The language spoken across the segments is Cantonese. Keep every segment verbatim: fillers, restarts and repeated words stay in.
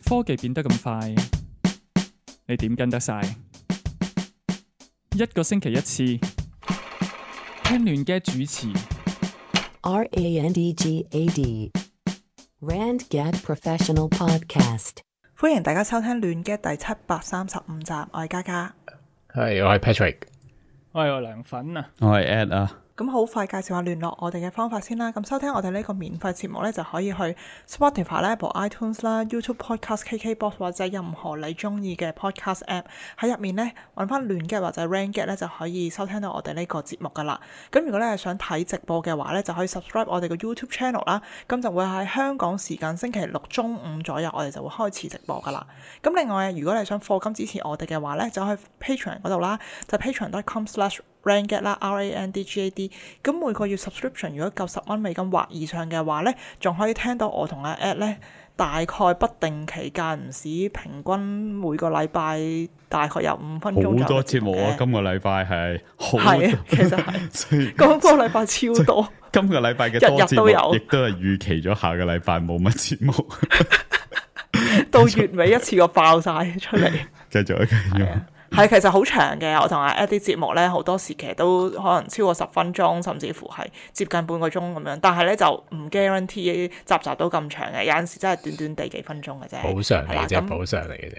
科技變得咁快，你點跟得晒？一個星期一次，聽亂嘅主持。R A N D G A D Rand Gad Professional Podcast。歡迎大家收聽亂嘅第七百三十五集，我係嘉嘉，係我係 Patrick，我係我涼粉啊，我係 Ed 啊。咁好快介紹下聯絡我哋嘅方法先啦。咁收聽我哋呢個免費節目呢，就可以去 Spotify 啦、Apple iTunes 啦、YouTube Podcast、K K Box 或者任何你中意嘅 Podcast App， 喺入面呢，揾翻亂嘅或者 Rand Gad 咧就可以收聽到我哋呢個節目噶啦。咁如果你係想睇直播嘅話呢，就可以 subscribe 我哋嘅 YouTube Channel 啦。咁就會喺香港時間星期六中午左右，我哋就會開始直播噶啦。咁另外，如果你想課金支持我哋嘅話呢，就去 Patreon 嗰度啦，就 patreon dot com slash Rand Gad 啦 ，R A N D G A D。咁每個月 subscription 如果夠十蚊美金或以上嘅話呢，仲可以聽到我同阿 Ed 呢大概不定期間唔時，平均每個禮拜大概有五分鐘。好多節目啊！今個禮拜係好係啊，其實係今個禮拜超多。今個禮拜嘅多節日日都有目，亦都係預期咗下個禮拜冇乜節目，到月尾一次過爆晒出嚟。繼續繼續。係，其實好長嘅。我同阿 Ed 啲節目咧，好多時其實都可能超過十分鐘，甚至乎係接近半個鐘咁樣。但係咧就唔 guarantee 集集都咁長嘅，有陣時真係短短地幾分鐘嘅啫。補償嚟啫，咁補償嚟嘅啫。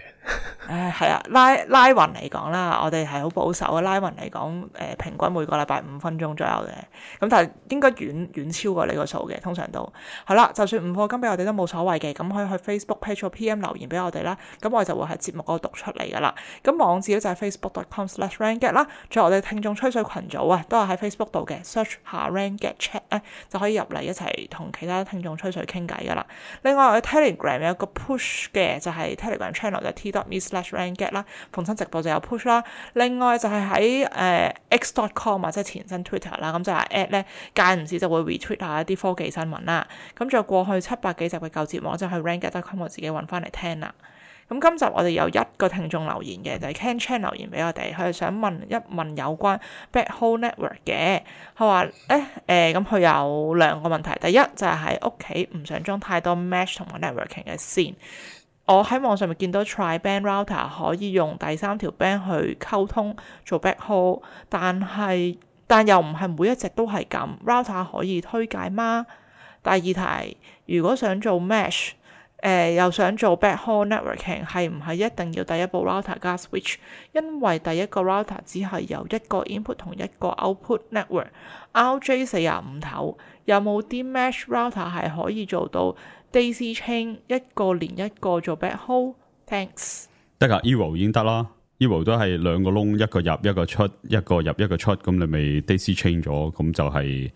誒係啊，拉拉勻嚟講啦，我哋係好保守嘅。拉勻嚟講，誒、呃、平均每個禮拜五分鐘左右嘅。咁但係應該遠遠超過呢個數嘅，通常都係啦。就算唔課金俾我哋都冇所謂嘅，咁可以去 Facebook page 或 P M 留言俾我哋啦。咁我哋就會喺節目嗰度讀出嚟噶啦。咁網址咧就係 facebook dot com slash Rand Gad 啦。仲有我哋聽眾吹水群組啊，都係喺 Facebook 度嘅 search 下 Rand Gad chat 咧，就可以入嚟一齊同其他聽眾吹水傾偈噶啦。另外我哋 Telegram 有個 push 嘅，就係 Telegram channel 就係 t dot me slash Rand Gad 啦，逢親直播就有 push 啦。另外就係喺誒 x dot com 或者前身 Twitter 啦，咁就係 at 咧間唔時就會 retweet 下一啲科技新聞啦。咁仲有過去七百幾集嘅舊節目，就係 rand gad dot com 我自己揾翻嚟聽啦。咁今集我哋有一個聽眾留言嘅，就係、是、Ken Chan 留言俾我哋，佢係想問一問有關 Backhaul Network 嘅。佢話咧誒，咁佢有兩個問題，第一就係喺屋企唔想裝太多 mesh 同埋 networking 嘅線。我喺網上面見到 tri-band router 可以用第三條 band 去溝通做 backhaul， 但係但又唔係每一隻都係咁。router 可以推介嗎？第二題，如果想做 mesh，誒、呃、又想做 backhaul networking， 係唔係一定要第一部 router 加 switch？ 因為第一個 router 只係有一個 input 同一個 output network，R J 四十五頭，有冇啲 mesh router 係可以做到Daisy chain 一個連一個做 backhaul？ Thanks。得噶 Eero 已經得啦 ，Eero 都係兩個窿，一個入一個出，一個入一個出，咁你咪 Daisy chain 咗，咁就係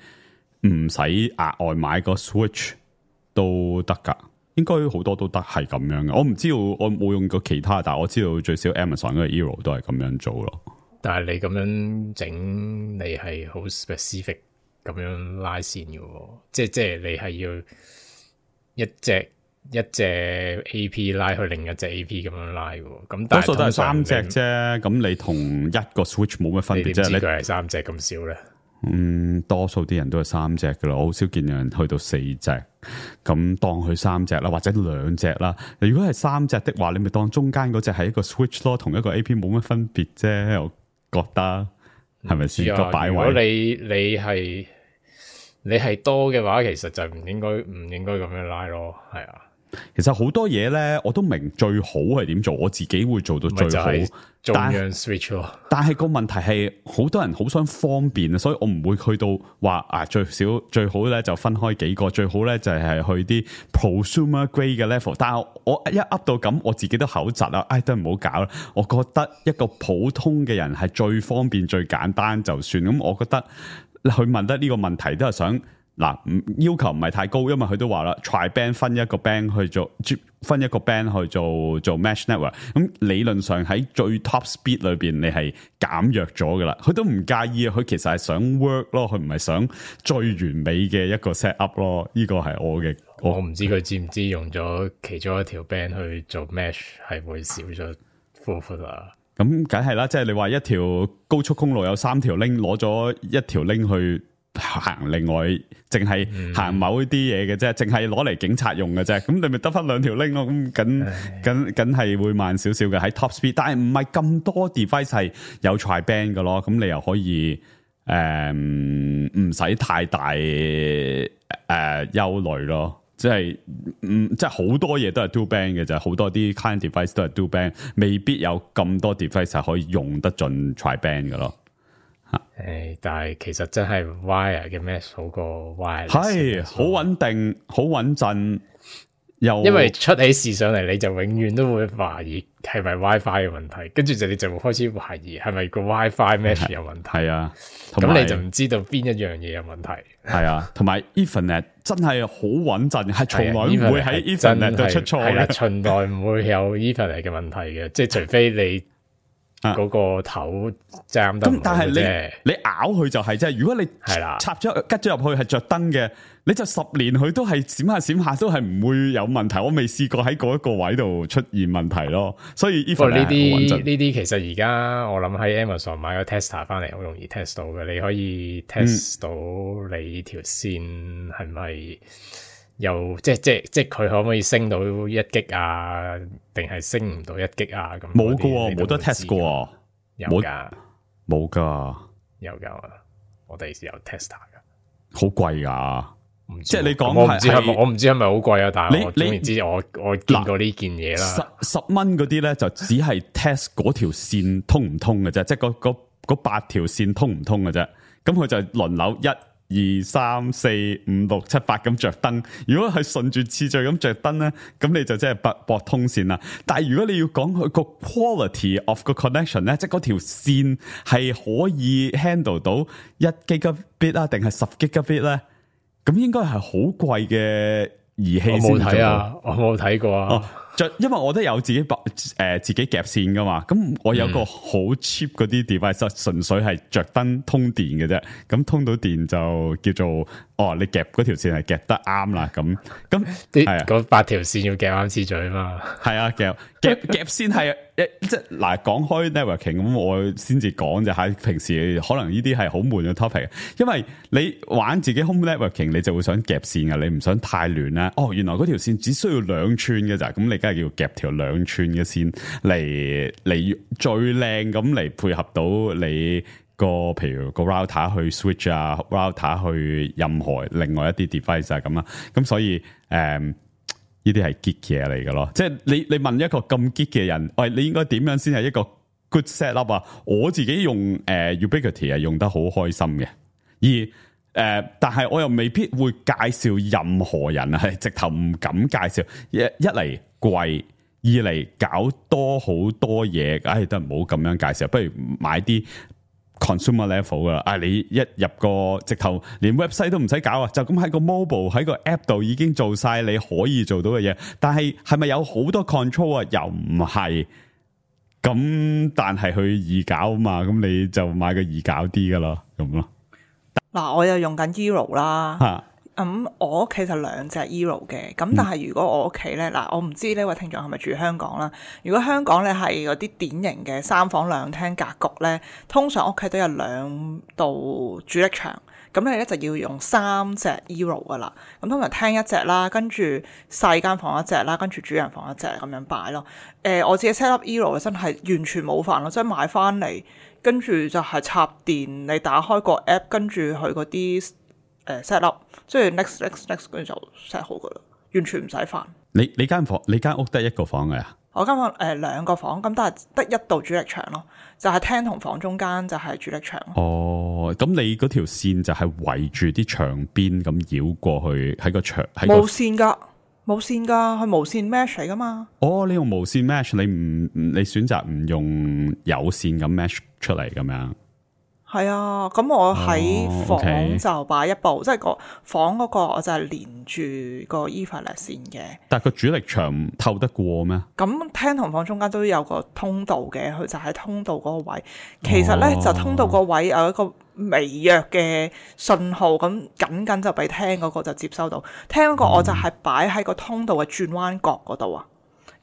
唔使額外買個 switch 都得噶。應該好多都得係咁樣嘅。我唔知道，我冇用過其他，但係我知道最少 Amazon 嗰個 Eero 都係咁樣做咯。但係你咁樣整，你係好 specific 咁樣拉線嘅，即係即係你係要。一隻一隻 A P 拉去另一隻 A P 咁樣拉嘅，咁多數都係三隻啫。咁你同一個 switch 冇乜分別啫。你點知佢係三隻咁少咧？嗯，多數啲人都係三隻噶啦，我好少見有人去到四隻。咁當佢三隻啦，或者兩隻啦。如果係三隻的話，你咪當中間嗰隻係一個 switch 咯，同一個 A P 冇乜分別啫。我覺得係咪先個擺位？如果你你係。你係多嘅話，其實就唔應該唔應該咁樣拉咯，係啊。其實好多嘢咧，我都明最好係點做，我自己會做到最好。中央 switch 咯。但係個問題係，好多人好想方便啊，所以我唔會去到話啊最少最好咧就分開幾個，最好咧就係去啲 prosumer grade 嘅 level。但係我一 up 到咁，我自己都口窒啦，唉、哎，都唔好搞啦。我覺得一個普通嘅人係最方便、最簡單就算。咁我覺得。佢問得呢個問題都係想嗱，要求唔係太高，因為佢都話啦 tri-band 分一個 band 去做，分一個 band 去做做 mesh network。咁理論上喺最 top speed 裏邊，你係減弱咗噶啦。佢都唔介意，佢其實係想 work 咯，佢唔係想最完美嘅一個 set up 咯。呢個係我嘅，我唔知佢知唔知用咗其中一條 band 去做 mesh 係會少咗 throughput 啊。咁梗係啦，即係你話一條高速公路有三條 link，攞咗一條 link 去行另外淨係行某啲嘢嘅啫，淨係攞嚟警察用嘅啫。咁你咪得翻兩條 link 咯。咁緊緊緊係會慢少少嘅喺 top speed，但係唔係咁多 device 係有 tri-band 嘅咯。咁你又可以誒唔使太大誒、呃、憂慮咯。即係嗯，即係好多嘢都係 dual band 嘅，就係好多啲 client device 都係 dual band，未必有咁多 device 係可以用得盡 tri-band 嘅咯。誒，但係其實真係 wire 嘅 mesh 好過 wire，係好穩定，好穩陣，又因為出起事上嚟，你就永遠都會懷疑係咪 WiFi 嘅問題，跟住就你就會開始懷疑係咪個 WiFi mesh 有問題。係啊，咁你就唔知道邊一樣嘢有問題。係啊，同埋 Ethernet 真係好穩陣，係從來唔會喺 Ethernet 度出錯嘅，從來唔會有 Ethernet 嘅問題嘅，即係除非你嗰個頭爭得唔好啫。咁但係你你咬佢就係啫，如果你係啦插咗吉咗入去係着燈嘅，你就十年佢都係閃下閃下都係唔會有問題。我未試過喺嗰一個位度出現問題咯。所以 Ethernet 呢啲呢啲其實而家我諗喺 Amazon 買個 tester 翻嚟好容易 test 到嘅，你可以 test 到你條線係咪又即係即係即係佢可唔可以升到一 G 啊？定係升唔到一 G 啊？咁冇噶，冇得 test 噶，有噶，冇噶，有噶，我哋有 tester 噶，好貴噶。即係你講我唔知係咪我唔知係咪好貴啊？但係我總言之，我我見過呢件嘢啦。十十蚊嗰啲咧就只係 test 嗰條線通唔通嘅啫，即係嗰嗰嗰八條線通唔通嘅啫。咁佢就輪流一。二三四五六七八咁着燈，如果係順住次序咁着燈咧，咁你就即係駁駁通線啦。但係如果你要講佢個 quality of 個 connection 咧，即係嗰條線係可以 handle 到一 gigabit 啊，定係十 gigabit 咧，咁應該係好貴嘅儀器先做到。我冇睇啊，我冇睇過啊。哦就因為我都有自己誒、呃、自己夾線噶嘛，咁我有個好 cheap 嗰啲 device，純粹係着燈通電嘅啫，咁通到電就叫做哦，你夾嗰條線係夾得啱啦，咁咁啲嗰八條線要夾啱次序啊嘛，係啊，夾夾夾線係即係嗱，講開 networking 咁，我先至講就係平時可能呢啲係好悶嘅 topic，因為你玩自己 home networking，你就會想夾線嘅，你唔想太亂啦。哦，原來嗰條線只需要兩寸嘅咋，咁你梗係要夾條兩寸嘅線嚟嚟最靚咁嚟配合到你個譬如個 router 去 switch 啊 ，router 去任何另外一啲 device 啊咁啊，咁所以誒。嗯呢啲係 geek 嘢嚟嘅咯，即係你你問一個咁 geek 嘅人，喂，你應該點樣先係一個 good set up 啊？我自己用誒、呃、Ubiquiti 係用得好開心嘅，而誒、呃，但係我又未必會介紹任何人啊，係直頭唔敢介紹。一一嚟貴，二嚟搞多好多嘢，唉，都唔好咁樣介紹，不如買啲 consumer level 噶啦，啊！你一入個直頭連 website 都唔使搞啊，就咁喺個 mobile 喺個 app 度已經做晒你可以做到嘅嘢。但係係咪有好多 control 啊？又唔係。咁但係佢易搞啊嘛，咁你就買個易搞啲噶咯，咁咯。嗱，我又用緊 Eero 啦。吓。咁、嗯、我屋企就兩隻 Eero 嘅，咁但係如果我屋企咧，嗱、嗯、我唔知呢位聽眾係咪住香港啦。如果香港咧係嗰啲典型嘅三房兩廳格局咧，通常屋企都有兩道主力牆，咁你咧就要用三隻 Eero 噶啦。咁通常廳一隻啦，跟住細間房一隻啦，跟住主人房一隻咁樣擺咯。誒、呃，我自己 set up Eero 真係完全冇煩咯，即係買翻嚟跟住就係插電，你打開個 app， 跟住佢嗰啲。誒 set up， 即係 next next next 跟住就 set 好噶啦，完全唔使煩。你你間房你間屋得一個房嘅呀？我間房誒、呃、兩個房，咁但係得一道主力牆咯，就係、是、廳同房中間就係主力牆。哦，咁你嗰條線就係圍住啲牆邊咁繞過去喺個牆喺冇線噶，冇線噶，係無線 mesh 嚟噶嘛。哦，你用無線 mesh， 你唔你選擇唔用有線咁 mesh 出嚟咁樣。係啊，咁我喺房就擺一部，哦 okay。即係個房嗰個我就係連住個 Ethernet 線嘅。但係個主力牆透得過咩？咁廳同房中間都有個通道嘅，佢就喺通道嗰個位。其實咧、哦、就通道個位有一個微弱嘅信號，咁緊緊就俾廳嗰個就接收到。廳嗰個我就係擺喺個通道嘅轉彎角嗰度啊。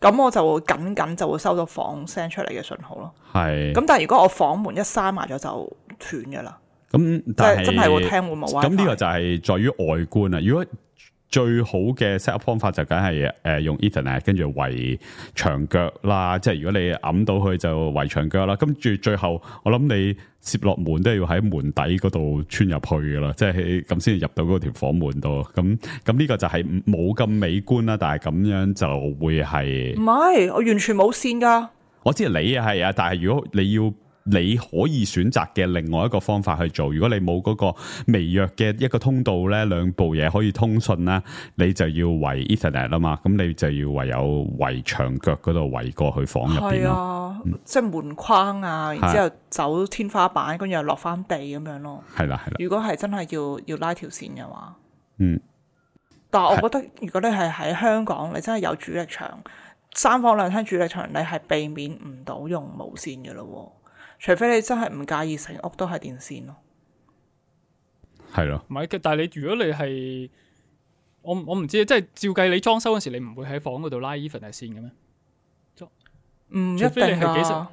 咁我就會緊緊就會收到房 send 出嚟嘅信號咯。係。咁但係如果我房門一閂埋咗就斷㗎啦。咁即但係係真係會聽會冇 WiFi。咁呢個就係在於外觀啊。如果最好嘅 set up 方法就梗係誒用 Ethernet 跟住圍牆腳啦，即係如果你揞到佢就圍牆腳啦，跟住最後我諗你攝落門都係要喺門底嗰度穿入去噶啦，即係咁先入到嗰條房門度。咁咁呢個就係冇咁美觀啦，但係咁樣就會係唔係，我完全冇線㗎。我知你係啊，但係如果你要你可以選擇嘅另外一個方法去做，如果你冇嗰個微弱嘅一個通道咧，兩部嘢可以通訊啦，你就要圍 Ethernet 啦嘛，咁你就要唯有圍牆腳嗰度圍過去房入邊係啊，嗯、即係門框啊，然之後走天花板，跟住又落翻地咁樣咯。係啦係啦。如果係真係要要拉條線嘅話，嗯，但係我覺得如果你係喺香港，你真係有主力牆，三房兩廳主力牆，你係避免唔到用無線嘅咯。除非你真係唔介意成屋都係電線咯，係咯。唔係，但係你如果你係我我唔知，即係照計你裝修嗰時，你唔會喺房嗰度拉 Ethernet 線嘅咩？唔一除非你定係幾㗎。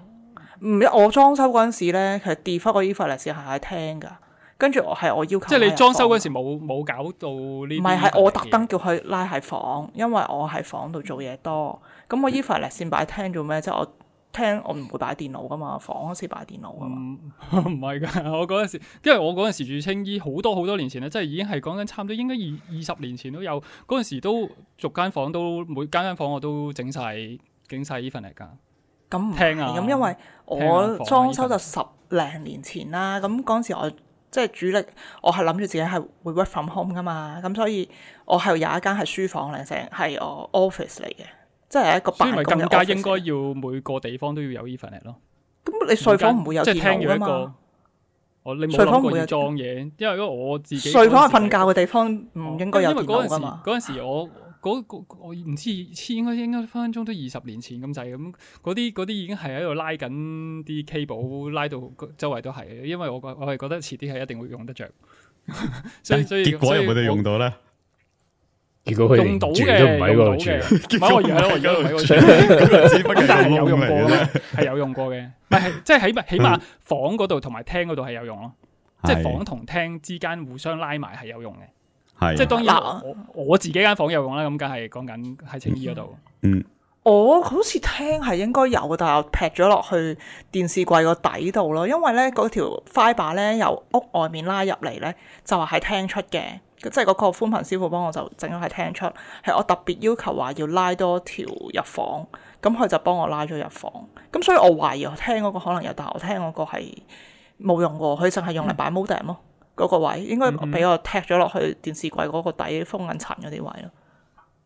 唔一我裝修嗰陣時咧，其實 default 個 Ethernet 線係喺廳㗎，跟住我係我要求。即係你裝修嗰時冇冇搞到呢啲？唔係，係我特登叫佢拉喺房，因為我喺房度做嘢多。咁我 Ethernet 線擺廳做咩？即係我。聽我唔會擺電腦噶嘛，房嗰時擺電腦噶嘛。唔係噶，我嗰陣時，因為我嗰陣時住青衣，好多好多年前咧，即係已經係講緊差唔多應該二二十年前都有。嗰陣時都逐間房都每間間房我都整晒整晒 Ethernet 噶。咁唔聽啊，咁因為我裝修就十零年前啦。咁嗰陣時我即係主力，我係諗住自己係會 work from home 噶嘛。咁所以我係有一間係書房嚟，成係我 office 嚟嘅。即係一個辦公嘅 office，所以咪更加應該要每個地方都要有 Ethernet 咯。咁你睡房唔會有電腦㗎嘛？我你冇諗過要裝嘢，因為如果我自己睡房係瞓覺嘅地方，唔應該有電腦㗎嘛。嗰陣時我嗰個我唔知應該應該分分鐘都二十年前咁滯咁，嗰啲嗰啲已經係喺度拉緊啲 cable，拉到周圍都係。因為我我係覺得遲啲係一定會用得着。所以所以結果有冇得用到咧？如果佢用到嘅，都唔喺嗰度住，唔係我而家我而家唔喺嗰度住，只不過係有用過嘅，係有用過嘅。唔係即係起碼起碼房嗰度同埋廳嗰度係有用咯，即係房同廳之間互相拉埋係有用嘅。即係當然我我自己間房有用啦，咁梗係講緊喺青衣嗰度。嗯，我好似廳係應該有，但係我劈咗落去電視櫃個底度咯，因為咧嗰條 fibre 咧由屋外面拉入嚟咧，就係喺廳出嘅。即係嗰個寬頻師傅幫我就整咗喺廳出，係我特別要求話要拉多條入房，咁佢就幫我拉咗入房。咁所以我懷疑我廳嗰個可能有，但係我廳嗰個係冇用過，佢淨係用嚟擺 modem 咯，嗰個位應該俾我踢咗落去電視櫃嗰個底封緊塵嗰啲位咯。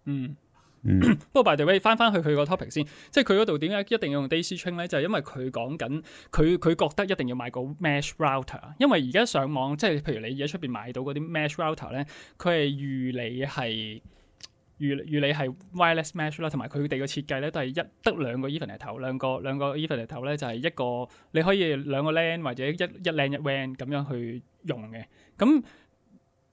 嗯。嗯、不過 by the way 翻翻去佢個 topic 先，即係佢嗰度點解一定要用 Daisy Chain 咧？就係、是、因為佢講緊佢佢覺得一定要買個 mesh router，因為而家上網即係譬如你而家出邊買到嗰啲 mesh router 咧，佢係預你係預預你係 wireless mesh 啦，同埋佢哋嘅設計咧都係一得兩個 Ethernet 頭，兩個兩個 Ethernet 頭咧就係一個你可以兩個 LAN 或者一一 LAN 一 W A N 咁樣去用嘅，咁。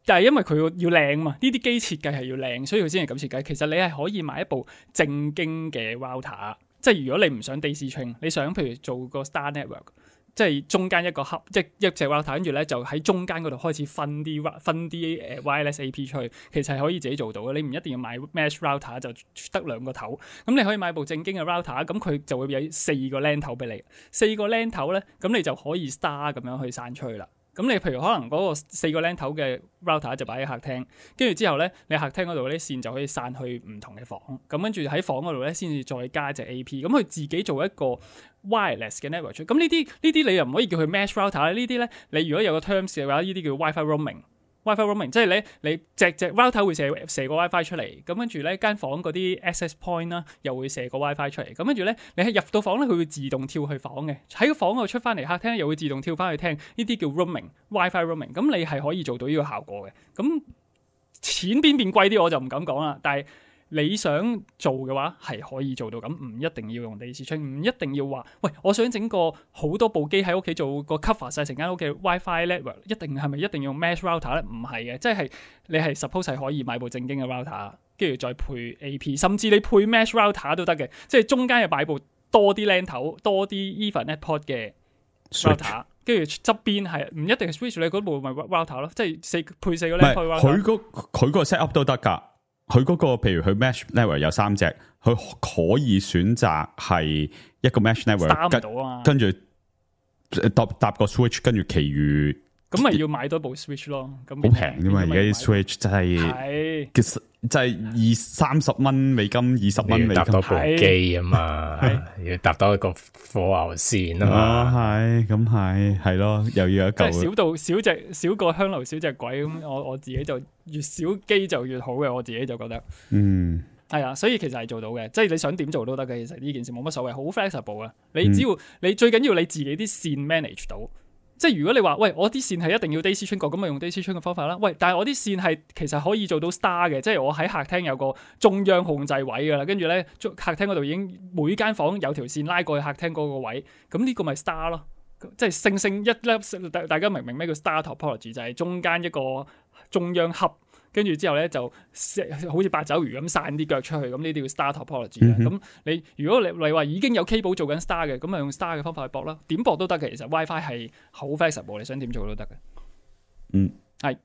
但係因為佢要靚嘛，呢啲機設計係要靚，所以佢先係咁設計。其實你係可以買一部正經嘅 router，即係如果你唔想 Daisy Chain，你想譬如做個 Star Network，即係中間一個 hub，即係一隻 router，跟住咧就喺中間嗰度開始分啲分啲誒 wireless A P 出去，其實係可以自己做到嘅。你唔一定要買 mesh router，就得兩個頭。咁你可以買部正經嘅 router，咁佢就會有四個 LAN 頭俾你，四個 LAN 頭咧，咁你就可以 Star 咁樣去散出去啦。咁你譬如可能嗰個四個 LAN 頭嘅 router 就擺喺客廳，跟住之後咧，你客廳嗰度啲線就可以散去唔同嘅房，咁跟住喺房嗰度咧先至再加隻 A P，咁佢自己做一個 wireless 嘅 network。咁呢啲呢啲你又唔可以叫佢 mesh router 呢啲咧，你如果有個 terms 嘅話，呢啲叫 WiFi roaming。WiFi roaming 即係你你隻隻 router 會射射個 WiFi 出嚟，咁跟住咧間房嗰啲 access point 啦，又會射個 WiFi 出嚟，咁跟住咧你係入到房咧，佢會自動跳去房嘅，喺個房嗰度出翻嚟客廳又會自動跳翻去廳，呢啲叫 roaming，WiFi roaming，咁你係可以做到呢個效果嘅。咁錢邊邊貴啲我就唔敢講啦，但係你想做嘅話係可以做到咁，唔一定要用 Daisy Chain，唔一定要話喂，我想整個好多部機喺屋企做個 cover 晒成間屋嘅 WiFi network， 一定係咪一定要用 mesh router 咧？唔係嘅，即係你係 suppose 係可以買部正經嘅 router， 跟住再配 A P， 甚至你配 mesh router 都得嘅，即係中間又擺部多啲 LAN 頭、多啲 Ethernet port 嘅 router，跟住側邊係唔一定係 switch，你嗰部咪 router 咯，即係四配四個唔 LAN 係 port 佢 router。嗰佢個 set up 都得㗎。佢嗰個譬如佢 mesh network 有三隻，佢可以選擇係一個 mesh network，打唔到啊，跟住搭搭個 switch，跟住其餘咁咪要買多部 switch 咯。咁好平啫嘛，而家啲 switch 真係係其實真係二三十蚊美金，二十蚊美金搭多部機啊嘛，要搭多一個火牛線啊嘛，係咁係係咯，又要一即係嚿少到少隻少個香爐少隻鬼咁，我我自己就越少機就越好嘅，我自己就覺得嗯。係啊，所以其實係做到嘅，即係你想點做都得嘅。其實呢件事冇乜所謂，好 flexible 啊。你只要、嗯、你最緊要你自己啲線 manage 到，即係如果你話喂我啲線係一定要 Daisy Chain 過，咁咪用 Daisy Chain 嘅方法啦。喂，但係我啲線係其實可以做到 star 嘅，即係我喺客廳有個中央控制位噶啦，跟住咧客廳嗰度已經每間房有條線拉過去客廳嗰個位，咁呢個咪 star 咯。即係星星一粒，大大家明唔明咩叫 star topology？ 就係中間一個中央盒。跟住之後咧就好似八爪魚咁散啲腳出去，咁呢啲叫 star topology 啦。咁、嗯、你如果你你話已經有 cable 做緊 star 嘅，咁咪用 star 嘅方法去駁啦，點駁都得嘅。其實 WiFi 係好 flexible，你想點做都得嘅。嗯，係。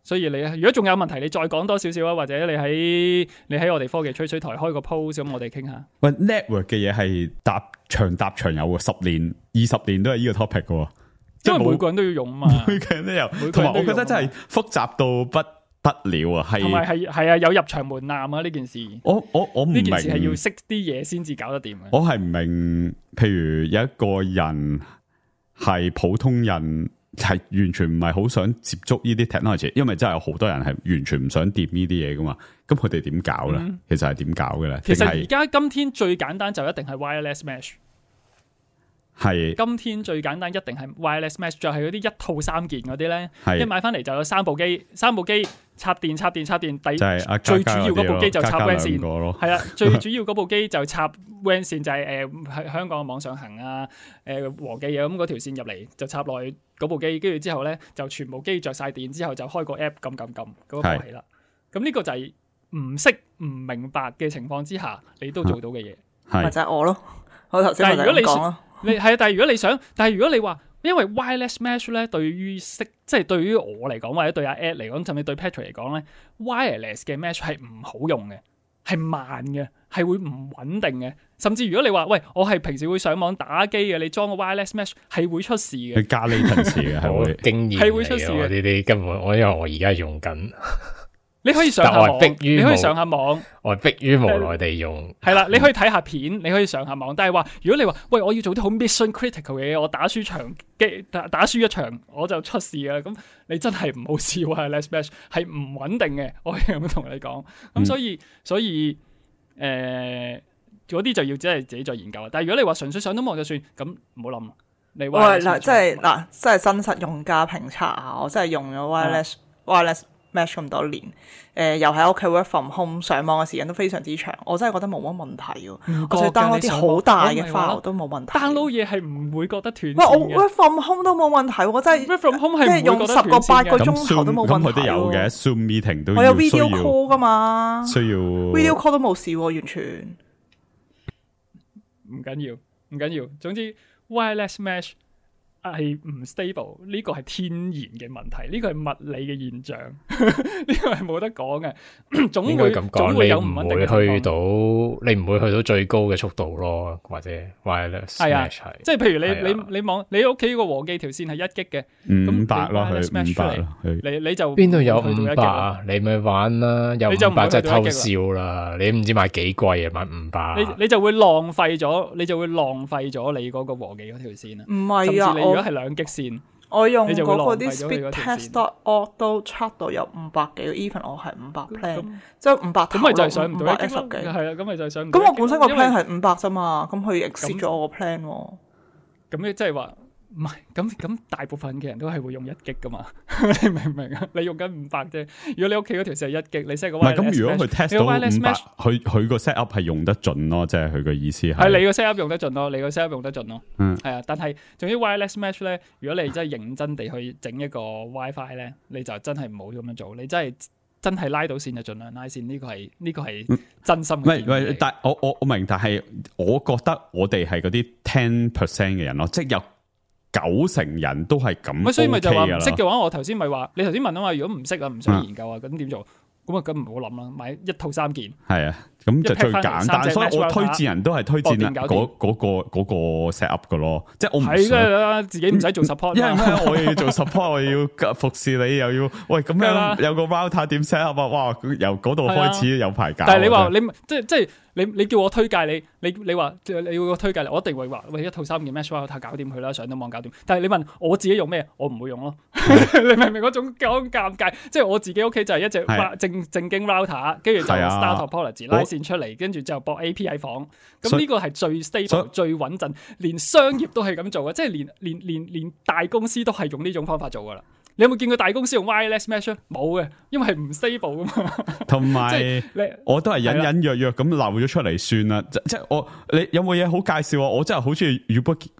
所以你如果仲有問題，你再講多少少啊，或者你喺你喺我哋科技吹水台開個 post，咁我哋傾下。喂 ，network 嘅嘢係搭長搭長有喎，十年、二十年都係呢個 topic 嘅。因為每個人都要用嘛，每個人都有，同埋我覺得真係複雜到不得了啊！係同埋係係啊，有入場門檻啊！呢件事，我我我唔明，呢件事係要識啲嘢先至搞得掂嘅。我係唔明，譬如有一個人係普通人，係完全唔係好想接觸呢啲 technology，因為真係有好多人係完全唔想掂呢啲嘢噶嘛。咁佢哋點搞咧？嗯、其實係點搞嘅咧？其實而家今天最簡單就一定係 wireless mesh。係今天最簡單一定係 wireless mesh， 就係嗰啲一套三件嗰啲咧，一買翻嚟就有三部機，三部機插電插電插電，第、就是、最主要嗰部機就插 W A N 線，係啦，最主要嗰部機就插 W A N 線就係誒喺香港嘅網上行啊，誒、呃、和記啊，咁嗰條線入嚟就插落去嗰部機，跟住之後咧就全部機着晒電之後就開個 app 撳撳撳嗰個係啦，咁呢個就係唔識唔明白嘅情況之下你都做到嘅嘢，咪就係我咯，我頭先咪就講咯。你係啊，但係如果你想，但係如果你話，因為 wireless mesh 咧，對於識即係對於我嚟講，或者對阿 Ed 嚟講，甚至對 Patrick 嚟講咧 ，wireless 嘅 mesh 係唔好用嘅，係慢嘅，係會唔穩定嘅。甚至如果你話喂，我係平時會上網打機嘅，你裝個 wireless mesh 係會出事嘅，加 latency 嘅係會經驗係會出事嘅。呢啲根本我因為我而家用緊。你可以上下網，你可以上下網，我係迫於無奈地用。係啦，你可以睇下片，你可以上下網。但係話，如果你話喂，我要做啲好 mission critical 嘅嘢，我打輸場機打打輸一場我就出事啦。咁你真係唔好試喎 ，wireless mesh 係唔穩定嘅。我係咁同你講。咁所以、嗯、所以誒，嗰、呃、啲就要真係自己再研究。但係如果你話純粹上到網就算，咁唔好諗。你話嗱，即係嗱，即係真實用家評測啊！我真係用咗 wireless、嗯、wireless。mesh 咁多年，誒、呃、又喺屋企 work from home 上網嘅時間都非常之長，我真係覺得冇乜問題喎。我再 download 啲好大嘅 file 都冇問題。download 嘢係唔會覺得斷線嘅。喂，我 work from home 都冇問題，我真係 work from home 係即係用十個八個鐘頭都冇問題。咁佢都有嘅 Zoom meeting 都我有 video call 噶嘛，需要 video call 都冇事喎，完全唔緊要，唔緊要。總之 wireless mesh。係唔 stable， 呢個係天然嘅問題，呢個係物理嘅現象，呢個係冇得講嘅。總會總會有唔穩定嘅情況。你唔會去到，你唔會去到最高嘅速度咯，或者 wireless mesh 係啊，即係譬如你、啊、你你網你屋企個和記條線係一 G 嘅，五百咯，佢五百咯，你你就邊度有五百啊？你咪玩啦，有五百就偷笑啦！你唔知買幾貴啊？買五百，你你就會浪費咗，你就會浪費咗你嗰個和記嗰條線啊！唔係啊，如果係兩 G 線，我用嗰個啲 speedtest dot org 都 check 到有五百幾 ，even 我係五百 plan，即係五百頭，咁咪就係上唔到一 G 十幾，係啊，咁咪就係上唔到。咁我本身個 plan 係五百啫嘛，咁佢 exceed 咗我個 plan 喎。咁你即係話唔係咁咁，大部分嘅人都係會用一 G 噶嘛？你明唔明啊？你用緊五百啫。如果你屋企嗰條線係一 G，你 set 個 wireless mesh，唔係咁。如果佢 test 到五百，佢佢個 set up 係用得盡咯，即係佢個意思係。係你個 set up 用得盡咯，你個 set up 用得盡咯。嗯，係啊。但係，總之 wireless mesh 咧，如果你真係認真地去整一個 WiFi 咧，你就真係唔好咁樣做。你真係真係拉到線就盡量拉線。呢、這個係呢、這個係真心嘅。唔係但我我我明，但係我覺得我哋係嗰啲 ten percent 嘅人咯，即係有九成人都係咁 OK 所以咪就話唔識㗎啦。嘅話，我頭先咪話，你頭先問啊嘛，如果唔識啊，唔想研究啊，咁點做？咁啊，咁唔好諗啦，買一套三件。係啊，咁就最簡單，一劈返嚟三隻所以我 match 推薦人都係推薦搏掂搞掂嗰嗰個嗰個 set up 嘅咯，即係我唔係想。啦，自己唔使做 support 因為嘛。咩？我又要做 support，我又要服侍你，又要喂咁梗係啦樣有個 router 點 set up 啊？哇！由嗰度開始有排搞啊。但係你話真係你即係即係你你叫我推介你，你你話你要我推介你，我一定會話喂一套三件 mesh router 搞掂佢啦，上到網搞掂。但係你問我自己用咩，我唔會用咯。你明唔明嗰種咁尷尬？即係我自己屋企就係一隻係正正經 router，跟住就係啊 start topology 拉線出嚟，跟住就駁 A P 喺房。咁呢個係最 stable、最穩陣，連商業都係咁做嘅，即係連連連連大公司都係用呢種方法做噶啦。你有冇見過大公司用 wireless mesh 啊？冇嘅，因為係唔 stable 噶嘛。同即埋係你我都係隱隱約約咁漏咗出嚟算啦。即即係我你有冇嘢好介紹啊？我真係好中意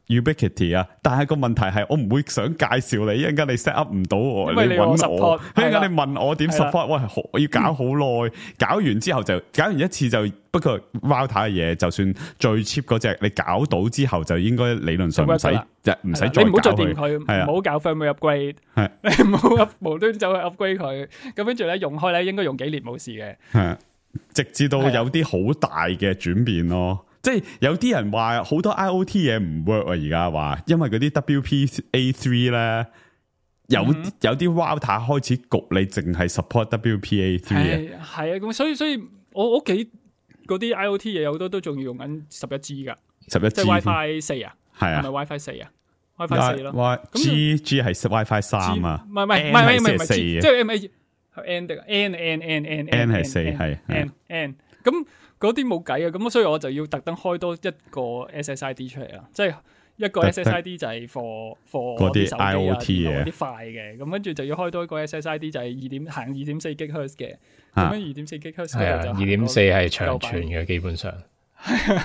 Ubiquiti 啊，但係個問題係我唔會想介紹你，一陣間你 set up 唔到我，因為你有揾我， support，一陣間係啦你問我點 support，喂，好我要搞好耐，搞完之後就搞完一次就。不過 router 嘅嘢，就算最 cheap 嗰隻，你搞到之後就應該理論上唔使，唔使再你唔好再掂搞佢，佢，唔好搞 firmware upgrade，係你唔好無端走去 upgrade 佢，咁跟住咧用開咧應該用幾年冇事嘅，係直至到有啲好大嘅轉變咯。即係有啲人話好多 I O T 嘢唔 work 啊，而家話因為嗰啲 W P A 三咧有有啲 router 開始焗你淨係 support W P A 三啊，係係啊，咁所以所以我屋企嗰啲 I O T 嘢好多都仲要用緊十一 G 噶，十一 G 即係 WiFi 四啊，係啊係咪 WiFi 四啊 ？WiFi 四咯 Y G G 係 WiFi 三啊，唔係唔係唔 N 係唔係唔係係四即係 M A N 的 N N N N N 係四係 N N 咁嗰啲冇計啊，咁所以我就要特登開多一個 S S I D 出嚟啊，即係一個 S S I D 就係 for for 嗰啲手機啊 I O T 嘢嗰啲快嘅，咁跟住就要開多一個 S S I D 就係二點行二點四 GHz 嘅，啊咁樣二點四 GHz 係啊，嗰度就二點四係長傳嘅，基本上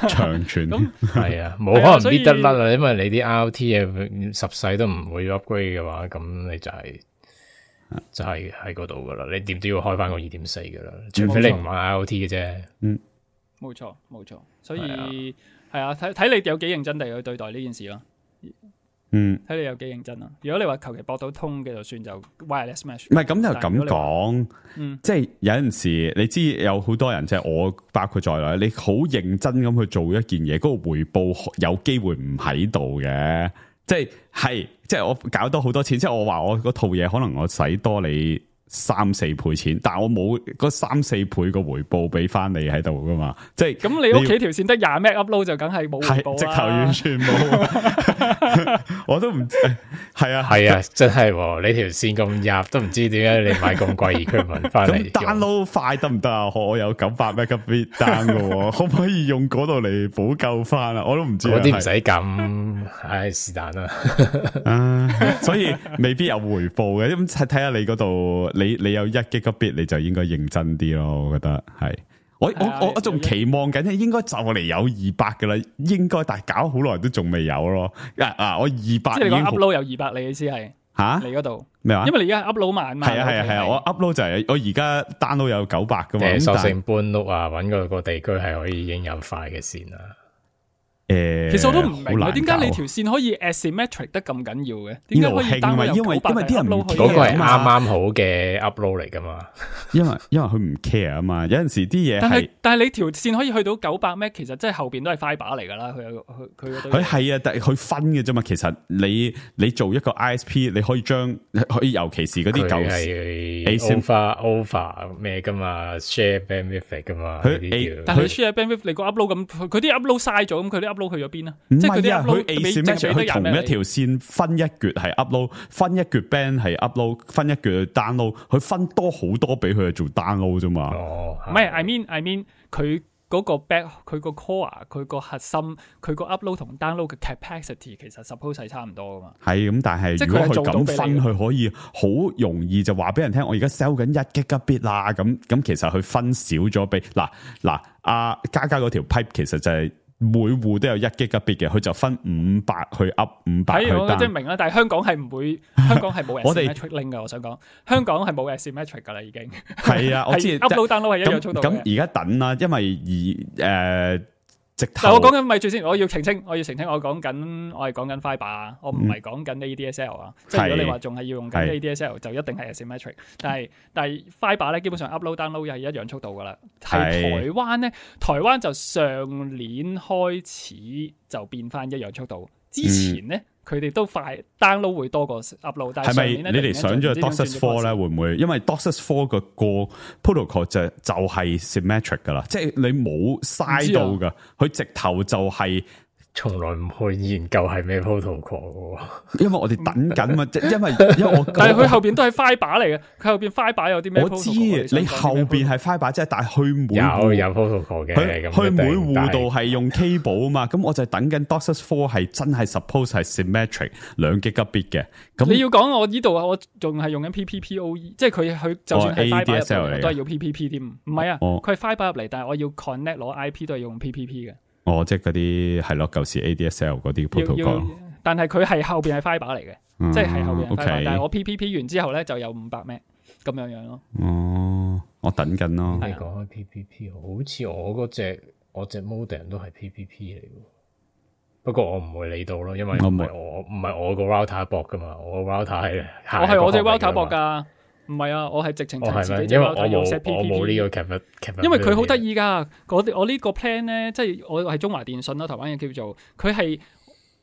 長傳咁係啊，冇係啊可能所以搣得甩啊，因為你啲 I O T 嘢十世都唔會 upgrade 嘅話，咁你就係、就係喺嗰度噶啦，你點都要開翻個二點四噶啦，除非你唔玩 I O T 嘅啫。嗯，冇錯冇錯，所以係啊，睇睇你有幾認真地去對待呢件事咯。嗯，睇你有幾認真啊！如果你話求其駁到通嘅就算就 wireless mesh，唔係咁就咁但係如果你話講，嗯即係有陣時你知有好多人即係我包括在內，你好認真咁去做一件嘢，嗰、個回報有機會唔喺度嘅，即係係即係我搞多好多錢，即係我話我嗰套嘢可能我使多你三四倍錢，但係我冇嗰三四倍個回報俾翻你喺度噶嘛，即係咁你屋企條線得廿 meg upload 就梗係冇回報係直頭完啦。全冇，我都唔係啊係啊，真係喎你條線咁入，都唔知點解你買咁貴 equipment 翻嚟咁 download 快得唔得啊？我有九百 megabit down 嘅喎，可唔可以用嗰度嚟補救翻啊？我都唔知啊。嗰啲唔使咁，唉是但啦。啊，所以未必有回報嘅。咁睇睇下你嗰度，你你有一 gigabit 你就應該認真啲咯。我覺得係，我係啊我我我仲期望緊，應該就嚟有二百嘅啦，應該，但係搞好耐都仲未有咯。啊啊，我二百即係你講已經好 upload 有二百，你意思係吓你嗰度？咩話？因為你而家 upload 慢嘛。係啊係啊係啊，我 upload 就係我而家 download 有九百噶嘛。誒，咁但係索性搬屋啊，揾個個地區係可以已經有快嘅線啦。誒，其實我都唔明好難啊，點解你搞條線可以 asymmetric 得咁緊要嘅？點解可以呢度興啊 download 由因為九百因為啲人唔 upload 去嗰個係係啊啱啱好嘅 upload 嚟噶嘛。因為因為佢唔 care 啊嘛，有陣時啲嘢但係係但係你條線可以去到九百 meg，其實即係後邊都係 fiber 嚟㗎啦。佢有佢佢嗰堆佢係啊，但係佢分嘅啫嘛。其實你你做一個 I S P，你可以將可以尤其是嗰啲佢舊係 Asym- over over 咩噶嘛 ，share bandwidth 嚟噶嘛，佢呢 A- 啲叫但係你 share bandwidth 你個 upload 咁，佢啲 upload 嘥咗，咁佢啲 upload 去咗邊啊？唔即係佢啲係啊，佢 upload 俾淨係 asymmetric 俾得廿佢同 meg 一條線分一橛係 upload，分一橛 band 係 upload，分一橛去 download，佢分多好多俾佢去做 download 啫嘛。哦，唔係，I mean I mean 佢嗰個 back 佢個 core 佢個核心佢個 upload 同 download 嘅 capacity 其實 suppose 係差唔多噶嘛。係咁，但係即係如果佢佢係做到咁分，俾你嘅佢可以好容易就話俾人聽，我而家 sell 緊一 gigabit 啦。咁咁其實佢分少咗俾嗱嗱阿嘉嘉嗰條 pipe 其實就係每戶都有一 gigabit 嘅，佢就分五百去 up 五百去係我即係 down。明啦，但係香港係唔會，香港係冇我哋 asymmetric link 噶。我想講香港係冇 asymmetric 噶啦，已經係啊，我知係 upload download 係一樣速度咁嘅。咁而家等啦，因為而誒、呃、即直頭。但我講緊咪住先，我要澄清，我要澄清，我講緊我係講緊 fibre，我唔係講緊 A D S L 啊。即係如果你話仲係要用緊 A D S L，就一定係 asymmetric。但係但係 fibre 咧，基本上 upload download 係一樣速度噶啦。係台灣咧，台灣就上年開始就變翻一樣速度。之前咧，佢哋、嗯、都快 download 會多過 upload。但係上年咧，你哋上咗 DOCSIS 四咧，會唔會？因為 DOCSIS 四個個 protocol 就就係 symmetric 噶啦，即係你冇嘥到噶，佢、啊、直頭就係、是。從來唔去研究係咩 protocol 因為我哋等緊嘛，即因為因為我但係佢後邊都係 fibre 嚟嘅，佢後邊 fibre 有啲咩 protocol？ 我知你後邊係 fibre 即係，但係佢每有有 protocol 嘅，佢佢每戶度係用 cable 啊嘛，咁我就等緊 DOCSIS 四係真係 suppose 係 symmetric 兩 gigabit 嘅。咁你要講我呢度啊，我仲係用緊 P P P O E， 即係佢佢就算係 fibre 入嚟都係要 P P P 添，唔係啊，佢係 fibre 入嚟，但係我要 connect 攞 I P 都係用 P P P 嘅。哦，即係嗰啲係咯，舊時 A D S L 嗰啲 protocol， 但係佢係後邊係 fibre 嚟嘅，嗯、即係係後邊係 fibre， okay 但係我 P P P 完之後咧就有五百 M 咁樣樣咯。哦，我等緊咯。你講開 P P P， 好似我嗰隻我隻 modem 都係 P P P 嚟嘅，不過我唔會理到咯，因為唔係我唔係我個 router 駁噶嘛，我個 router 係我係我隻 router 駁噶。唔係啊，我係直情係自己隻 router 用 set P P P。我冇呢個 cap， 因為佢好得意噶，我我呢個 plan 咧，即係我係中華電信啦，台灣嘅叫做，佢係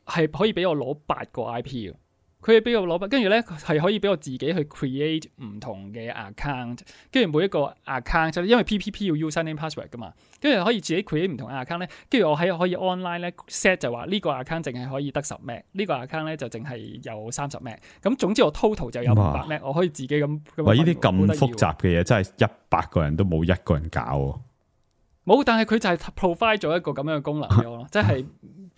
係可以俾我攞八個 I P 嘅，佢係俾我攞，跟住咧係可以俾我自己去 create 唔同嘅 account， 跟住每一個 account， 因為 P P P 要 username password 噶嘛，跟住可以自己 create 唔同嘅 account 咧，跟住我喺可以 online 咧 set 就話呢個 account 淨係可以得十 M， 呢個 account 咧就淨係有三十 M， 咁總之我 total 就有五百 M， 我可以自己咁。哇！呢啲咁複雜嘅嘢真係一百個人都冇一個人搞喎。冇，但係佢就係 provide 咗一個咁樣嘅功能俾我咯，即係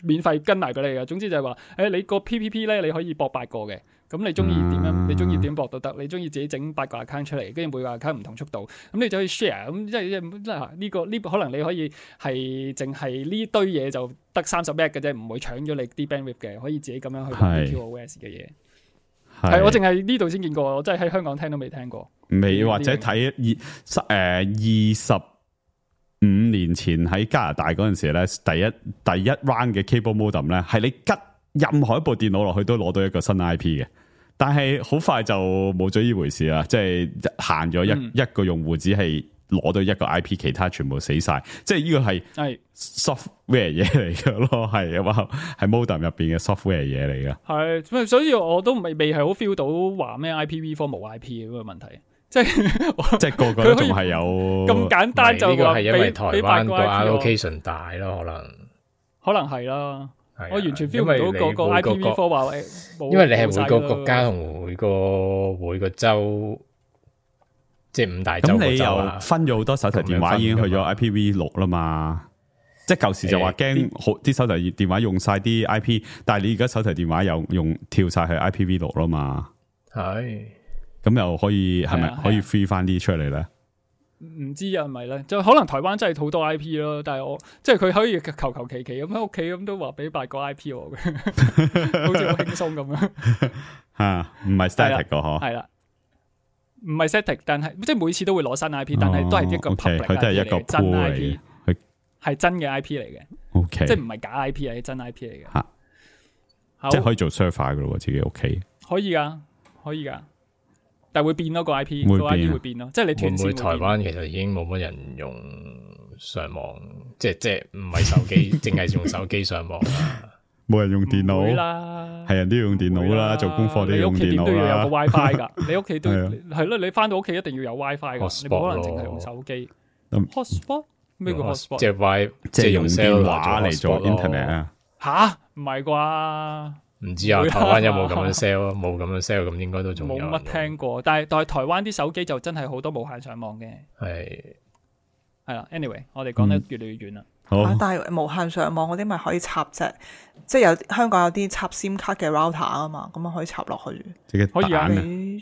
免費跟埋俾你嘅。總之就係話，誒、欸、你個 P P P 咧，你可以駁八個嘅，咁你中意點樣？嗯、你中意點駁都得，你中意自己整八個 account 出嚟，跟住每個 account 唔同速度，咁你就可以 share。咁即係即係呢個呢、這個、可能你可以係淨係呢堆嘢就得三十 M 嘅啫，唔會搶咗你啲 bandwidth 嘅，可以自己咁樣去用 Q O S 嘅嘢。係我淨係呢度先見過，我真係喺香港聽都未聽過。未或者睇二誒二十。五年前喺加拿大嗰陣時咧，第一第一 round 嘅 cable modem 咧，係你吉任何一部電腦落去都攞到一個新 I P 嘅，但係好快就冇咗呢回事啦，即係限咗一、嗯、一個用戶只係攞到一個 I P， 其他全部死晒，即係呢個係 software 嘢嚟嘅咯，係啊嘛，係 modem 入邊嘅 software 嘢嚟嘅。係，所以我都未未係好 feel 到話咩 I P V 四冇 I P 嘅嗰個問題。即係即係個個都仲係有咁簡單就話係因為台灣個 allocation 大咯，可能可能係啦。我完全 feel 唔到個個 I P V 四話因為你係每個國家同每個每個州，即係五大洲。咁你又分咗好多手提電話已經去咗 I P V 六啦嘛？即係舊時就話驚好啲手提電話用晒啲 I P， 但係你而家手提電話又用跳晒去 I P V 六啦嘛？係。咁又可以係咪可以 free 翻啲出嚟咧？唔知啊，係咪咧？就可能台灣真係好多 I P 咯，但係我即係佢可以求求其其咁喺屋企咁都話俾八個 I P 我嘅，好似好輕鬆咁樣。吓，唔係 static 個嗬？係啦，唔係 static， 但係即係每次都會攞新 I P， 但係都係一個 public， 佢都係一個真 I P， 佢係真嘅 I P 嚟嘅。O K， 即係唔係假 I P， 係真 I P 嚟嘅。吓，即係可以做 server 噶咯，自己屋企可以噶，可以噶。但係會變咯，個 I P 個 I P 會變咯，即係你斷線會變。會唔會台灣其實已經冇乜人用上網，即係即係唔係手機，淨係用手機上網啦。冇人用電腦啦，係人都要用電腦啦，做功課都要用電腦啦。你屋企點都要有個 WiFi 噶，你屋企都係咯，你翻到屋企一定要有 WiFi 噶，你冇可能淨係用手機。Hotspot 咩叫 Hotspot？即係 Wi， 即係用電話嚟做 internet 啊？吓，唔係啩？唔知啊，台灣有冇咁樣 sell 啊？冇咁樣 sell， 咁應該都仲有。冇乜聽過，但係但係台灣啲手機就真係好多無限上網嘅。係係啦 ，anyway， 我哋講得越嚟越遠啦。好，但係無限上網嗰啲咪可以插隻，即係有香港有啲插 SIM 卡嘅 router 啊嘛，咁啊可以插落去。可以啊，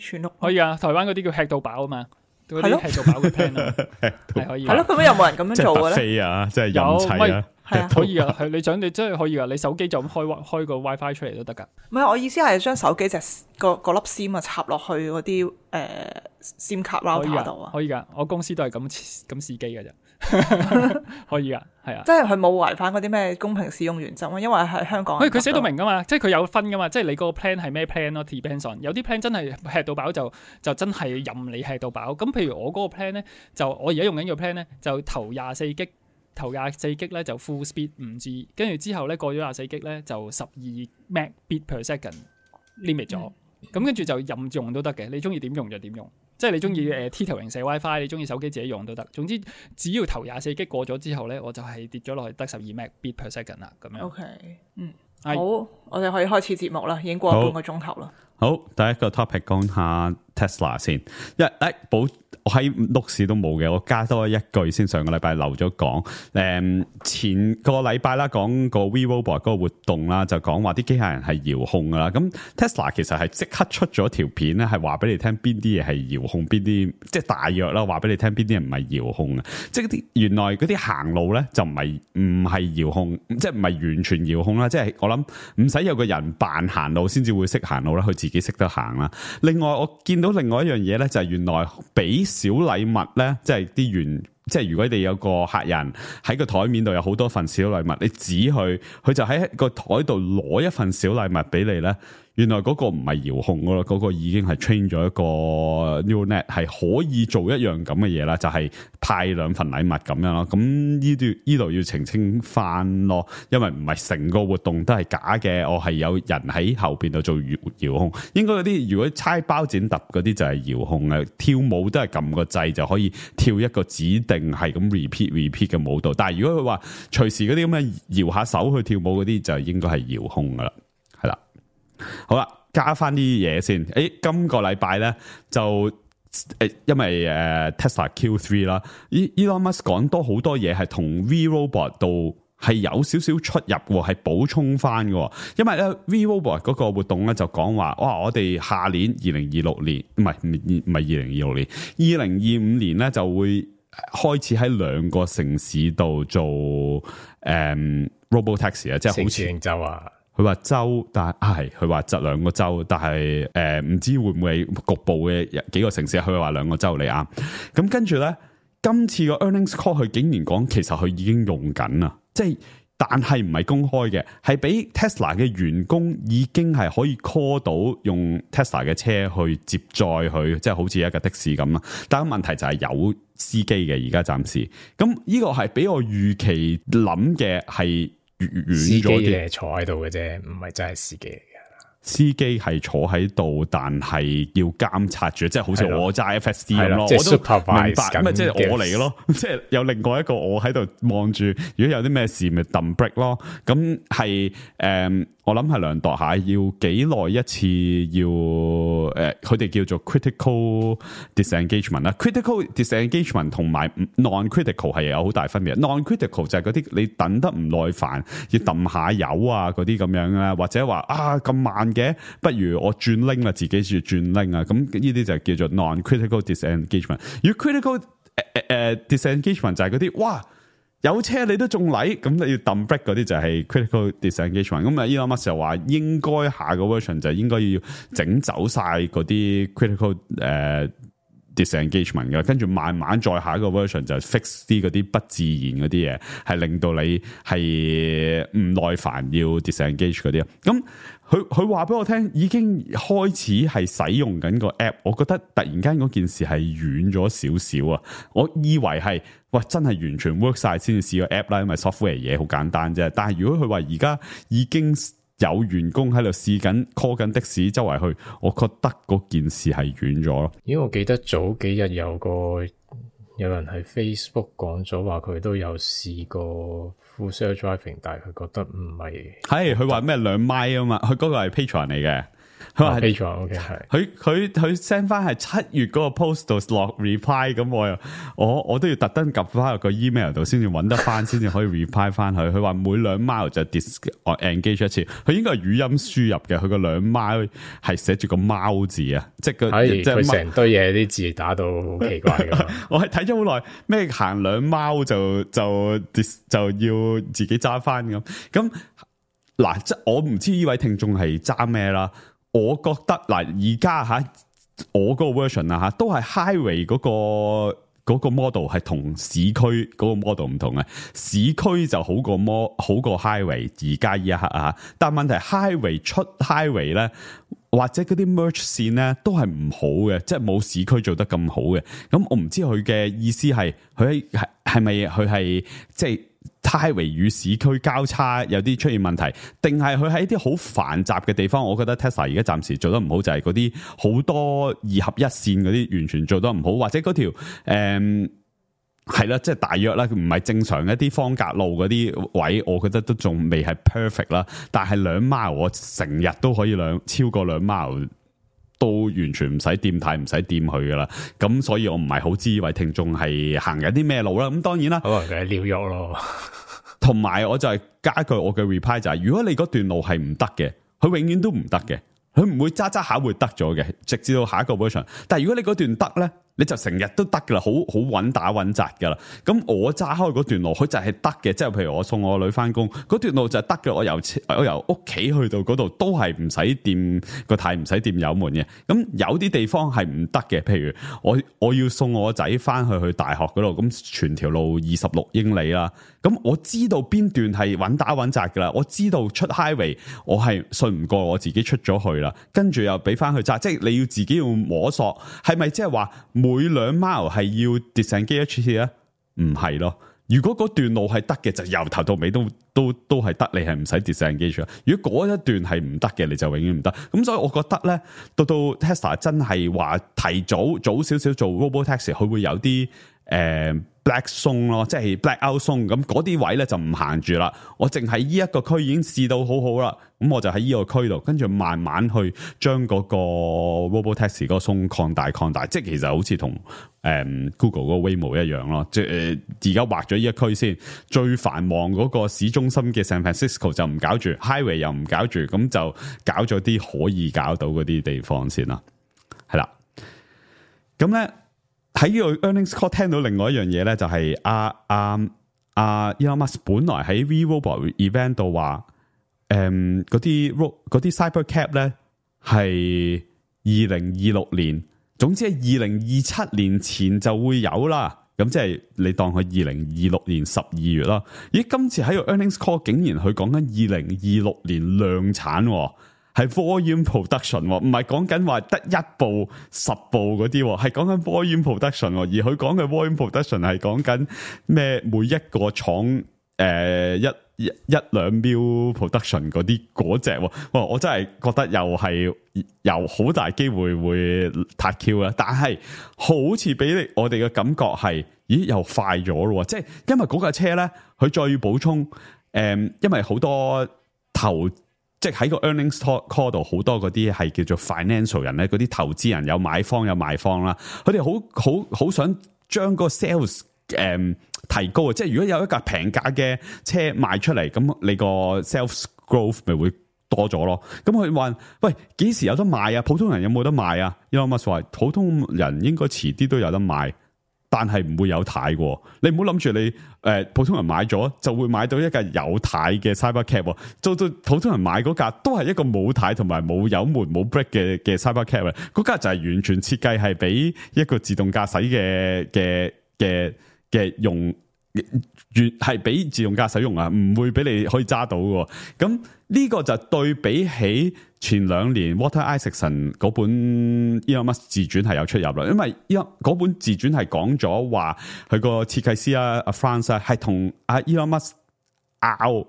全屋可以啊，台灣嗰啲叫吃到飽啊嘛。嗰啲吃到飽嘅 plan 啊，係可以。係咯，咁有冇人咁樣做嘅咧？飛啊，即係任砌啊。係啊，可以啊，係你想你真係可以啊，你手機就咁開開個 WiFi 出嚟都得噶。唔係，我意思係將手機隻個個粒 SIM 啊插落去嗰啲誒 SIM 卡 router 度啊。可以噶，我公司都係咁咁試機噶咋。可以噶，係啊。即係佢冇違反嗰啲咩公平使用原則啊，因為喺香港。佢佢寫到明噶嘛，即係佢有分噶嘛，即係你個 plan 係咩 plan 咯 ，depends on。有啲 plan 真係吃到飽就就真係任你吃到飽。咁譬如我嗰個 plan 咧，就我而家用緊個 plan 咧，就頭廿四 G，頭廿四 G 咧就 full speed 五 G， 跟住之後咧過咗廿四 G 咧就十二 Mbps per second limit 咗。咁、嗯、跟住就任用都得嘅，你中意點用就點用。即係你中意誒 T 頭型射 WiFi， 你中意手機自己用都得。總之只要頭廿四 G 過咗之後咧，我就係跌咗落去得十二 Mbps per second 啦。咁樣。OK， 嗯，係好，我哋可以開始節目啦，已經過咗半個鐘頭啦。好，第一個 topic 講下 Tesla 先。一誒保我喺錄市都冇嘅，我加多一句先。上個禮拜漏咗講，誒前個禮拜啦，講個 We Robot 嗰個活動啦，就講話啲機械人係遙控噶啦。咁 Tesla 其實係即刻出咗條片咧，係話俾你聽邊啲嘢係遙控，邊啲即係大約啦，話俾你聽邊啲嘢唔係遙控嘅。即係啲原來嗰啲行路咧就唔係唔係遙控，即係唔係完全遙控啦。即係我諗唔使有個人扮行路先至會識行路啦，佢自己識得行啦。另外我見到另外一樣嘢咧，就係原來俾小禮物咧，即係啲原，即係如果你有個客人喺個台面度有好多份小禮物，你指佢，佢就喺個台度攞一份小禮物俾你咧。原來嗰個唔係遙控噶啦，嗰、嗰個已經係 train 咗一個 neural net 係可以做一樣咁嘅嘢啦，就係、是、派兩份禮物咁樣咯。咁呢度呢度要澄清翻咯，因為唔係成個活動都係假嘅，我係有人喺後邊度做遙控。應該嗰啲如果猜包剪揼嗰啲就係遙控嘅，跳舞都係撳個掣就可以跳一個指定係咁 repeat repeat 嘅舞蹈。但係如果佢話隨時嗰啲咁嘅搖下手去跳舞嗰啲，就應該係遙控噶啦，係啦。好啦，加翻啲嘢先。誒，今個禮拜咧就誒，因為誒、呃、Tesla Q 三 啦，Elon Musk 講多好多嘢係同 V Robot 度係有少少出入喎，係補充翻嘅。因為咧 V Robot 嗰個活動咧就講話，哇！我哋下年二零二六年，唔係唔唔係二零二六年，二零二五年咧就會開始喺兩個城市度做誒、嗯、Robotaxi 啊，即係好似州啊。佢話州，但係佢話執兩個州，但係誒唔知會唔會係局部嘅幾個城市。佢話兩個州嚟啱。咁跟住咧，今次個 earnings call 佢竟然講，其實佢已經用緊啦，即係但係唔係公開嘅，係俾 Tesla 嘅員工已經係可以 call 到用 Tesla 嘅車去接載佢，即係好似一架的士咁啦。但係問題就係有司機嘅，而家暫時。咁呢個係俾我預期諗嘅係。司機係坐喺度嘅啫，唔係真係司機嚟嘅。司機係坐喺度，但係要監察住，即係好似我揸 F S D 咁咯。即係我都明白，咁咪即係我嚟嘅咯。即係有另外一個我喺度望住，如果有啲咩事，咪抌 break 咯。咁係誒，我諗係量度下，要幾耐一次要？誒、呃，佢哋叫做 critical disengagement 啦。critical disengagement 同埋 non-critical 係有好大分別。non-critical 就係嗰啲你等得唔耐煩，要抌下油啊嗰啲咁樣啦，或者話啊咁慢嘅，不如我轉 link 啦，自己轉轉 link 啊。咁呢啲就叫做 non-critical disengagement。如果 critical 誒、呃、誒 disengagement 就係嗰啲哇。有車你都仲嚟，咁你要抌 break 嗰啲就係 critical disengagement。咁啊，Elon Musk就話應該下個 version 就應該要整走晒嗰啲 critical 誒、uh, disengagement 嘅，跟住慢慢再下一個 version 就 fix 啲嗰啲不自然嗰啲嘢，係令到你係唔耐煩要 disengage 嗰啲啊。咁佢佢話俾我聽，已經開始係使用緊個 app。我覺得突然間嗰件事係遠咗少少啊！我以為係哇，真係完全 work 晒先至試個 app 啦，因為 software 嘢好簡單啫。但係如果佢話而家已經有員工喺度試緊 call 緊的士周圍去，我覺得嗰件事係遠咗咯。因為我記得早幾日有個有人喺 Facebook 講咗話，佢都有試過 full self driving， 但係佢覺得唔係。係佢話咩兩米啊嘛，佢嗰個係 Patreon 嚟嘅。佢話 Patreon，OK 係。佢佢佢 send 翻係七月嗰個 post 度落 reply， 咁我又我我都要特登撳翻入個 email 度先至揾得翻，先至可以 reply 翻佢。佢話每兩 mile 就 disengage 一次，佢應該係語音輸入嘅。佢個兩 mile 係寫住個貓字啊，即係個即係佢成堆嘢啲字打到好奇怪噶。我係睇咗好耐，咩行兩 mile 就就就要自己揸翻咁咁嗱，即係我唔知呢位聽眾係揸咩啦。我覺得嗱，而家吓我嗰個 version 啊吓，都係 highway 嗰個嗰個 model 係同市區嗰個 model 唔同嘅，市區就好過 mo 好過 highway 而家呢一刻啊，但問題 highway 出 highway 咧，或者嗰啲 merge 線咧都係唔好嘅，即係冇市區做得咁好嘅。咁我唔知佢嘅意思係佢係係咪佢係即係 highway 與市區交叉有啲出現問題，定係佢喺一啲好繁雜嘅地方？我覺得 Tesla 而家暫時做得唔好，就係嗰啲好多二合一線嗰啲完全做得唔好，或者嗰條誒係啦，即係大約啦，唔係正常一啲方格路嗰啲位，我覺得都仲未係 perfect 啦。但係兩 mile 我成日都可以兩超過兩 mile。都完全唔使掂睇，唔使掂佢噶啦，咁所以我唔係好知位聽眾係行緊啲咩路啦。咁當然啦，可能佢喺紐約咯。同埋我就係加一句我嘅 reply 就係、是，如果你嗰段路係唔得嘅，佢永遠都唔得嘅，佢唔會揸揸下會得咗嘅，直至到下一個 version。但係如果你嗰段得咧，你就成日都得噶啦，好好穩打穩紮噶啦。咁我揸開嗰段路，佢就係得嘅，即係譬如我送我女翻工，嗰段路就係得嘅。我由我由屋企去到嗰度都係唔使掂個軚，唔使掂油門嘅。咁有啲地方係唔得嘅，譬如我我要送我仔翻去去大學嗰度，咁全條路二十六英里啦。咁我知道邊段係穩打穩紮噶啦，我知道出 highway 我係信唔過我自己出咗去啦，跟住又俾翻去揸，即係你要自己要摸索，係咪即係話每兩 mile 係要 disengage 咧？唔係咯。如果嗰段路係得嘅，就由頭到尾都都都係得，你係唔使 disengage。如果嗰一段係唔得嘅，你就永遠唔得。咁所以我覺得咧，到到 Tesla 真係話提早早少少做 Robotaxi， 佢會有啲誒、呃、black zone 咯，即係 black out zone。咁嗰啲位咧就唔行住啦。我淨係呢一個區已經試到好好啦，咁我就喺呢個區度，跟住慢慢去將嗰個 Robotaxi 嗰個 zone 擴大擴大。即係其實好似同誒 Google 嗰個 Waymo 一樣咯。即係而家畫咗呢一區先，最繁忙嗰個市中心嘅 San Francisco 就唔搞住 ，Highway 又唔搞住，咁就搞咗啲可以搞到嗰啲地方先啦。係啦，咁咧喺呢個 earnings call 聽到另外一樣嘢咧，就係阿阿阿 Elon Musk 本來喺 V-Robot event 度話，誒嗰啲嗰啲 Cybercab 咧係二零二六年，總之係二零二七年前就會有啦。咁即係你當佢二零二六年十二月啦。咦，今次喺個 earnings call 竟然佢講緊二零二六年量產，係 volume production，唔係講緊話得一部十部嗰啲，係講緊 volume production。而佢講嘅 volume production 係講緊咩？每一個廠誒、呃、一一一兩秒 production 嗰啲嗰隻，哇！我真係覺得又係又好大機會會撻 Q 啦。但係好似俾我哋嘅感覺係，咦又快咗咯？即係因為嗰架車咧，佢再要補充誒、呃，因為好多投。即係喺個 earnings call 度，好多嗰啲係叫做 financial 人咧，嗰啲投資人有買方有賣方啦，佢哋好好好想將個 sales 誒、嗯、提高啊！即係如果有一架平價嘅車賣出嚟，咁你個 sales growth 咪會多咗咯？咁佢話：喂，幾時有得賣啊？普通人有冇得賣啊？Elon Musk話：普通人應該遲啲都有得賣。但係唔會有軚嘅，你唔好諗住你誒、呃、普通人買咗就會買到一架有軚嘅 Cybercab，做到普通人買嗰架都係一個冇軚同埋冇油門冇 brake 嘅嘅 Cybercab，嗰架就係完全設計係俾一個自動駕駛嘅嘅嘅嘅用，越係俾自動駕駛用啊，唔會俾你可以揸到嘅。咁呢個就對比起前兩年 Walter Isaacson 嗰本 Elon Musk 自傳係有出入啦，因為嗰本自傳係講咗話佢個設計師啊阿 Franz 係同阿 Elon Musk 拗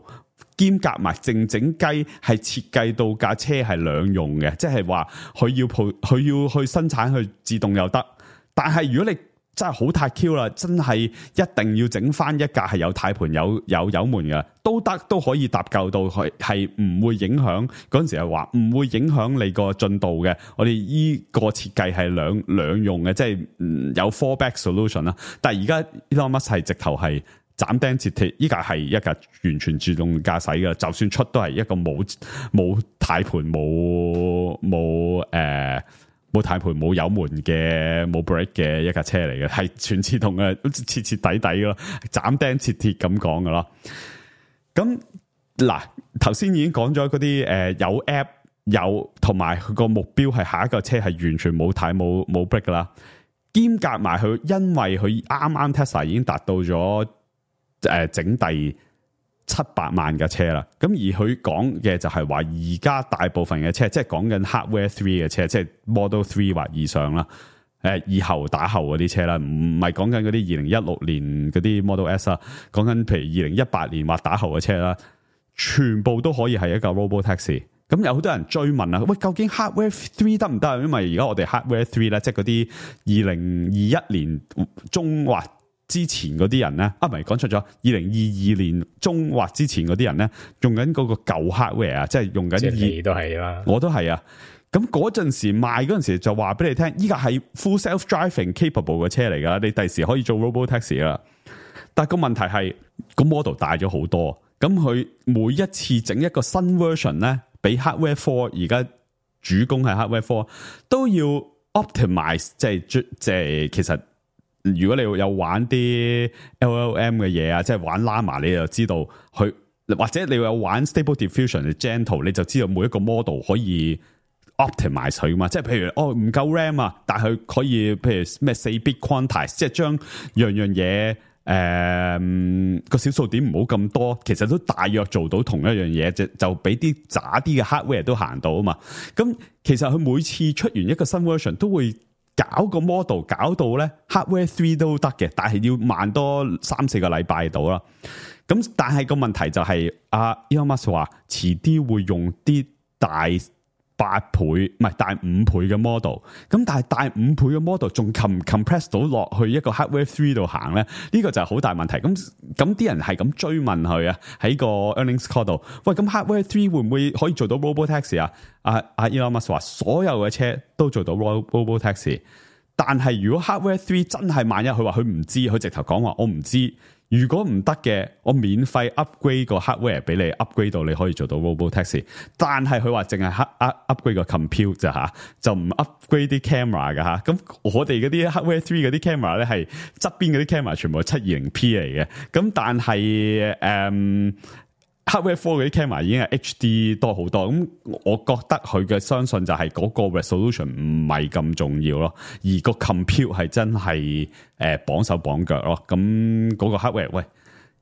兼夾埋靜靜雞，係設計到架車係兩用嘅，即係話佢要佢要去生產去自動又得，但係如果你真係好撻 Q 啦，真係一定要整翻一架係有軚盤有有油門嘅都得，都可以搭救到佢，係唔會影響嗰陣時係話唔會影響你個進度嘅。我哋依個設計係兩兩用嘅，即係有 fallback solution 啦。但係而家 Elon Musk 係直頭係斬釘截鐵，依架係一架完全自動駕駛嘅，就算出都係一個冇冇軚盤冇冇誒。冇軚盤冇油門嘅冇 brake 嘅一架車嚟嘅，係全自動嘅，徹徹底底咯，斬釘截鐵咁講噶咯。咁嗱，頭先已經講咗嗰啲誒有 app 有同埋佢個目標係下一個車係完全冇軚冇冇 brake 噶啦。兼夾埋佢，因為佢啱啱 Tesla 已經達到咗誒、呃、整第七百萬嘅車啦。咁而佢講嘅就係話，而家大部分嘅車，即係講緊 Hardware Three 嘅車，即係 Model Three 或以上啦。誒，以後打後嗰啲車啦，唔係講緊嗰啲二零一六年嗰啲 Model S 啦，講緊譬如二零一八年或打後嘅車啦，全部都可以係一架 Robotaxi。咁有好多人追問啊，喂，究竟 Hardware Three 得唔得？因為而家我哋 Hardware Three 咧，即係嗰啲二零二一年中或之前嗰啲人咧，啊，唔係講錯咗，二零二二年中或之前嗰啲人咧，用緊嗰個舊 hardware 啊，即係用緊。即係你都係啦，我都係啊。咁嗰陣時賣嗰陣時就話俾你聽，依家係 full self-driving capable 嘅車嚟噶，你第時可以做 robotaxi 啦。但係個問題係個 model 大咗好多，咁佢每一次整一個新 version 咧，俾 hardware four 而家主攻係 hardware four 都要 optimize， 即係即係其實如果你有玩啲 L L M 嘅嘢啊，即係玩 Llama， 你就知道佢，或者你有玩 Stable Diffusion 嘅 Gentle， 你就知道每一個 model 可以 optimize 佢嘛，即係譬如哦唔夠 RAM 啊，但係佢可以譬如咩四 bit quantize， 即係將樣樣嘢誒個小數點唔好咁多，其實都大約做到同一樣嘢，就就俾啲渣啲嘅 hardware 都行到啊嘛。咁其實佢每次出完一個新 version 都會搞個 model 搞到咧 hardware three 都得嘅，但係要慢多三四個禮拜到啦。咁但係個問題就係、是、阿、啊、Elon Musk 話遲啲會用啲大八倍唔係大五倍嘅 model， 咁但係大五倍嘅 model 仲 compress 到落去一個 hardware three 度行咧，呢、這個就係好大問題。咁咁啲人係咁追問佢啊，喺個 earnings call 度，喂，咁 hardware three 會唔會可以做到 robotaxi 啊？阿阿 Elon Musk 話所有嘅車都做到 robotaxi， 但係如果 hardware three 真係萬一佢話佢唔知，佢直頭講話我唔知。如果唔得嘅，我免費 upgrade 個 hardware 俾你 upgrade 到你可以做到 robotaxi， 但係佢話淨係 upgrade 個 compute 咋吓，就唔 upgrade 啲 camera 噶吓。咁我哋嗰啲 hardware three 嗰啲 camera 咧係側邊嗰啲 camera 全部係七二零 P 嚟嘅，咁但係誒、嗯、hardware four 嗰啲 camera 已經係 H D 多好多。咁我覺得佢嘅相信就係嗰個 resolution 唔係咁重要咯，而個 compute 係真係誒綁手綁腳咯。咁嗰個 hardware 喂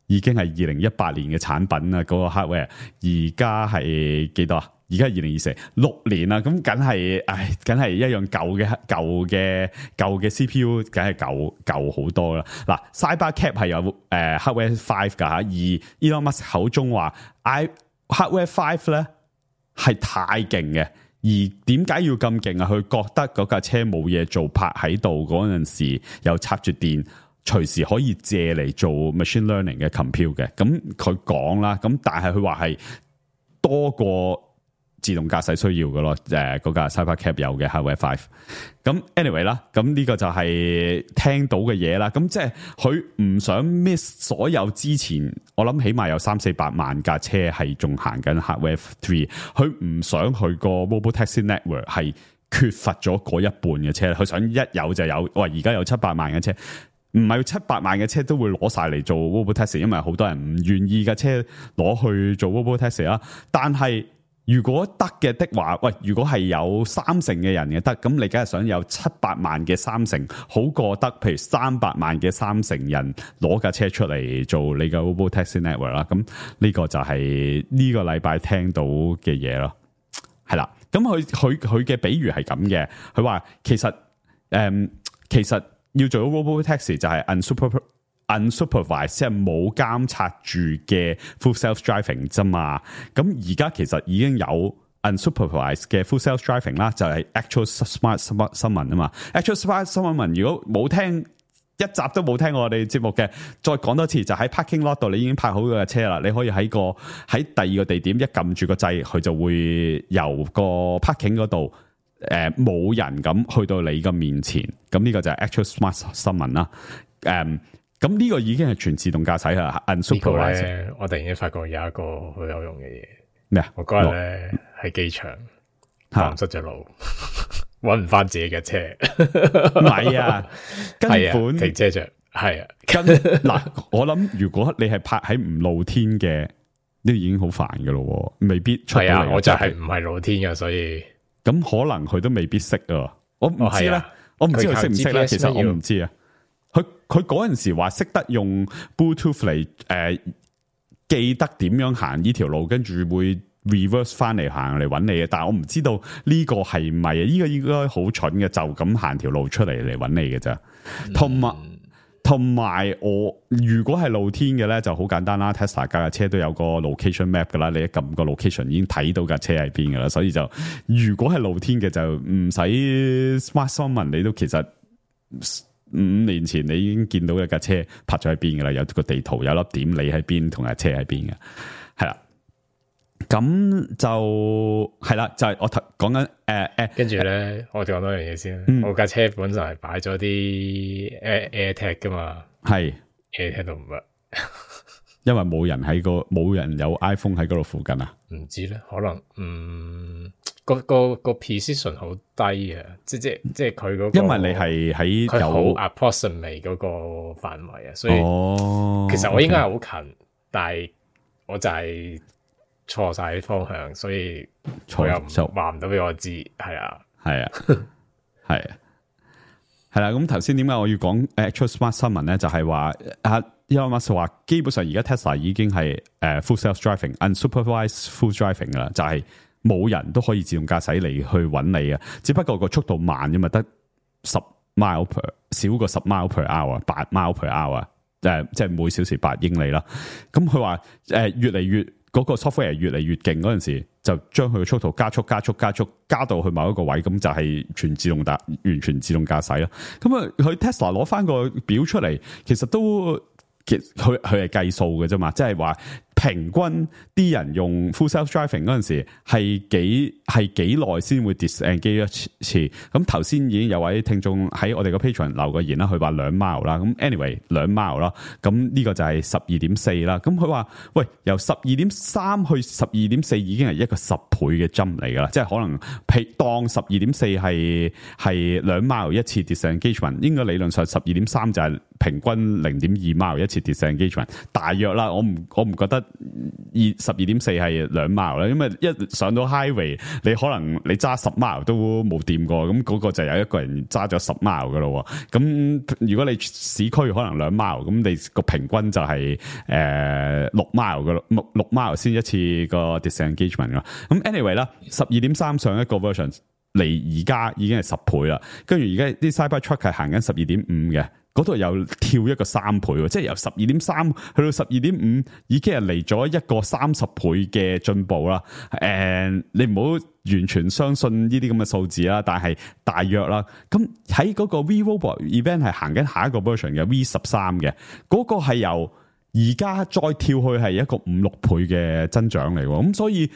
已經係二零一八年嘅產品啦，嗰、嗰個 hardware 而家係幾多啊？而家係二零二四六年啦，咁梗係唉，梗係一樣舊嘅舊嘅舊嘅 C P U， 梗係舊舊好多啦。嗱 ，Cybercab 係有誒、呃、hardware five 噶吓，而 Elon Musk 口中話 I hardware five 咧係太勁嘅，而點解要咁勁啊？佢覺得嗰架車冇嘢做，泊喺度嗰陣時又插住電，隨時可以借嚟做 machine learning 嘅 compute 嘅。咁佢講啦，咁但係佢話係多過自動駕駛需要嘅咯，誒嗰架 Cybercab 有嘅 Hardware five。咁 anyway 啦，咁呢個就係聽到嘅嘢啦。咁即係佢唔想 miss 所有之前，我諗起碼有三四百萬架車係仲行緊 Hardware three。佢唔想佢個 Robotaxi network 係缺乏咗嗰一半嘅車，佢想一有就有。喂，而家有七百萬嘅車，唔係七百萬嘅車都會攞晒嚟做 Robotaxi，因為好多人唔願意嘅車攞去做 Robotaxi 啦。但係如果得嘅的話，喂，如果係有三成嘅人嘅得，咁你梗係想有七百萬嘅三成，好過得譬如三百萬嘅三成人攞架車出嚟做你嘅 Robotaxi network 啦。咁呢個就係呢個禮拜聽到嘅嘢咯。係啦，咁佢佢佢嘅比喻係咁嘅，佢話其實誒、嗯、其實要做到 Robotaxi 就係 unsuper unsupervised， 即係冇監察住嘅 full self-driving 啫嘛。咁而家其實已經有 unsupervised 嘅 full self-driving 啦，就係 actual smart 新聞啊嘛。actual smart 新聞如果冇聽一集都冇聽過我哋節目嘅，再講多次，就喺 parking lot 度你已經泊好嘅車啦，你可以喺個喺第二個地點一撳住個掣，佢就會由個 parking 嗰度誒冇人咁去到你嘅面前。咁呢個就係 actual smart 新聞啦。誒、嗯。咁呢個已經係全自動駕駛啦 ，unsupervised 咧，我突然間發覺有一個好有用嘅嘢。咩啊？我嗰日咧喺機場蕩失咗路，搵唔翻自己嘅車。唔係啊，根本停車場係啊。跟嗱，我諗如果你係泊喺唔露天嘅，都已經好煩噶咯，未必出到嚟。係啊，我就係唔係露天嘅，所以咁可能佢都未必識啊。我唔知咧。我唔知佢識唔識咧，佢靠 G P S 其實我咩要唔知啊。佢佢嗰陣時話識得用 Bluetooth 嚟誒、呃、記得點樣行呢條路，跟住會 reverse 翻嚟行嚟揾你嘅。但係我唔知道呢個係咪啊？呢、這個應該好蠢嘅，就咁行條路出嚟嚟揾你嘅咋。同埋同埋我如果係露天嘅咧，就好簡單啦。Tesla 架架車都有個 location map 噶啦，你一撳個 location 已經睇到架車喺邊噶啦。所以就如果係露天嘅就唔使 smart summon，你都其實。五年前你已經見到一架車泊咗喺邊噶啦，有個地圖有粒點，你喺邊同架車喺邊嘅，係啦。咁就係啦，就係、是、我頭講緊誒誒，跟住咧，我講多樣嘢先。嗯、我架車本身係擺咗啲 Air AirTag 噶嘛，係 AirTag 都唔得，因為冇人喺個冇人有 iPhone 喺嗰度附近啊。唔知咧，可能嗯。個個個 precision 好低啊！即即即係佢嗰個，因為你係喺有 approximate 嗰個範圍啊，所以、哦、其實我應該係好近， okay. 但係我就係錯晒啲方向，所以佢又唔話唔到俾我知，係啊，係啊，係啊，係啦。咁頭先點解我要講 actual smart 新聞咧？就係話啊 Elon Musk 話基本上而家 Tesla 已經係誒 full self driving、unsupervised full driving 噶啦，就係、是。冇人都可以自動駕駛嚟去揾你啊！只不過個速度慢啫嘛，得十 mile per 少過十 mile per hour， 八 mile per hour， 誒，即係每小時八英里啦。咁佢話誒越嚟越嗰、嗰個 software 越嚟越勁嗰陣時，就將佢嘅速度加速、加速、加速，加到去某一個位，咁就係全自動駕完全自動駕駛啦。咁啊，佢 Tesla 攞翻個表出嚟，其實都其實佢佢係計數嘅啫嘛，即係話。平均啲人用 full self driving 嗰陣時係幾係幾耐先會 disengage 一次？咁頭先已經有位聽眾喺我哋個 Patreon 留個言啦，佢話兩 mile 啦。咁 anyway 兩 mile 啦，咁呢個就係十二點四啦。咁佢話喂，由十二點三去十二點四已經係一個十倍嘅 jump 嚟噶啦，即係可能譬當十二點四係係兩 mile 一次 disengagement， 應該理論上十二點三就係平均零點二 mile 一次 disengagement， 大約啦。我唔我唔覺得。二十二點四係兩 mile 啦，因為一上到 highway， 你可能你揸十 mile 都冇掂過，咁嗰個就有一個人揸咗十 mile 噶咯。咁如果你市區可能兩 mile， 咁你個平均就係誒六 mile 噶咯，六六 mile 先一次個 disengagement 噶。咁 anyway 啦，十二點三上一個 version 嚟而家已經係十倍啦，跟住而家啲 Cybertruck 係行緊十二點五嘅。嗰度又跳一個三倍，即係由十二點三去到十二點五，已經係嚟咗一個三十倍嘅進步啦。誒，你唔好完全相信呢啲咁嘅數字啦，但係大約啦。咁喺嗰個 V-Robot event 係行緊下一個 version 嘅 V 十三嘅，嗰個係由而家再跳去係一個五六倍嘅增長嚟喎。咁所以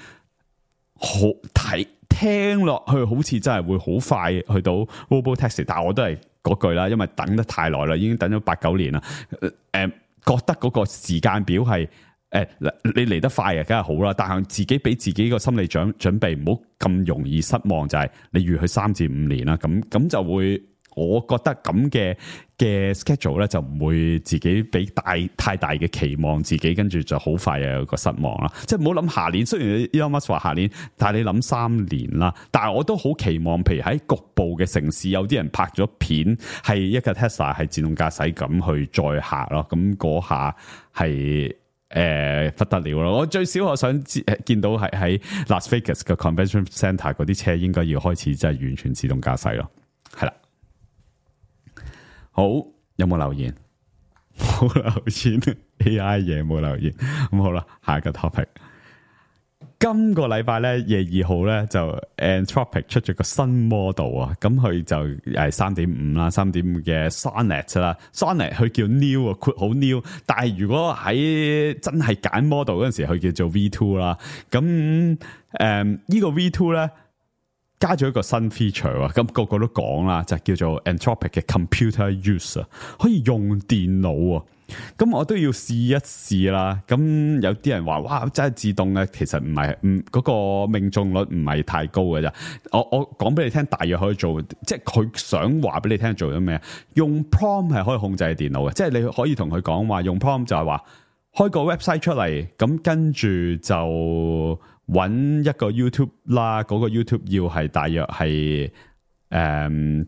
好睇聽落去好似真係會好快去到 Robotaxi， 但係我都係。嗰句啦，因為等得太耐啦，已經等咗八九年啦。誒、呃，覺得嗰個時間表係誒、呃，你嚟得快嘅，梗係好啦。但係自己俾自己個心理準準備，唔好咁容易失望。就係、是、你預佢三至五年啦，咁咁就會，我覺得咁嘅嘅 schedule 咧，就唔會自己俾大太大嘅期望，自己跟住就好快又有個失望啦。即係唔好諗下年，雖然 Elon Musk 話下年，但係你諗三年啦。但係我都好期望，譬如喺局部嘅城市，有啲人拍咗片，係一個 Tesla 係自動駕駛咁去載客咯。咁嗰下係誒不得了咯。我最少我想見到係喺 Las Vegas 嘅 Convention Center 嗰啲車應該要開始真係完全自動駕駛咯。係啦。好，有冇留言？冇留言 ，A I 嘢冇留言。咁好啦，下一個 topic。今個禮拜咧，廿二號咧就 Anthropic 出咗個新 model 啊，咁佢就係三點五啦，三點五嘅 Sonnet 啦 ，Sonnet 佢叫 new 啊，括好 new。但係如果喺真係揀 model 嗰陣時，佢叫做 V two 啦。咁誒，嗯這個、呢個 V two 咧。加咗一個新 feature 啊，咁個個都講啦，就叫做 Anthropic 嘅 computer use 啊，可以用電腦啊，咁我都要試一試啦。咁有啲人話哇，真係自動嘅，其實唔係，唔嗰個命中率唔係太高嘅咋。我我講俾你聽，大約可以做，即係佢想話俾你聽做咗咩？用 prompt 係可以控制電腦嘅，即係你可以同佢講話用 prompt 就係話開個 website 出嚟，咁跟住就。揾一個 YouTube 啦，嗰、那個 YouTube 要係大約係誒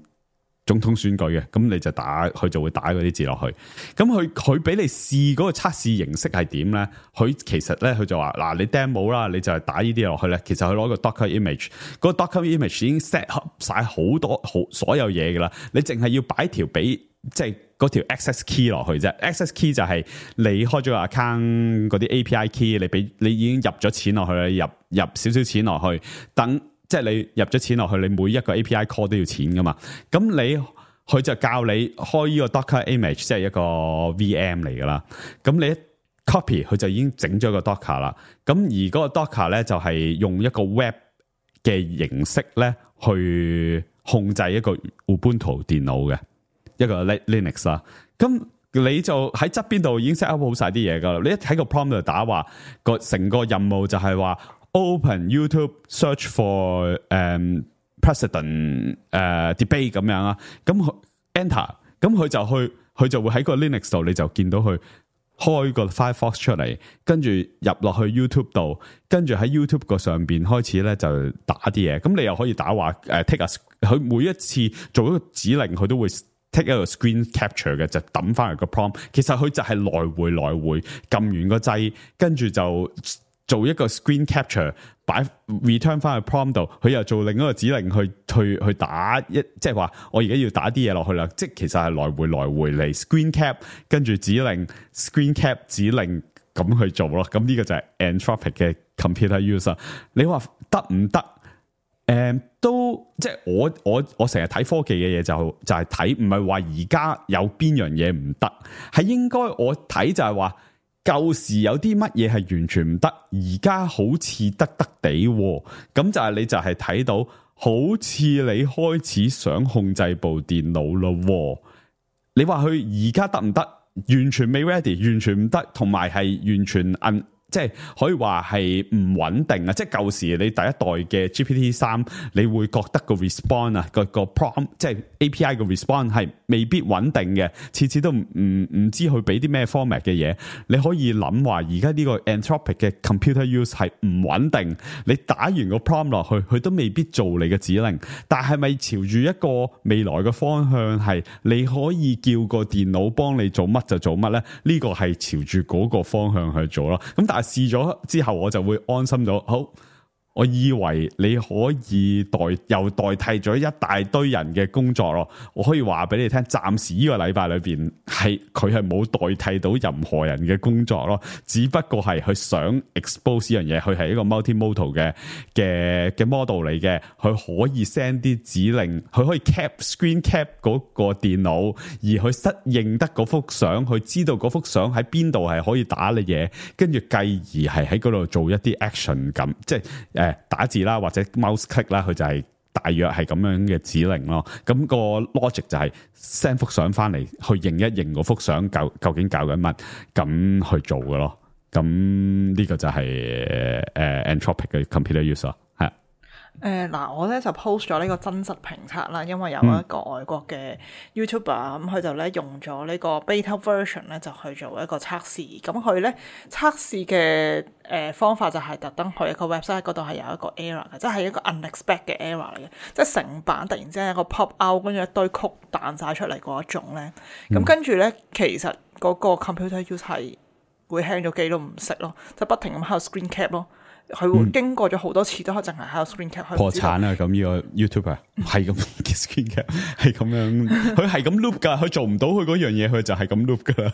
總統選舉嘅，咁你就打佢就會打嗰啲字落去。咁佢佢俾你試嗰個測試形式係點咧？佢其實咧佢就話嗱，你 demo 啦，你就係打呢啲落去咧。其實佢攞個 Docker image，嗰個 Docker image 已經 set up 晒好多好所有嘢噶啦。你淨係要擺條俾即係嗰條 access key 落去啫。access key 就係你開咗個 account 嗰啲 A P I key，你俾你已經入咗錢落去啦，入入少少錢落去，等。即係你入咗錢落去，你每一個 A P I call 都要錢噶嘛？咁你佢就教你開呢個 Docker image，即係一個 V M 嚟噶啦。咁你一 copy 佢就已經整咗個 Docker 啦。咁而嗰個 Docker 咧就係用一個 web 嘅形式咧去控制一個 Ubuntu 電腦嘅一個 Linux 啦。咁你就喺側邊度已經 set up 好晒啲嘢噶啦。你一喺個 prompt 度打話個成個任務就係話。Open YouTube search for 誒、um, president 誒、uh, debate 咁樣啊，咁 enter，咁佢就去佢就會喺個 Linux 度，你就見到佢開個 Firefox 出嚟，跟住入落去 YouTube 度，跟住喺 YouTube 個上邊開始咧就打啲嘢，咁你又可以打話誒、uh, take a，佢每一次做一個指令，佢都會 take 一個 screen capture 嘅，就抌翻嚟個 prompt。其實佢就係來回來回撳完個掣，跟住就。做一個 screen capture，擺 return 翻去 prompt 度，佢又做另一個指令去去去打一，即係話我而家要打啲嘢落去啦，即係其實係來回來回嚟 screen cap，跟住指令 screen cap 指令咁去做咯。咁呢個就係 Anthropic 嘅 computer use。你話得唔得？誒、嗯，都即係我我我成日睇科技嘅嘢就就係睇，唔係話而家有邊樣嘢唔得，係應該我睇就係話。舊時有啲乜嘢係完全唔得，而家好似得得地，咁就係你就係睇到，好似你開始想控制部電腦咯。你話佢而家得唔得？完全未 ready， 完全唔得，同埋係完全按。即係可以話係唔穩定啊！即係舊時你第一代嘅 G P T 三，你會覺得個 response 啊，個個 prompt 即係 A P I 嘅 response 係未必穩定嘅，次次都唔唔唔知佢俾啲咩 format 嘅嘢。你可以諗話，而家呢個 Anthropic 嘅 computer use 係唔穩定。你打完個 prompt 落去，佢都未必做你嘅指令。但係咪朝住一個未來嘅方向係你可以叫個電腦幫你做乜就做乜咧？呢個係朝住嗰個方向去做咯。咁但係試咗之後，我就會安心咗。好，我以為你可以代又代替咗一大堆人嘅工作咯。我可以話俾你聽，暫時呢個禮拜裏邊係佢係冇代替到任何人嘅工作咯。只不過係佢想 expose 呢樣嘢，佢係一個 multimodal 嘅嘅嘅 model 嚟嘅。佢可以 send 啲指令，佢可以 cap screen cap 嗰個電腦，而佢適應得嗰幅相，佢知道嗰幅相喺邊度係可以打你嘢，跟住繼而係喺嗰度做一啲 action 咁，即係誒打字啦，或者 mouse click 啦，佢就係大約係咁樣嘅指令咯。咁個 logic 就係 send 幅相翻嚟，去認一認嗰幅相究究竟搞緊乜，咁去做嘅咯。咁呢個就係誒 Anthropic 嘅 computer use 咯。係誒嗱、呃，我咧就 post 咗呢個真實評測啦，因為有一個外國嘅 YouTuber 咁、嗯，佢就咧用咗呢個 beta version 咧就去做一個測試。咁佢咧測試嘅誒方法就係特登去一個 website 嗰度係有一個 error 嘅，即係一個 unexpected 嘅 error 嚟嘅，即係成版突然之間一個 pop out，跟住一堆曲彈晒出嚟嗰一種咧。咁、嗯、跟住咧，其實嗰個 computer use 係會 hang 咗機都唔識咯，就不停咁喺度 screen cap 咯。佢會經過咗好多次都可淨係喺度 screen cap。破產啊！咁呢個 YouTuber 係咁嘅 screen cap，係咁樣，佢係咁 loop 噶，佢做唔到佢嗰樣嘢，佢就係咁 loop 噶啦。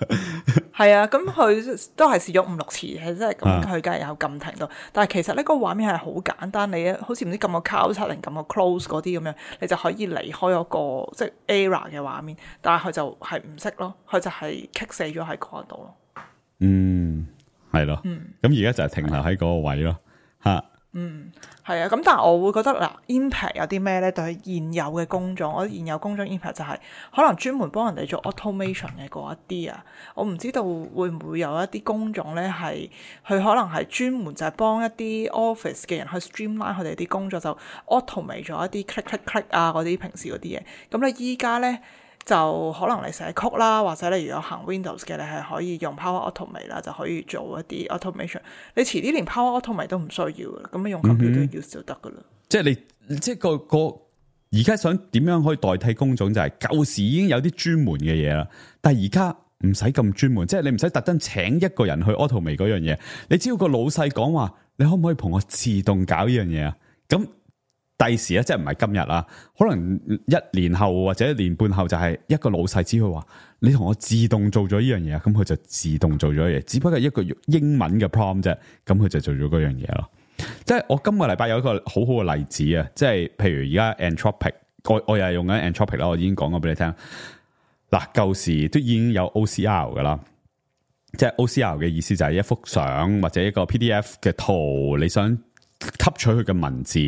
係啊，咁佢都係試咗五六次，係真係咁，佢梗係有撳停到。但係其實呢個畫面係好簡單，你好似唔知撳個交叉定撳個 close 嗰啲咁樣，你就可以離開嗰個即係 error 嘅畫面。但係佢就係唔識咯，佢就係棘死咗喺嗰度咯。嗯。係咯，咁而家就係停留喺嗰個位咯，吓，嗯，係啊，咁但係我會覺得嗱 impact 有啲咩咧？對現有嘅工種，我現有工種 impact 就係可能專門幫人哋做 automation 嘅嗰一啲啊，我唔知道會唔會有一啲工種咧係佢可能係專門就係幫一啲 office 嘅人去 streamline 佢哋啲工作，就 automate 咗一啲 click click click 啊嗰啲平時嗰啲嘢，咁你依家咧。就可能你寫曲啦，或者你如果行 Windows 嘅，你係可以用 Power Automate 啦，就可以做一啲 automation。你遲啲連 Power Automate 都唔需要嘅，咁你用 computer use 就得噶啦。即係你，即係個個而家想點樣可以代替工種，就係舊時已經有啲專門嘅嘢啦，但係而家唔使咁專門，即係你唔使特登請一個人去 automate 嗰樣嘢，你只要個老細講話，你可唔可以同我自動搞呢樣嘢啊？咁第時咧，即係唔係今日啦，可能一年後或者一年半後就係一個老細只佢話，你同我自動做咗呢樣嘢，咁佢就自動做咗嘢，只不過一個英文嘅 prompt 啫，咁佢就做咗嗰樣嘢咯。即係我今個禮拜有一個好好嘅例子啊，即係譬如而家 Anthropic， 我我又係用緊 Anthropic 啦，我已經講過俾你聽。嗱，舊時都已經有 O C R 噶啦，即係 O C R 嘅意思就係一幅相或者一個 P D F 嘅圖，你想吸取佢嘅文字，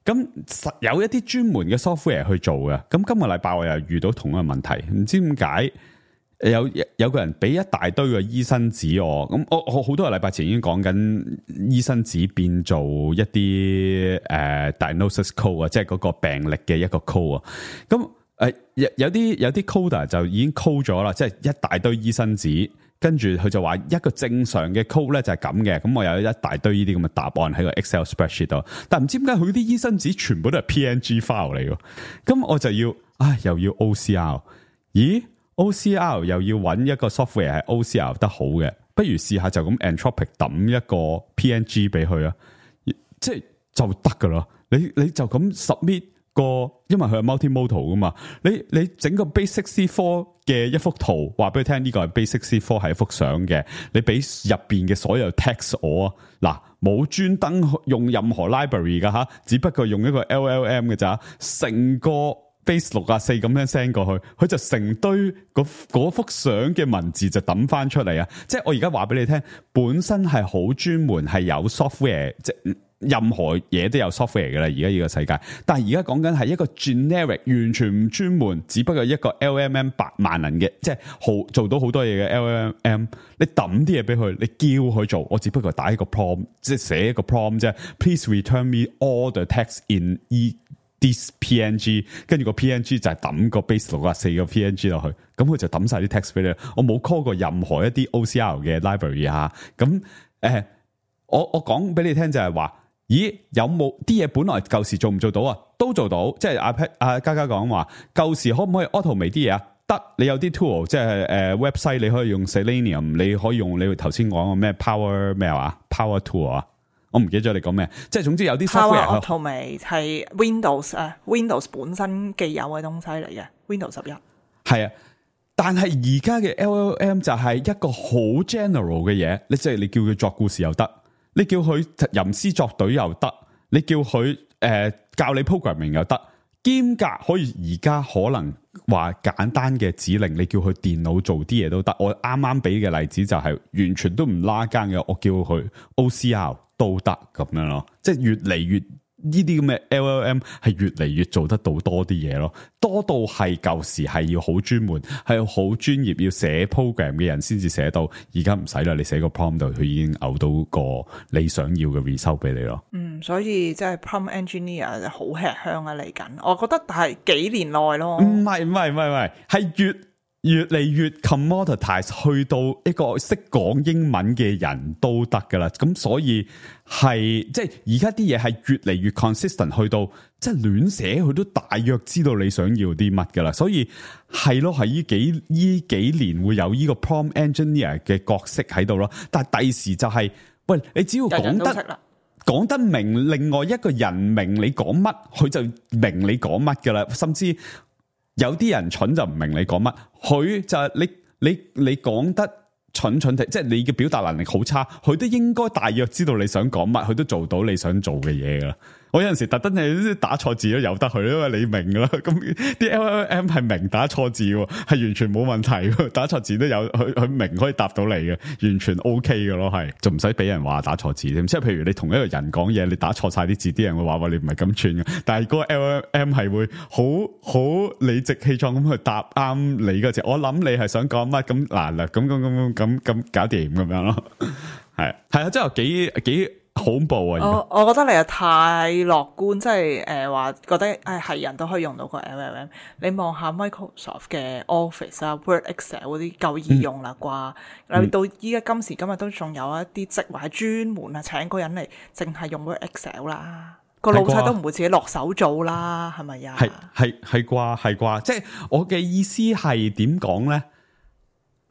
咁實有一啲專門嘅 software 去做嘅。咁今個禮拜我又遇到同一個問題，唔知點解有有個人俾一大堆嘅醫生紙我，咁我我好多個禮拜前已經講緊醫生紙變做一啲誒、uh, diagnosis code 啊，即係嗰個病歷嘅一個 code 啊，咁誒、呃、有有啲有啲 coder 就已經 code 咗啦，即係一大堆醫生紙，跟住佢就話一個正常嘅 code 咧就係咁嘅，咁我有一大堆呢啲咁嘅答案喺個 Excel spreadsheet 度，但唔知點解佢啲醫生紙全部都係 P N G file 嚟嘅，咁我就要唉又要 O C R， 咦？O C R 又要揾一個 software 係 O C R 得好嘅，不如試下就咁 Anthropic 抌一個 P N G 俾佢啊，即係就得噶啦。你你就咁 submit 個，因為佢係 multimodal 噶嘛，你你整個 basic C 四 嘅一幅圖，話俾佢聽呢個係 basic C 四係一幅相嘅，你俾入邊嘅所有 text 我啊，嗱冇專登用任何 library 噶吓，只不過用一個 L L M 嘅咋，成個。base 六啊四咁樣 send 過去，佢就成堆嗰幅相嘅文字就抌翻出嚟啊！即係我而家話俾你聽，本身係好專門，係有 software， 即係任何嘢都有 software 嘅啦。而家呢個世界，但係而家講緊係一個 generic， 完全唔專門，只不過一個 L M M 百萬能嘅，即係好做到好多嘢嘅 L M M。你抌啲嘢俾佢，你叫佢做，我只不過打一個 prompt， 即係寫一個 prompt 啫。Please return me all the text in e。This P N G， 跟住個 P N G 就係抌個 base 六啊四個 P N G 落去，咁佢就抌晒啲 text 俾你。我冇 call 過任何一啲 O C R 嘅 library 吓，咁誒、呃，我我講俾你聽就係話，咦，有冇啲嘢本來舊時做唔做到啊？都做到，即係阿 Pat 阿嘉嘉講話，舊時可唔可以 automate 啲嘢啊？得，你有啲 tool， 即係誒、呃、website 你可以用 Selenium， 你可以用你頭先講個咩 Power 咩話 Power Tool 啊？我唔記得咗你講咩，即係總之有啲 software Automate 係 Windows 啊 ，Windows 本身既有嘅東西嚟嘅 ，Windows 十一係啊，但係而家嘅 L L M 就係一個好 general 嘅嘢，你即係你叫佢作故事又得，你叫佢吟詩作對又得，你叫佢誒、呃、教你 programming 又得，兼夾可以而家可能話簡單嘅指令，你叫佢電腦做啲嘢都得。我啱啱俾嘅例子就係完全都唔拉更嘅，我叫佢 O C R。都得咁樣咯，即係越嚟越呢啲咁嘅 L L M 係越嚟越做得到多啲嘢咯，多到係舊時係要好專門，係要好專業要寫 program 嘅人先至寫到，而家唔使啦，你寫個 prompt 度，佢已經嘔到個你想要嘅 result 俾你咯。嗯，所以即係 prompt engineer 就好吃香啊嚟緊，我覺得係幾年內咯。唔係唔係唔係唔係，係越越嚟越 commoditize， 去到一個識講英文嘅人都得噶啦，咁所以係即係而家啲嘢係越嚟越 consistent， 去到即係亂寫佢都大約知道你想要啲乜噶啦，所以係咯，係呢幾呢幾年會有呢個 prompt engineer 嘅角色喺度咯，但係第時就係、是、喂，你只要講得講得明，另外一個人明你講乜，佢就明你講乜噶啦，甚至。有啲人蠢就唔明你講乜，佢就係你你你講得蠢蠢地，即係你嘅表達能力好差，佢都應該大約知道你想講乜，佢都做到你想做嘅嘢噶啦。我有陣時特登係打錯字都由得佢，因為你明噶啦。咁啲 L L M 係明打錯字，係完全冇問題。打錯字都有，佢佢明可以答到你嘅，完全 OK 噶咯，係就唔使俾人話打錯字添。即係譬如你同一個人講嘢，你打錯晒啲字，啲人會話話你唔係咁串嘅。但係嗰個 L L M 係會好好理直氣壯咁去答啱你嗰字。我諗你係想講乜咁嗱嗱咁咁咁咁咁搞掂咁樣咯。係係啊，真係幾幾。恐怖啊！我我覺得你又太樂觀，即係誒話覺得誒係人都可以用到個 L L M。你望下 Microsoft 嘅 Office 啊、Word、Excel 嗰啲夠易用啦啩？你、嗯、到依家今時今日都仲有一啲職位係專門啊請個人嚟淨係用 Word、Excel 啦。個老係啩細都唔會自己落手做啦，係咪呀？係係係啩係啩，即係我嘅意思係點講咧？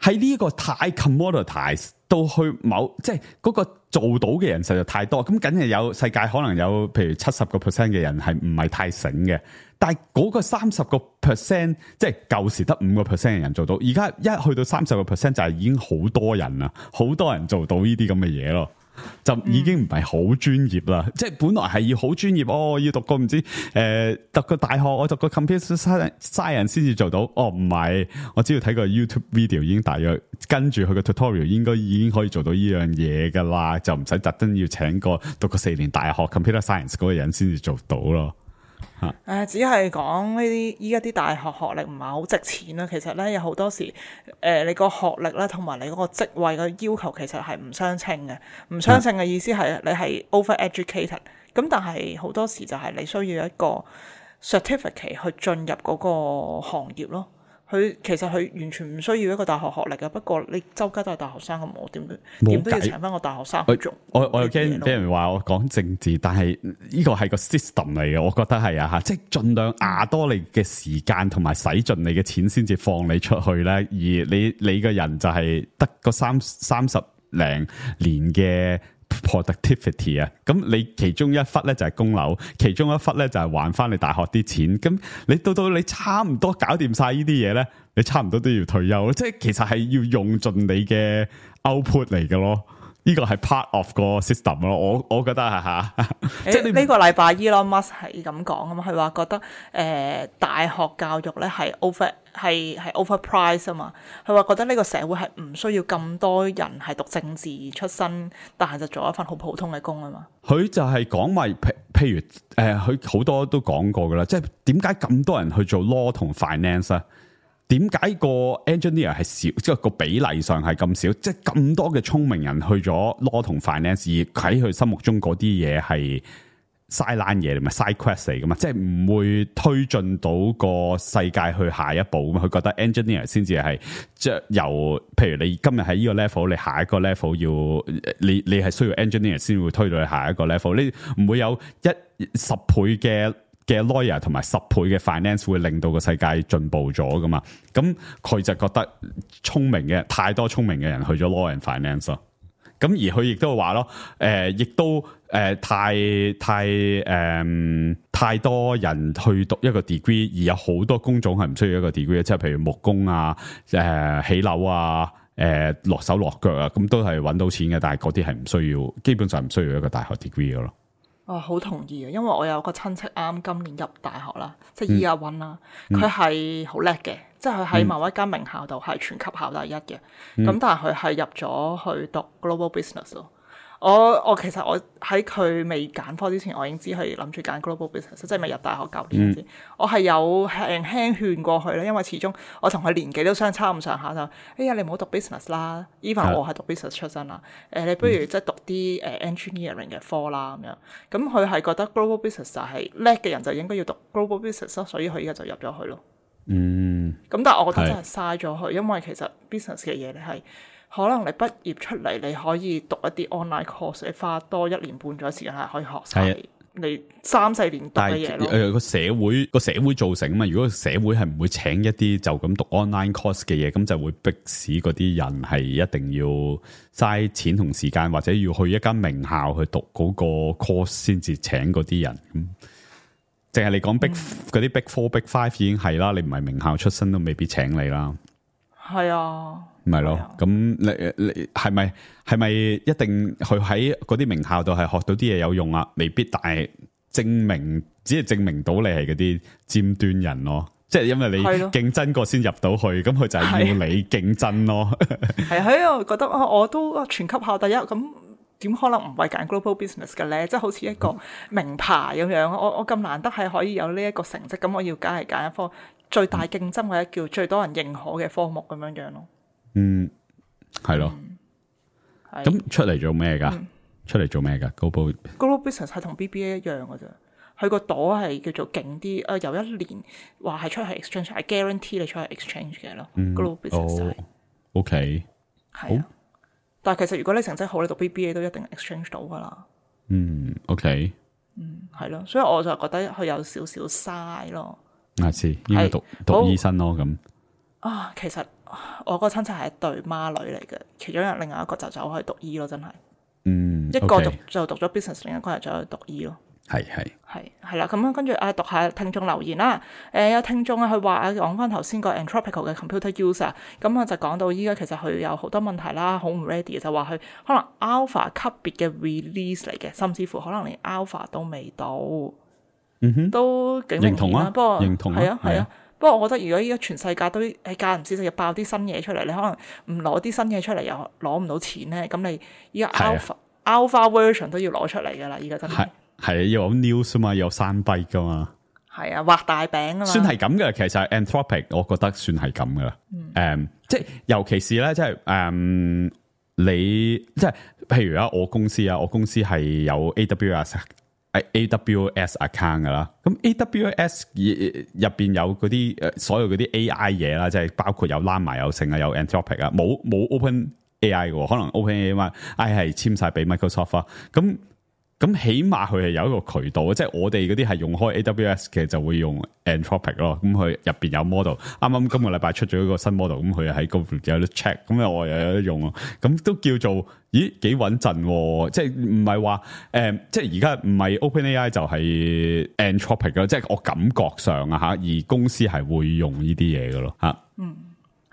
喺呢個太 commoditize 到去某，即係嗰個做到嘅人實在太多，咁梗係有世界可能有譬如七十個 percent 嘅人係唔係太醒嘅，但係嗰個三十個 percent，即係舊時得五個 percent 嘅人做到，而家一去到三十個 percent 就係已經好多人啦，好多人做到呢啲咁嘅嘢咯。就已經唔係好專業啦，嗯、即係本來係要好專業哦，要讀個唔知誒、呃、讀個大學，我讀個 computer science 先至做到。哦，唔係，我只要睇個 YouTube video 已經大約跟住佢個 tutorial 應該已經可以做到呢樣嘢噶啦，就唔使特登要請個讀個四年大學 computer science 嗰個人先至做到咯。誒、呃，只係講呢啲依家啲大學學歷唔係好值錢啦。其實咧有好多時，誒、呃，你個學歷啦，同埋你嗰個職位嘅要求其實係唔相稱嘅。唔相稱嘅意思係你係 over educated，咁但係好多時就係你需要一個 certificate 去進入嗰個行業咯。佢其實佢完全唔需要一個大學學歷嘅，不過你周街都係大學生咁，我點都點都要請翻個大學生去做。我我又驚俾人話我講政治，但係呢個係個 system 嚟嘅，我覺得係啊嚇，即係盡量壓多你嘅時間同埋使盡你嘅錢先至放你出去咧，而你你個人就係得個三三十零年嘅 productivity 啊，咁你其中一忽咧就係供樓，其中一忽咧就係還翻你大學啲錢，咁你到到你差唔多搞掂晒呢啲嘢咧，你差唔多都要退休，即係其實係要用盡你嘅 output 嚟嘅咯。呢個係 part of 個 system 咯，我我覺得係嚇。即係呢個禮拜 Elon Musk 係咁講啊嘛，佢話覺得誒、呃、大學教育咧係 over 係係 overpriced 啊嘛，佢話覺得呢個社會係唔需要咁多人係讀政治出身，但係就做一份好普通嘅工啊嘛。佢就係講埋譬譬如誒，佢、呃、好多都講過噶啦，即係點解咁多人去做 law 同 finance 啊？點解個 engineer 係少，即係個比例上係咁少？即係咁多嘅聰明人去咗 law 同 finance，而喺佢心目中嗰啲嘢係 sideline 嘢，咪 side quest 嚟噶嘛？即係唔會推進到個世界去下一步。咁佢覺得 engineer 先至係即係由，譬如你今日喺呢個 level，你下一個 level 要你你係需要 engineer 先會推到去下一個 level。你唔會有一十倍嘅嘅 lawyer 同埋十倍嘅 finance 會令到個世界進步咗噶嘛？咁佢就覺得聰明嘅太多聰明嘅人去咗 law and finance 咯。咁而佢亦都話咯，誒、呃，亦都誒、呃、太太誒、呃、太多人去讀一個 degree，而有好多工種係唔需要一個 degree 嘅，即係譬如木工啊、誒、呃、起樓啊、誒、呃、落手落腳啊，咁都係揾到錢嘅，但係嗰啲係唔需要，基本上唔需要一個大學 degree 嘅咯。哦，好同意啊！因為我有個親戚啱今年入大學啦，即係 Year One 啦，佢係好叻嘅，即係佢喺某一間名校度係全級考第一嘅。咁、嗯、但係佢係入咗去讀 Global Business 咯。我我其實我喺佢未揀科之前，我已經知佢諗住揀 Global Business，即係未入大學九年嗰陣時，嗯、我係有輕輕勸過佢咧，因為始終我同佢年紀都相差唔上下就，哎呀你唔好讀 business 啦 ，even 我係讀 business 出身啦，誒、呃、你不如即係讀啲誒 engineering 嘅科啦咁樣，咁佢係覺得 Global Business 就係叻嘅人就應該要讀 Global Business 咯，所以佢而家就入咗去咯。嗯，咁但係我覺得真係嘥咗佢，因為其實 business 嘅嘢你係。可能你畢業出嚟，你可以讀一啲 online course，你花多一年半咗時間係可以學晒你三四年讀嘅嘢咯。誒個社會個社會造成啊嘛，如果社會係唔會請一啲就咁讀 online course 嘅嘢，咁就會逼使嗰啲人係一定要嘥錢同時間，或者要去一間名校去讀嗰個 course 先至請嗰啲人。咁淨係你講 big 嗰啲、嗯、big four big five 已經係啦，你唔係名校出身都未必請你啦。係啊。唔係咯，咁你你係咪係咪一定佢喺嗰啲名校度係學到啲嘢有用啊？未必，但係證明只係證明到你係嗰啲尖端人咯。即係因為你競爭過先入到去，咁佢就係要你競爭咯。係喺我覺得啊，我都全級考第一，咁點可能唔係揀 global business 嘅咧？即係好似一個名牌咁樣，我我咁難得係可以有呢一個成績，咁我要梗係揀一科最大競爭或者叫最多人認可嘅科目咁樣樣咯。嗯，係咯，咁、嗯、出嚟做咩噶？嗯、出嚟做咩噶 ？Global Global Business 係同 B B A 一樣噶啫，佢個朵係叫做勁啲。誒、呃，有一年話係出去 exchange，係 guarantee 你出去 exchange 嘅咯。嗯、Global Business 係、哦、，OK，係啊。但係其實如果你成績好，你讀 B B A 都一定 exchange 到噶啦。嗯，OK，嗯，係咯，所以我就覺得佢有少少嘥咯。下次應該讀讀醫生咯咁。啊，其實我個親戚係一對孖女嚟嘅，其中有另外一個就走去讀醫咯，真係。嗯，一個讀 okay 就讀咗 business， 另一個係走去讀醫咯。係係係係啦，咁樣跟住啊，讀下聽眾留言啦。誒、呃、有聽眾啊，佢話啊，講翻頭先個 Anthropic 嘅 computer user，咁啊就講到依家其實佢有好多問題啦，好唔 ready，就話佢可能 alpha 級別嘅 release 嚟嘅，甚至乎可能連 alpha 都未到。嗯哼，都幾明顯啦。不過認同啊，係啊係啊。不過我覺得如果依家全世界都係間唔時就爆啲新嘢出嚟，你可能唔攞啲新嘢出嚟又攞唔到錢咧，咁你依家 alpha alpha version 都要攞出嚟噶啦，依家真係。係啊，要有 news 啊嘛，有三幣噶嘛。係啊，畫大餅啊嘛。算係咁嘅，其實 Anthropic 我覺得算係咁噶啦。誒、嗯嗯，即係尤其是咧，即係誒、嗯，你即係譬如啊，我公司啊，我公司係有 A W S A W S account 噶啦。咁 A W S 入邊有嗰啲誒，所有嗰啲 A I 嘢啦，即係包括有 Llama 有成啊，有 Anthropic 啊，冇冇 Open A I 嘅，可能 Open A I 係簽晒俾 Microsoft 啊，咁。咁起碼佢係有一個渠道，即係我哋嗰啲係用開 A W S 嘅就會用 Anthropic 咯。咁佢入邊有 model，啱啱今個禮拜出咗一個新 model，咁佢喺嗰度有得 check，咁我又有得用咯。咁都叫做咦幾穩陣，即係唔係話誒，即係而家唔係 OpenAI 就係 Anthropic 咯，即係我感覺上啊吓，而公司係會用呢啲嘢嘅咯吓。嗯。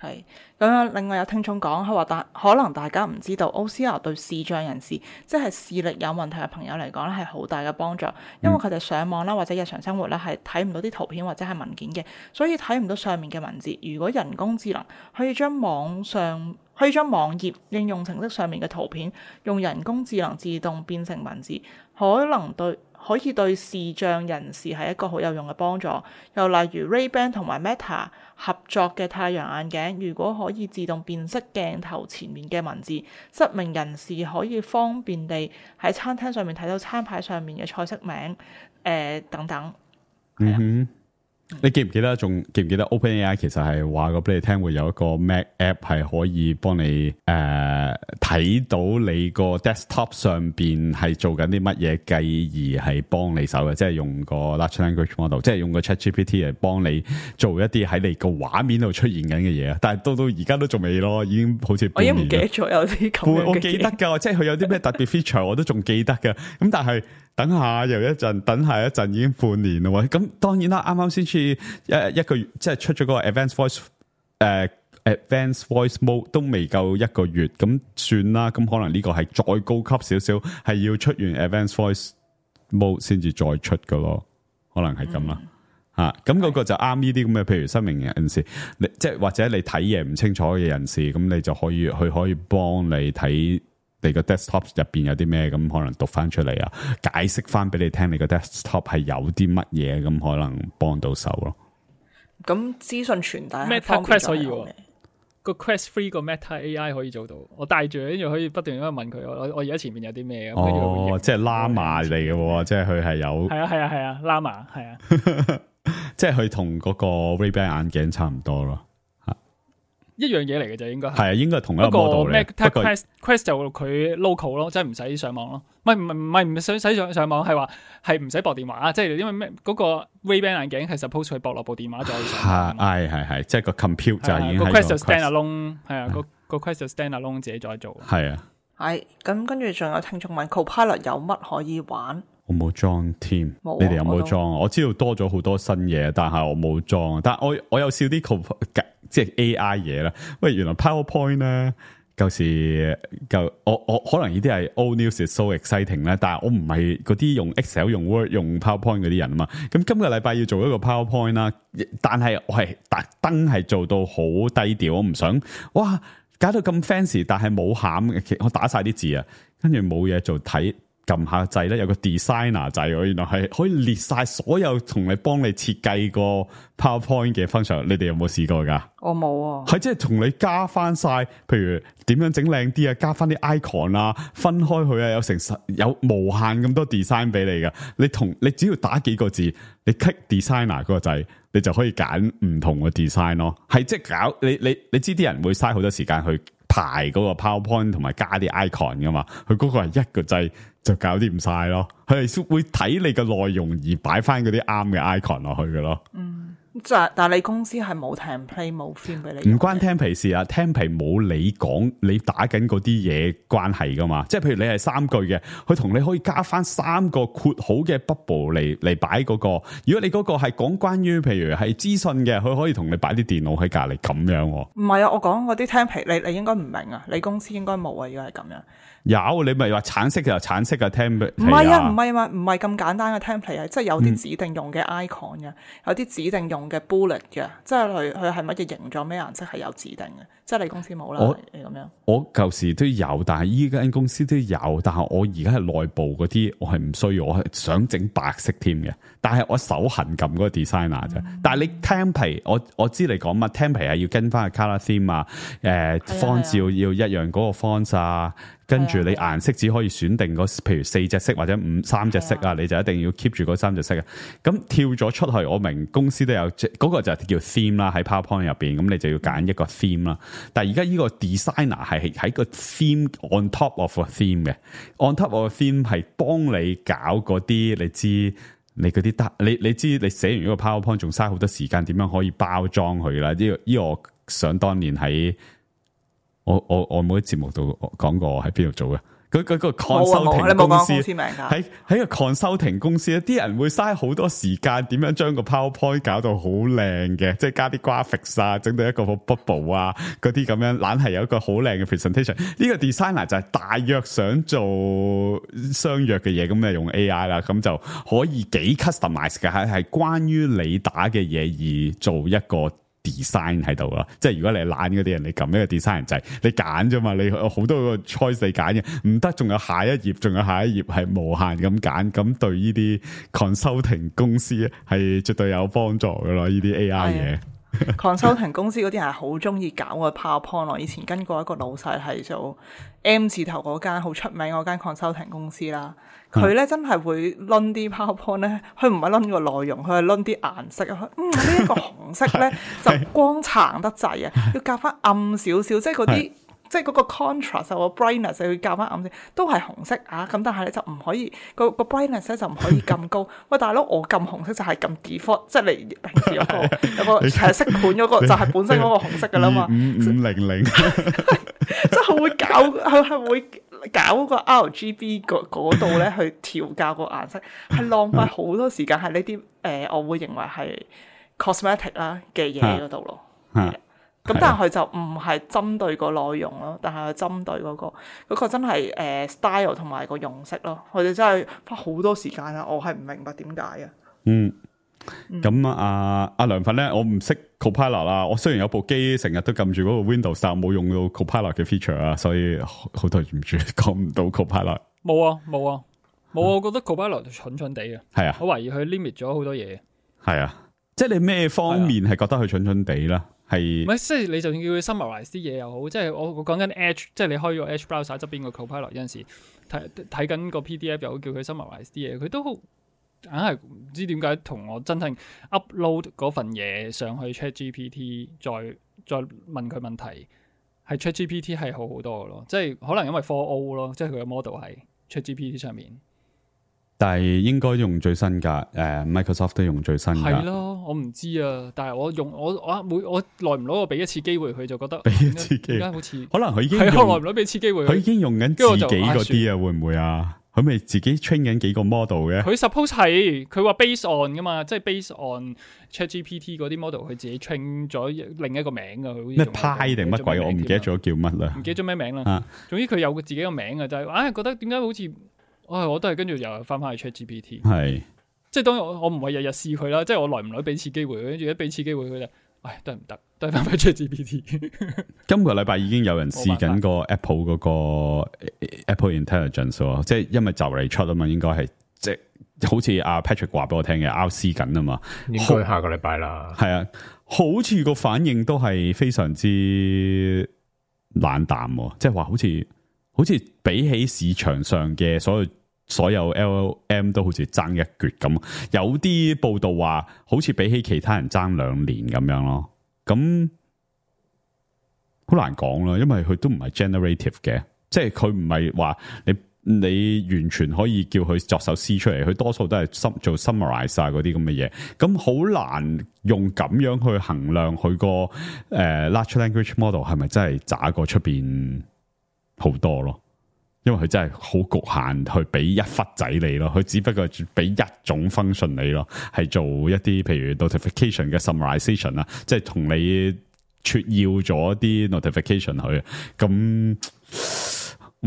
係咁樣，另外有聽眾講，佢話大可能大家唔知道 O C R 對視障人士，即係視力有問題嘅朋友嚟講咧，係好大嘅幫助，因為佢哋上網啦或者日常生活咧係睇唔到啲圖片或者係文件嘅，所以睇唔到上面嘅文字。如果人工智能可以將網上可以將網頁應用程式上面嘅圖片用人工智能自動變成文字，可能對可以對視障人士係一個好有用嘅幫助。又例如 Ray-Ban 同埋 Meta 合作嘅太陽眼鏡，如果可以自動辨識鏡頭前面嘅文字，失明人士可以方便地喺餐廳上面睇到餐牌上面嘅菜式名，誒、呃、等等。嗯哼。你記唔記得？仲記唔記得 OpenAI 其實係話過俾你聽，會有一個 Mac app 係可以幫你誒睇、呃、到你個 desktop 上邊係做緊啲乜嘢，繼而係幫你手嘅，即係用個 large language model， 即係用個 ChatGPT 嚟幫你做一啲喺你個畫面度出現緊嘅嘢啊！但係到到而家都仲未咯，已經好似半年。我已經唔記得咗有啲咁嘅嘢。我記得㗎，即係佢有啲咩特別 feature 我都仲記得㗎。咁但係等下又一陣，等下一陣已經半年啦喎。咁當然啦，啱啱先至一一個月，即係出咗嗰個 Advanced Voice 誒、呃、Advanced Voice Mode 都未夠一個月，咁算啦。咁可能呢個係再高級少少，係要出完 Advanced Voice Mode 先至再出㗎咯。可能係咁啦嚇。咁、嗯、嗰、啊、個就啱呢啲咁嘅，譬如失明人士，你即係或者你睇嘢唔清楚嘅人士，咁你就可以佢可以幫你睇。你個 desktop 入邊有啲咩，咁可能讀翻出嚟啊，解釋翻俾你聽，你個 desktop 係有啲乜嘢，咁可能幫到手咯。咁資訊傳遞 Meta Quest 可以喎，個 Quest Three 個 Meta A I 可以做到，我帶住跟住可以不斷咁樣問佢，我我而家前面有啲咩？哦，即係 Llama 嚟嘅喎，即係佢係有。係啊係啊係啊 Llama 係啊，即係佢同嗰個 Ray-Ban 眼鏡差唔多咯。一樣嘢嚟嘅就應該係，係啊，應該係同一個 model 嚟。不過 Quest Quest 就佢 local 咯，即係唔使上網咯。唔係唔係唔係唔使使上上網，係話係唔使駁電話啊！即係因為咩嗰個 Ray-Ban 眼鏡係 suppose 佢駁落部電話再上。係係係，即係個 compute 就已經個係 Quest 就 stand alone， 係啊，個個 Quest 就 stand alone 自己再做。係啊，係咁跟住仲有聽眾問 Copilot 有乜可以玩？我冇裝添，你哋有冇裝？我知道多咗好多新嘢，但係我冇裝。但係我我有笑啲 Copilot。即係 A I 嘢啦，喂，原來 PowerPoint 咧，舊時舊我我可能呢啲係 old news is so exciting 咧，但係我唔係嗰啲用 Excel 用 Word 用 PowerPoint 嗰啲人啊嘛。咁今個禮拜要做一個 PowerPoint 啦，但係我係特登係做到好低調，我唔想哇搞到咁 fancy， 但係冇餡，我打晒啲字啊，跟住冇嘢做睇。撳下掣咧，有個 designer 掣，原來係可以列晒所有同你幫你設計個 PowerPoint 嘅 function。你哋有冇試過噶？我冇啊。係即係同你加翻晒，譬如點樣整靚啲啊，加翻啲 icon 啊，分開佢啊，有成十有無限咁多 design 俾你噶。你同你只要打幾個字，你 click designer 嗰個掣，你就可以揀唔同嘅 design 咯。係即係搞你你你知啲人會嘥好多時間去排嗰個 PowerPoint 同埋加啲 icon 噶嘛，佢嗰個係一個掣就搞掂晒咯。佢係會睇你嘅內容而擺翻嗰啲啱嘅 icon 落去嘅咯。嗯，就但係你公司係冇 template 冇 theme 俾你，唔關 template 事啊 template 冇你講你打緊嗰啲嘢關係噶嘛。即係譬如你係三句嘅，佢同你可以加翻三個括好嘅 bubble 嚟嚟擺嗰個。如果你嗰個係講關於譬如係資訊嘅，佢可以同你擺啲電腦喺隔離咁樣。唔係啊，我講嗰啲 template 你你應該唔明啊，你公司應該冇啊，如果係咁樣。有你咪話橙色就橙色嘅 template，唔係啊，唔係啊，唔係咁簡單嘅 template 啊，即係有啲指定用嘅 icon 嘅，有啲指定用嘅 bullet 嘅，即係佢佢係乜嘢形狀咩顏色係有指定嘅，即係你公司冇啦，你咁樣。我舊時都有，但係依間公司都有，但係我而家係內部嗰啲，我係唔需要，我係想整白色添嘅，但係我手痕撳嗰個 designer 啫。嗯、但係你 template，我我知你講乜 template 係要跟翻個 colour theme 啊，誒 font 要要一樣嗰個 font 啊。跟住你顏色只可以選定嗰，譬如四隻色或者五三隻色啊，你就一定要 keep 住嗰三隻色啊。咁跳咗出去，我明公司都有，嗰、嗰個就係叫 theme 啦，喺 PowerPoint 入邊，咁你就要揀一個 theme 啦。但係而家呢個 designer 係喺個 theme on top of a theme 嘅 ，on top of a theme 係幫你搞嗰啲，你知你嗰啲得，你你知你寫完呢個 PowerPoint 仲嘥好多時間，點樣可以包裝佢啦？呢、呢個呢、呢個我想當年喺。我我我冇喺節目度講過我喺邊度做嘅，嗰嗰個 consulting 公司喺喺個 consulting 公司咧，啲人會嘥好多時間，點樣將個 PowerPoint 搞到好靚嘅，即係加啲 graphics 啊，整到一個 bubble 啊，嗰啲咁樣，懶係有一個好靚嘅 presentation。呢個 designer 就係大約想做相約嘅嘢，咁就用 A I 啦，咁就可以幾 customize 嘅，係係關於你打嘅嘢而做一個。design 喺度啦，即係如果你係懶嗰啲人，你撳一個 design 掣，你揀啫嘛，你好多個 choice 你揀嘅，唔得，仲有下一頁，仲有下一頁係無限咁揀，咁對呢啲 consulting 公司係絕對有幫助噶咯，呢啲 A I 嘢。consulting 公司嗰啲人係好中意搞個 PowerPoint 咯，以前跟過一個老細係做 M 字頭嗰間好出名嗰間 consulting 公司啦。佢咧真係會掄啲 PowerPoint 咧，佢唔係掄個內容，佢係掄啲顏色啊。嗯，呢、這、一個紅色咧就光橙得滯啊，要夾翻暗少少，即係嗰啲即係嗰個 contrast 個 brightness 就要夾翻暗啲，都係紅色啊。咁但係咧就唔可以個個 brightness 咧就唔可以咁高。喂，大佬，我撳紅色就係撳 default，即係你平時有個有個係色盤嗰個就係本身嗰個紅色噶啦嘛。五五零零，即係佢會搞，佢係會。搞個 R G B 嗰度咧去調校個顏色，係浪費好多時間，係呢啲誒，我會認為係 cosmetic 啦嘅嘢嗰度咯。咁但係佢就唔係針對個內容咯，但係佢針對嗰、嗰個嗰、嗰個真係誒、呃、style 同埋個用色咯。佢哋真係花好多時間啊！我係唔明白點解啊。嗯。咁啊，阿梁粉咧，我唔識 Copilot 啦。我雖然有部機成日都撳住嗰個 Windows，但冇用到 Copilot 嘅 feature 啊，所以好對唔住，講唔到 Copilot。冇啊，冇啊，冇、啊。我覺得 Copilot 蠢蠢地嘅。係啊，我懷疑佢 limit 咗好多嘢。係啊，即係你咩方面係覺得佢蠢蠢地啦？係唔係？即係你就算叫佢 summarize 啲嘢又好，即係我我講緊 Edge， 即係你開咗 Edge browser 側邊個 Copilot 有陣時睇睇緊個 P D F 又好，叫佢 summarize 啲嘢，佢都好。硬係唔知點解同我真係 upload 嗰份嘢上去 ChatGPT， 再再問佢問題，係 ChatGPT 係好好多嘅咯，即係可能因為 four O 咯，即係佢嘅 model 係 ChatGPT 上面。但係應該用最新㗎，誒、呃、Microsoft 都用最新㗎。係咯，我唔知啊，但係我用我我每我耐唔耐我俾一次機會佢就覺得俾一次機會，點解好似可能佢已經係耐唔耐俾一次機會佢，佢已經用緊自己嗰啲啊，會唔會啊？佢咪自己 train 緊幾個 model 嘅？佢 suppose 係佢話 base on 噶嘛，即係 base on ChatGPT 嗰啲 model，佢自己 train 咗另一個名噶。佢咩派定乜鬼？我唔記得咗叫乜啦。唔記得咗咩名啦。啊、總之佢有佢自己個名嘅，就係、是、唉、哎、覺得點解好似，唉我都係跟住又翻翻去 ChatGPT。係，即係當然我我唔係日日試佢啦，即係我耐唔耐俾次機會，跟住一俾次機會佢就，唉都係唔得。都係翻翻 ChatGPT。今個禮拜已經有人試緊個 Apple 嗰個 Apple Intelligence 喎，即係因為就嚟出啊嘛，應該係即係好似阿 Patrick 話俾我聽嘅 R C 緊啊嘛，應該下個禮拜啦。係啊，好似個反應都係非常之冷淡，即係話好似好似比起市場上嘅所有所有 L L M 都好似爭一橛咁，有啲報道話好似比起其他人爭兩年咁樣咯。咁好難講啦，因為佢都唔係 generative 嘅，即係佢唔係話你你完全可以叫佢作首詩出嚟，佢多數都係做 summarize 啊嗰啲咁嘅嘢，咁好難用咁樣去衡量佢個誒 large language model 係咪真係渣過出邊好多咯。因為佢真係好局限，去俾一忽仔你咯，佢只不過俾一種 function 你咯，係做一啲譬如 notification 嘅 summarization 啦，即係同你撮要咗啲 notification 佢，咁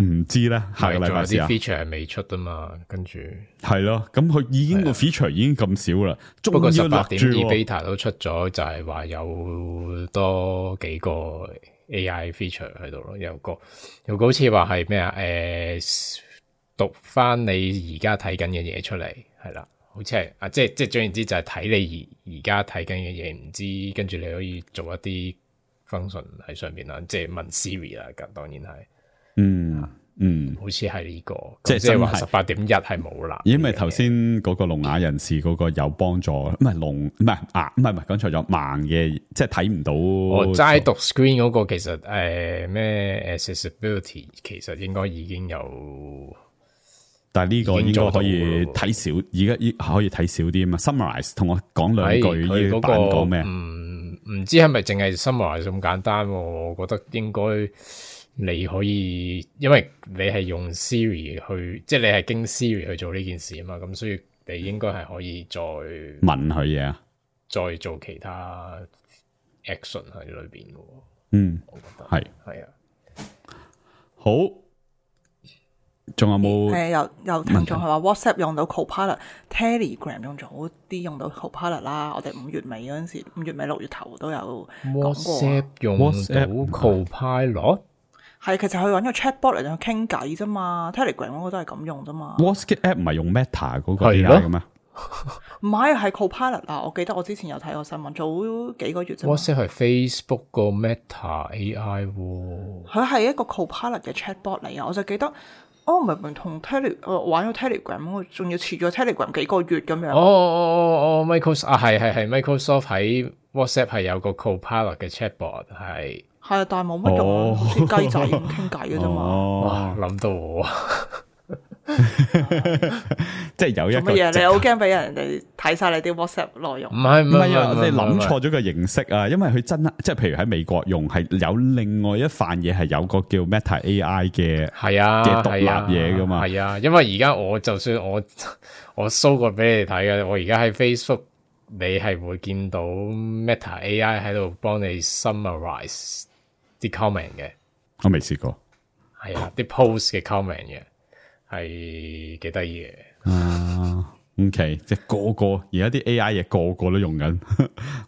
唔知咧下個禮拜試下。啲 feature 係未出啊嘛，跟住係咯，咁佢已經個 feature 已經咁少啦，不過十八點二 beta beta 都出咗，就係話有多幾個。A I feature 喺度咯，有個有個好似話係咩啊？誒、呃，讀翻你而家睇緊嘅嘢出嚟，係啦，好似係啊，即係即係總言之就係睇你而而家睇緊嘅嘢，唔知跟住你可以做一啲 function 喺上面啦，即係問 Siri 啦，咁當然係，嗯嗯，好似係呢個，即係即係話十八點一係冇啦，因為頭先嗰個聾啞人士嗰個有幫助，唔係聾唔係啊，唔係唔係講錯咗，盲嘅即係睇唔到。我齋讀 screen 嗰個其實誒咩、呃、accessibility 其實應該已經有，但係呢個應該可以睇少，而家可以睇少啲啊嘛。Summarize 同我講兩句，呢、那個版講咩？唔唔知係咪淨係 summarize 咁簡單？我覺得應該。你可以，因為你係用 Siri 去，即係你係經 Siri 去做呢件事啊嘛，咁所以你應該係可以再問佢嘢啊，再做其他 action 喺裏邊嘅。嗯，我覺得係係啊，好，仲有冇？誒，有有聽眾係話 WhatsApp 用到 Copilot，Telegram 用咗好啲用到 Copilot 啦。我哋五月尾嗰陣時，五月尾六月頭都有講過。WhatsApp 用到 Copilot。係，其實佢揾個 chatbot 嚟同佢傾偈啫嘛 ，Telegram 嗰個都係咁用啫嘛。WhatsApp app 唔係用 Meta 嗰個 A I 嘅咩？唔係，係 Copilot 啊！我記得我之前有睇過新聞，早幾個月啫。WhatsApp 係 Facebook 個 Meta A I 喎。佢係一個 Copilot 嘅 chatbot 嚟啊！我就記得，哦，明明同 Tele 我玩咗 Telegram，我仲要遲咗 Telegram 幾個月咁樣。哦哦哦哦 ，Microsoft 啊，係係係 Microsoft 喺 WhatsApp 係有個 Copilot 嘅 chatbot 係。係啊，但係冇乜用，好似雞仔咁傾偈嘅啫嘛。哇，諗到我，即係有一個乜嘢？你好驚俾人哋睇晒你啲 WhatsApp 內容？唔係唔係啊，你諗錯咗個形式啊！因為佢真係即係，譬如喺美國用係有另外一範嘢，係有個叫 Meta A I 嘅係啊嘅獨立嘢噶嘛。係啊，因為而家我就算我我 show 過俾你睇嘅，我而家喺 Facebook 你係會見到 Meta A I 喺度幫你 summarize。啲 comment 嘅，我未試過，係啊，啲 post 嘅 comment 嘅，係幾得意嘅。啊 ，OK，即係個個而家啲 A I 嘢個個都用緊，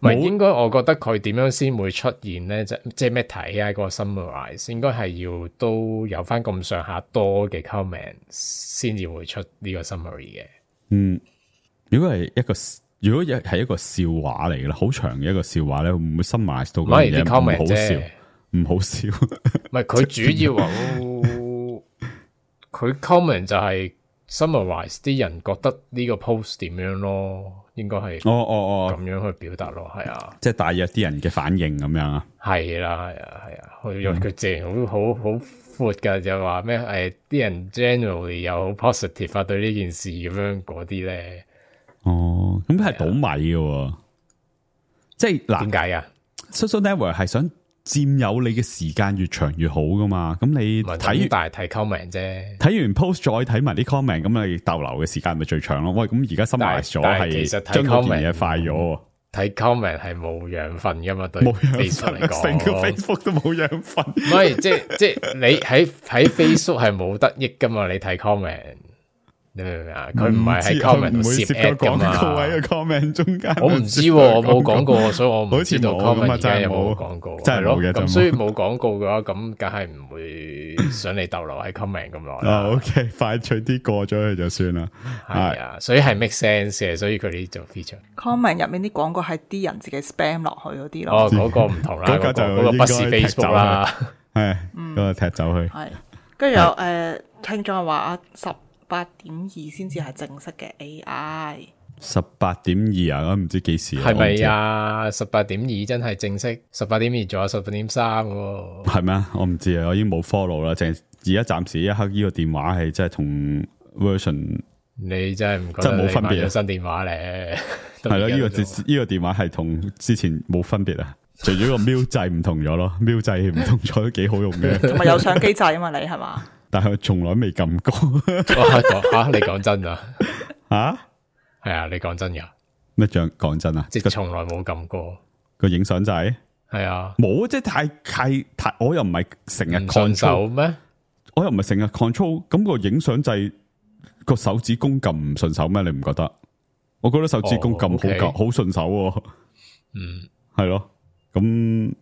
唔係應該我覺得佢點樣先會出現咧？即即係 Meta A I 嗰個 summarize，應該係要都有翻咁上下多嘅 comment 先至會出呢個 summary 嘅。嗯，如果係一個如果係一個笑話嚟嘅啦，好長嘅一個笑話咧，會唔會 summarize 到嗰樣嘢唔好笑？唔好笑，唔係佢主要話，佢 comment 就係 summarize 啲人覺得呢個 post 點樣咯，應該係哦哦哦咁樣去表達咯，係啊，即係大約啲人嘅反應咁樣啊，係啦係啊係啊，佢佢淨係好好好闊噶，就話咩誒啲人 generally 又好 positive 啊對呢件事咁樣嗰啲咧，哦，咁係倒米嘅，即係嗱，點解啊 ？Social network 係想佔有你嘅時間越長越好噶嘛？咁你睇大睇 comment 啫，睇完 post 再睇埋啲 comment，咁你逗留嘅時間咪最長咯？喂，咁而家 summarize 咗係將嗰件嘢快咗，睇 comment 係冇養分噶嘛？對 Facebook 嚟講，成個 Facebook 都冇養分。唔係，即係即係你喺喺 Facebook 係冇得益噶嘛？你睇 comment。你明唔明啊？佢唔係喺 comment 度攝 ad 噶嘛？喺個 comment 中間，我唔知，我冇廣告，所以我唔知道 comment 而家有冇廣告。真係冇嘅，咁所以冇廣告嘅話，咁梗係唔會想你逗留喺 comment 咁耐啦。OK，快脆啲過咗去就算啦。係啊，所以係 make sense 嘅，所以佢哋做 feature。comment 入面啲廣告係啲人自己 spam 落去嗰啲咯。哦，嗰個唔同啦，嗰個嗰個不是 Facebook 啦，係嗰個踢走去。係，跟住有誒聽眾話啊十。八點二先至係正式嘅 A I，十八點二啊，我唔知幾時係咪啊？十八點二真係正式，十八點二仲有十八點三喎。係咩？我唔知啊，我已經冇 follow 啦。淨係而家暫時一刻呢個電話係真係同 version，你真係唔覺真係得冇分別啊？新電話咧，係咯，呢個呢個電話係同之前冇分別啊，除咗個瞄掣唔同咗咯，瞄掣唔同咗都幾好用嘅。同埋有相機掣啊嘛，你係嘛？但係我從來未撳過。吓，你講真啊？吓？係啊，你講真噶？咩講講真啊？即係從來冇撳過個影相掣。係啊，冇，即係太太太，我又唔係成日 control 咩？我又唔係成日 control，咁個影相掣個手指公撳唔順手咩？你唔覺得？我覺得手指公撳好撳好順手喎。嗯，係咯。咁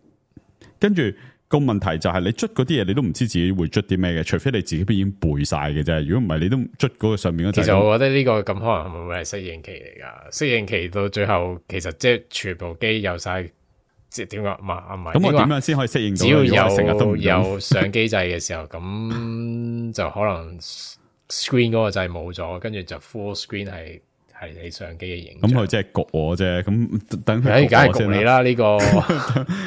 跟住個問題就係你捽嗰啲嘢，你都唔知自己會捽啲咩嘅，除非你自己已經背晒嘅啫。如果唔係，你都捽嗰個上面嗰。其實我覺得呢個咁可能會唔會係適應期嚟噶？適應期到最後，其實即係全部機有晒。即係點講？唔係唔係。咁我點樣先可以適應到？只要有成日都有相機掣嘅時候，咁就可能 screen 嗰個掣冇咗，跟住就 full screen 係係你相機嘅影像。咁佢即係焗我啫。咁等佢焗我先啦。你啦呢個，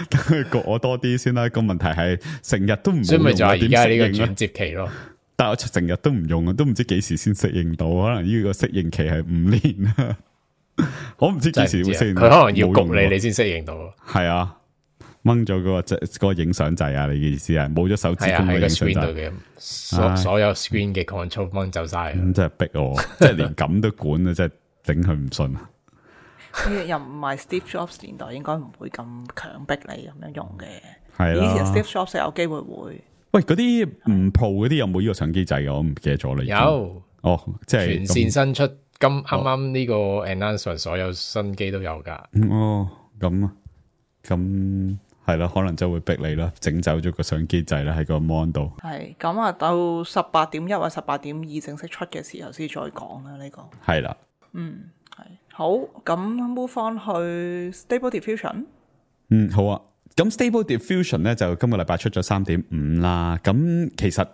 等佢焗我多啲先啦。個問題係成日都唔，所以咪就係而家呢個轉接期咯。但係我成日都唔用，都唔知幾時先適應到。可能呢個適應期係五年啦。我唔知幾時會適應到，佢可能要焗你，你先適應到。係啊，掹咗嗰個掣，嗰個影相掣啊！你嘅意思係冇咗手指公嘅影相掣嘅，所所有 screen 嘅 control 掹走晒。咁真係逼我，即係連咁都管啊！真係頂佢唔順啊！又唔係 Steve Jobs 年代，應該唔會咁強迫你咁樣用嘅。係啦，以前 Steve Jobs 有機會會。喂，嗰啲唔 Pro 嗰啲有冇呢個相機掣嘅？我唔記得咗啦。有哦，即係全線新出。今啱啱呢個 announcement 所有新機都有噶。哦，咁啊，咁係啦，可能就會逼你啦，整走咗個相機掣啦喺個 mon 度。係咁啊，到十八點一或十八點二正式出嘅時候先再講啦。呢、這個係啦，嗯係好。咁 move on 去 Stable Diffusion。嗯，好啊。咁 Stable Diffusion 咧就今個禮拜出咗三點五啦。咁其實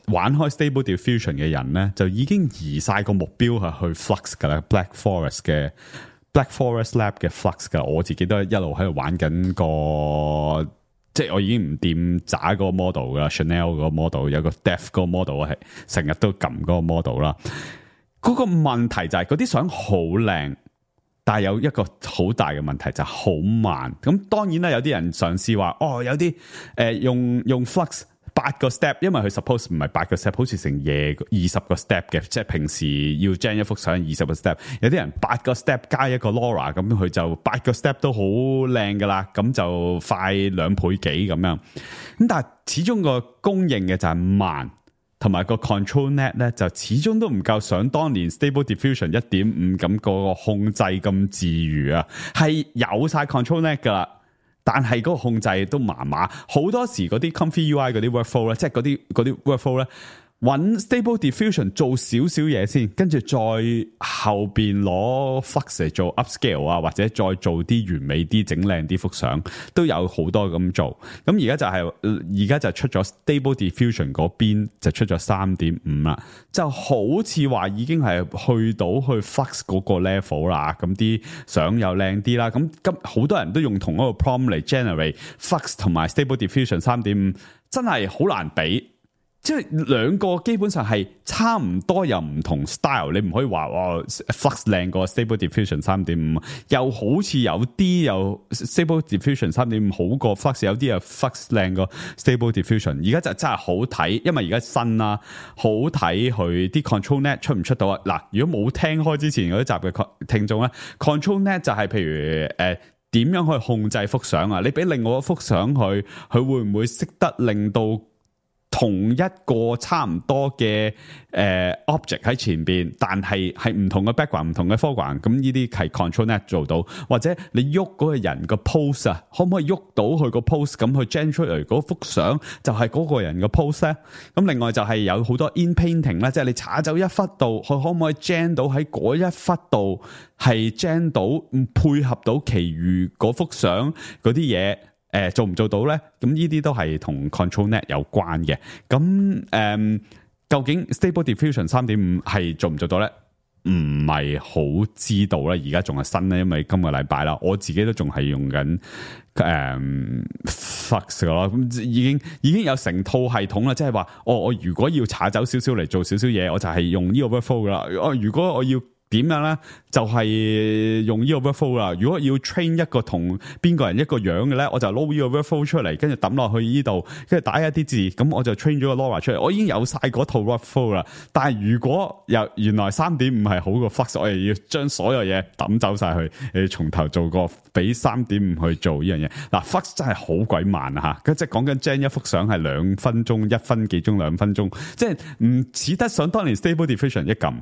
玩開 Stable Diffusion 嘅人咧，就已經移晒個目標係去 Flux 噶啦 ，Black Forest 嘅 Black Forest Lab 嘅 Flux 噶。我自己都一路喺度玩緊個，即係我已經唔掂渣個 model 噶 ，Chanel 個 model 有個 Def 個 model 係成日都撳嗰個 model 啦。嗰、那個問題就係嗰啲相好靚。但係有一個好大嘅問題就係好慢，咁當然啦，有啲人嘗試話，哦，有啲誒、呃、用用 Flux 八個 step，因為佢 suppose 唔係八個 step，好似成夜二十個 step 嘅，即係平時要 gen 一幅相二十個 step，有啲人八個 step 加一個 LoRa，咁佢就八個 step 都好靚噶啦，咁就快兩倍幾咁樣，咁但係始終個供應嘅就係慢。同埋個 control net 咧，就始終都唔夠想當年 Stable Diffusion 一點五咁個控制咁自如啊，係有晒 control net 噶啦，但係嗰個控制都麻麻，好多時嗰啲 Comfy U I 嗰啲 workflow 咧，即係嗰啲嗰啲 workflow 咧。揾 Stable Diffusion 做少少嘢先，跟住再後邊攞 Flux 嚟做 upscale 啊，或者再做啲完美啲、整靚啲幅相，都有好多咁做。咁而家就係而家就出咗 Stable Diffusion 嗰邊就出咗三點五啦，就好似話已經係去到去 Flux 嗰個 level 啦。咁啲相又靚啲啦。咁今好多人都用同一個 prompt 嚟 generate Flux 同埋 Stable Diffusion 三點五，真係好難比。即係兩個基本上係差唔多又唔同 style， 你唔可以話哇 Flux 靚過 Stable Diffusion 三點五，又好似有啲又 Stable Diffusion 三點五好過 Flux， 有啲又 Flux 靚過 Stable Diffusion。而家就真係好睇，因為而家新啦，好睇佢啲 control net 出唔出到啊？嗱，如果冇聽開之前嗰啲集嘅聽眾咧 ，control net 就係譬如誒點樣去控制幅相啊？你俾另外一幅相佢，佢會唔會識得令到同一個差唔多嘅誒、呃、object 喺前邊，但係係唔同嘅 background、唔同嘅 foreground，咁呢啲係 control net 做到，或者你喐嗰個人個 pose 啊，可唔可以喐到佢個 pose 咁去 generate 出嚟嗰幅相就係嗰個人嘅 pose 咧？咁另外就係有好多 in painting 啦，即係你查走一忽度，佢可唔可以 gen 到喺嗰一忽度係 gen 到配合到其餘嗰幅相嗰啲嘢？誒、呃，做唔做到咧？咁呢啲都係同 control net 有關嘅。咁誒、呃，究竟 Stable Diffusion 三點五係做唔做到咧？唔係好知道啦，而家仲係新咧，因為今個禮拜啦，我自己都仲係用緊誒 Flux 咯，咁已經已經有成套系統啦，即係話，我我如果要查走少少嚟做少少嘢，我就係用呢個 workflow 噶啦。我如果我要點樣咧，就係、是、用呢個 workflow 啦。如果要 train 一個同邊個人一個樣嘅咧，我就撈呢個 workflow 出嚟，跟住抌落去呢度，跟住打一啲字，咁我就 train 咗個 Laura 出嚟。我已經有晒嗰套 workflow 啦。但係如果又原來 三點五 係好過 Flux，我又要將所有嘢抌走晒去，誒從頭做過，俾 三點五 去做呢樣嘢。嗱 Flux 真係好鬼慢啊吓，即係講緊 gen 一幅相係兩分鐘，一分幾鐘兩分鐘，即係唔似得上當年 Stable Diffusion 一撳。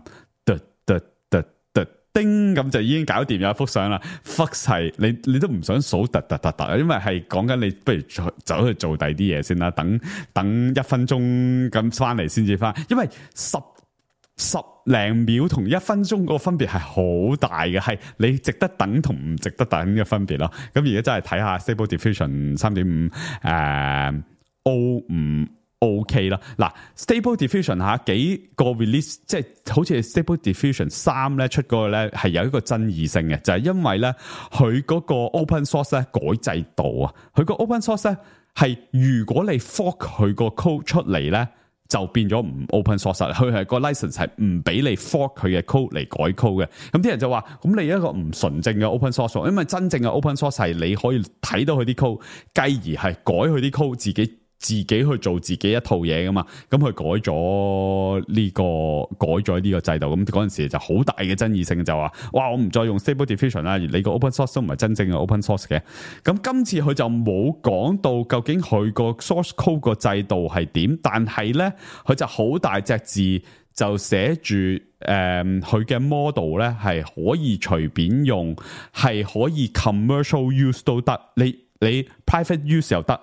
叮咁就已經搞掂有一幅相啦。Flux 係你你都唔想數突突突突，因為係講緊你不如走去做第啲嘢先啦。等等一分鐘咁翻嚟先至翻，因為十十零秒同一分鐘個分別係好大嘅，係你值得等同唔值得等嘅分別咯。咁而家真係睇下 Stable Diffusion 三點五誒 O 五。OK 啦，嗱 Stable Diffusion 吓幾個 release， 即係好似 Stable Diffusion 三咧出嗰個咧係有一個爭議性嘅，就係、是、因為咧佢嗰個 open source 咧改制度啊，佢個 open source 咧係如果你 fork 佢個 code 出嚟咧就變咗唔 open source， 佢係個 license 係唔俾你 fork 佢嘅 code 嚟改 code 嘅。咁啲人就話，咁你一個唔純正嘅 open source， 因為真正嘅 open source 係你可以睇到佢啲 code， 繼而係改佢啲 code 自己。自己去做自己一套嘢噶嘛，咁佢改咗呢、這個改咗呢個制度，咁嗰陣時就好大嘅爭議性，就話哇我唔再用 Stable Diffusion 啦，而你個 open source 都唔係真正嘅 open source 嘅。咁今次佢就冇講到究竟佢個 source code 個制度係點，但係咧佢就好大隻字就寫住誒佢嘅 model 咧係可以隨便用，係可以 commercial use 都得，你你 private use 又得。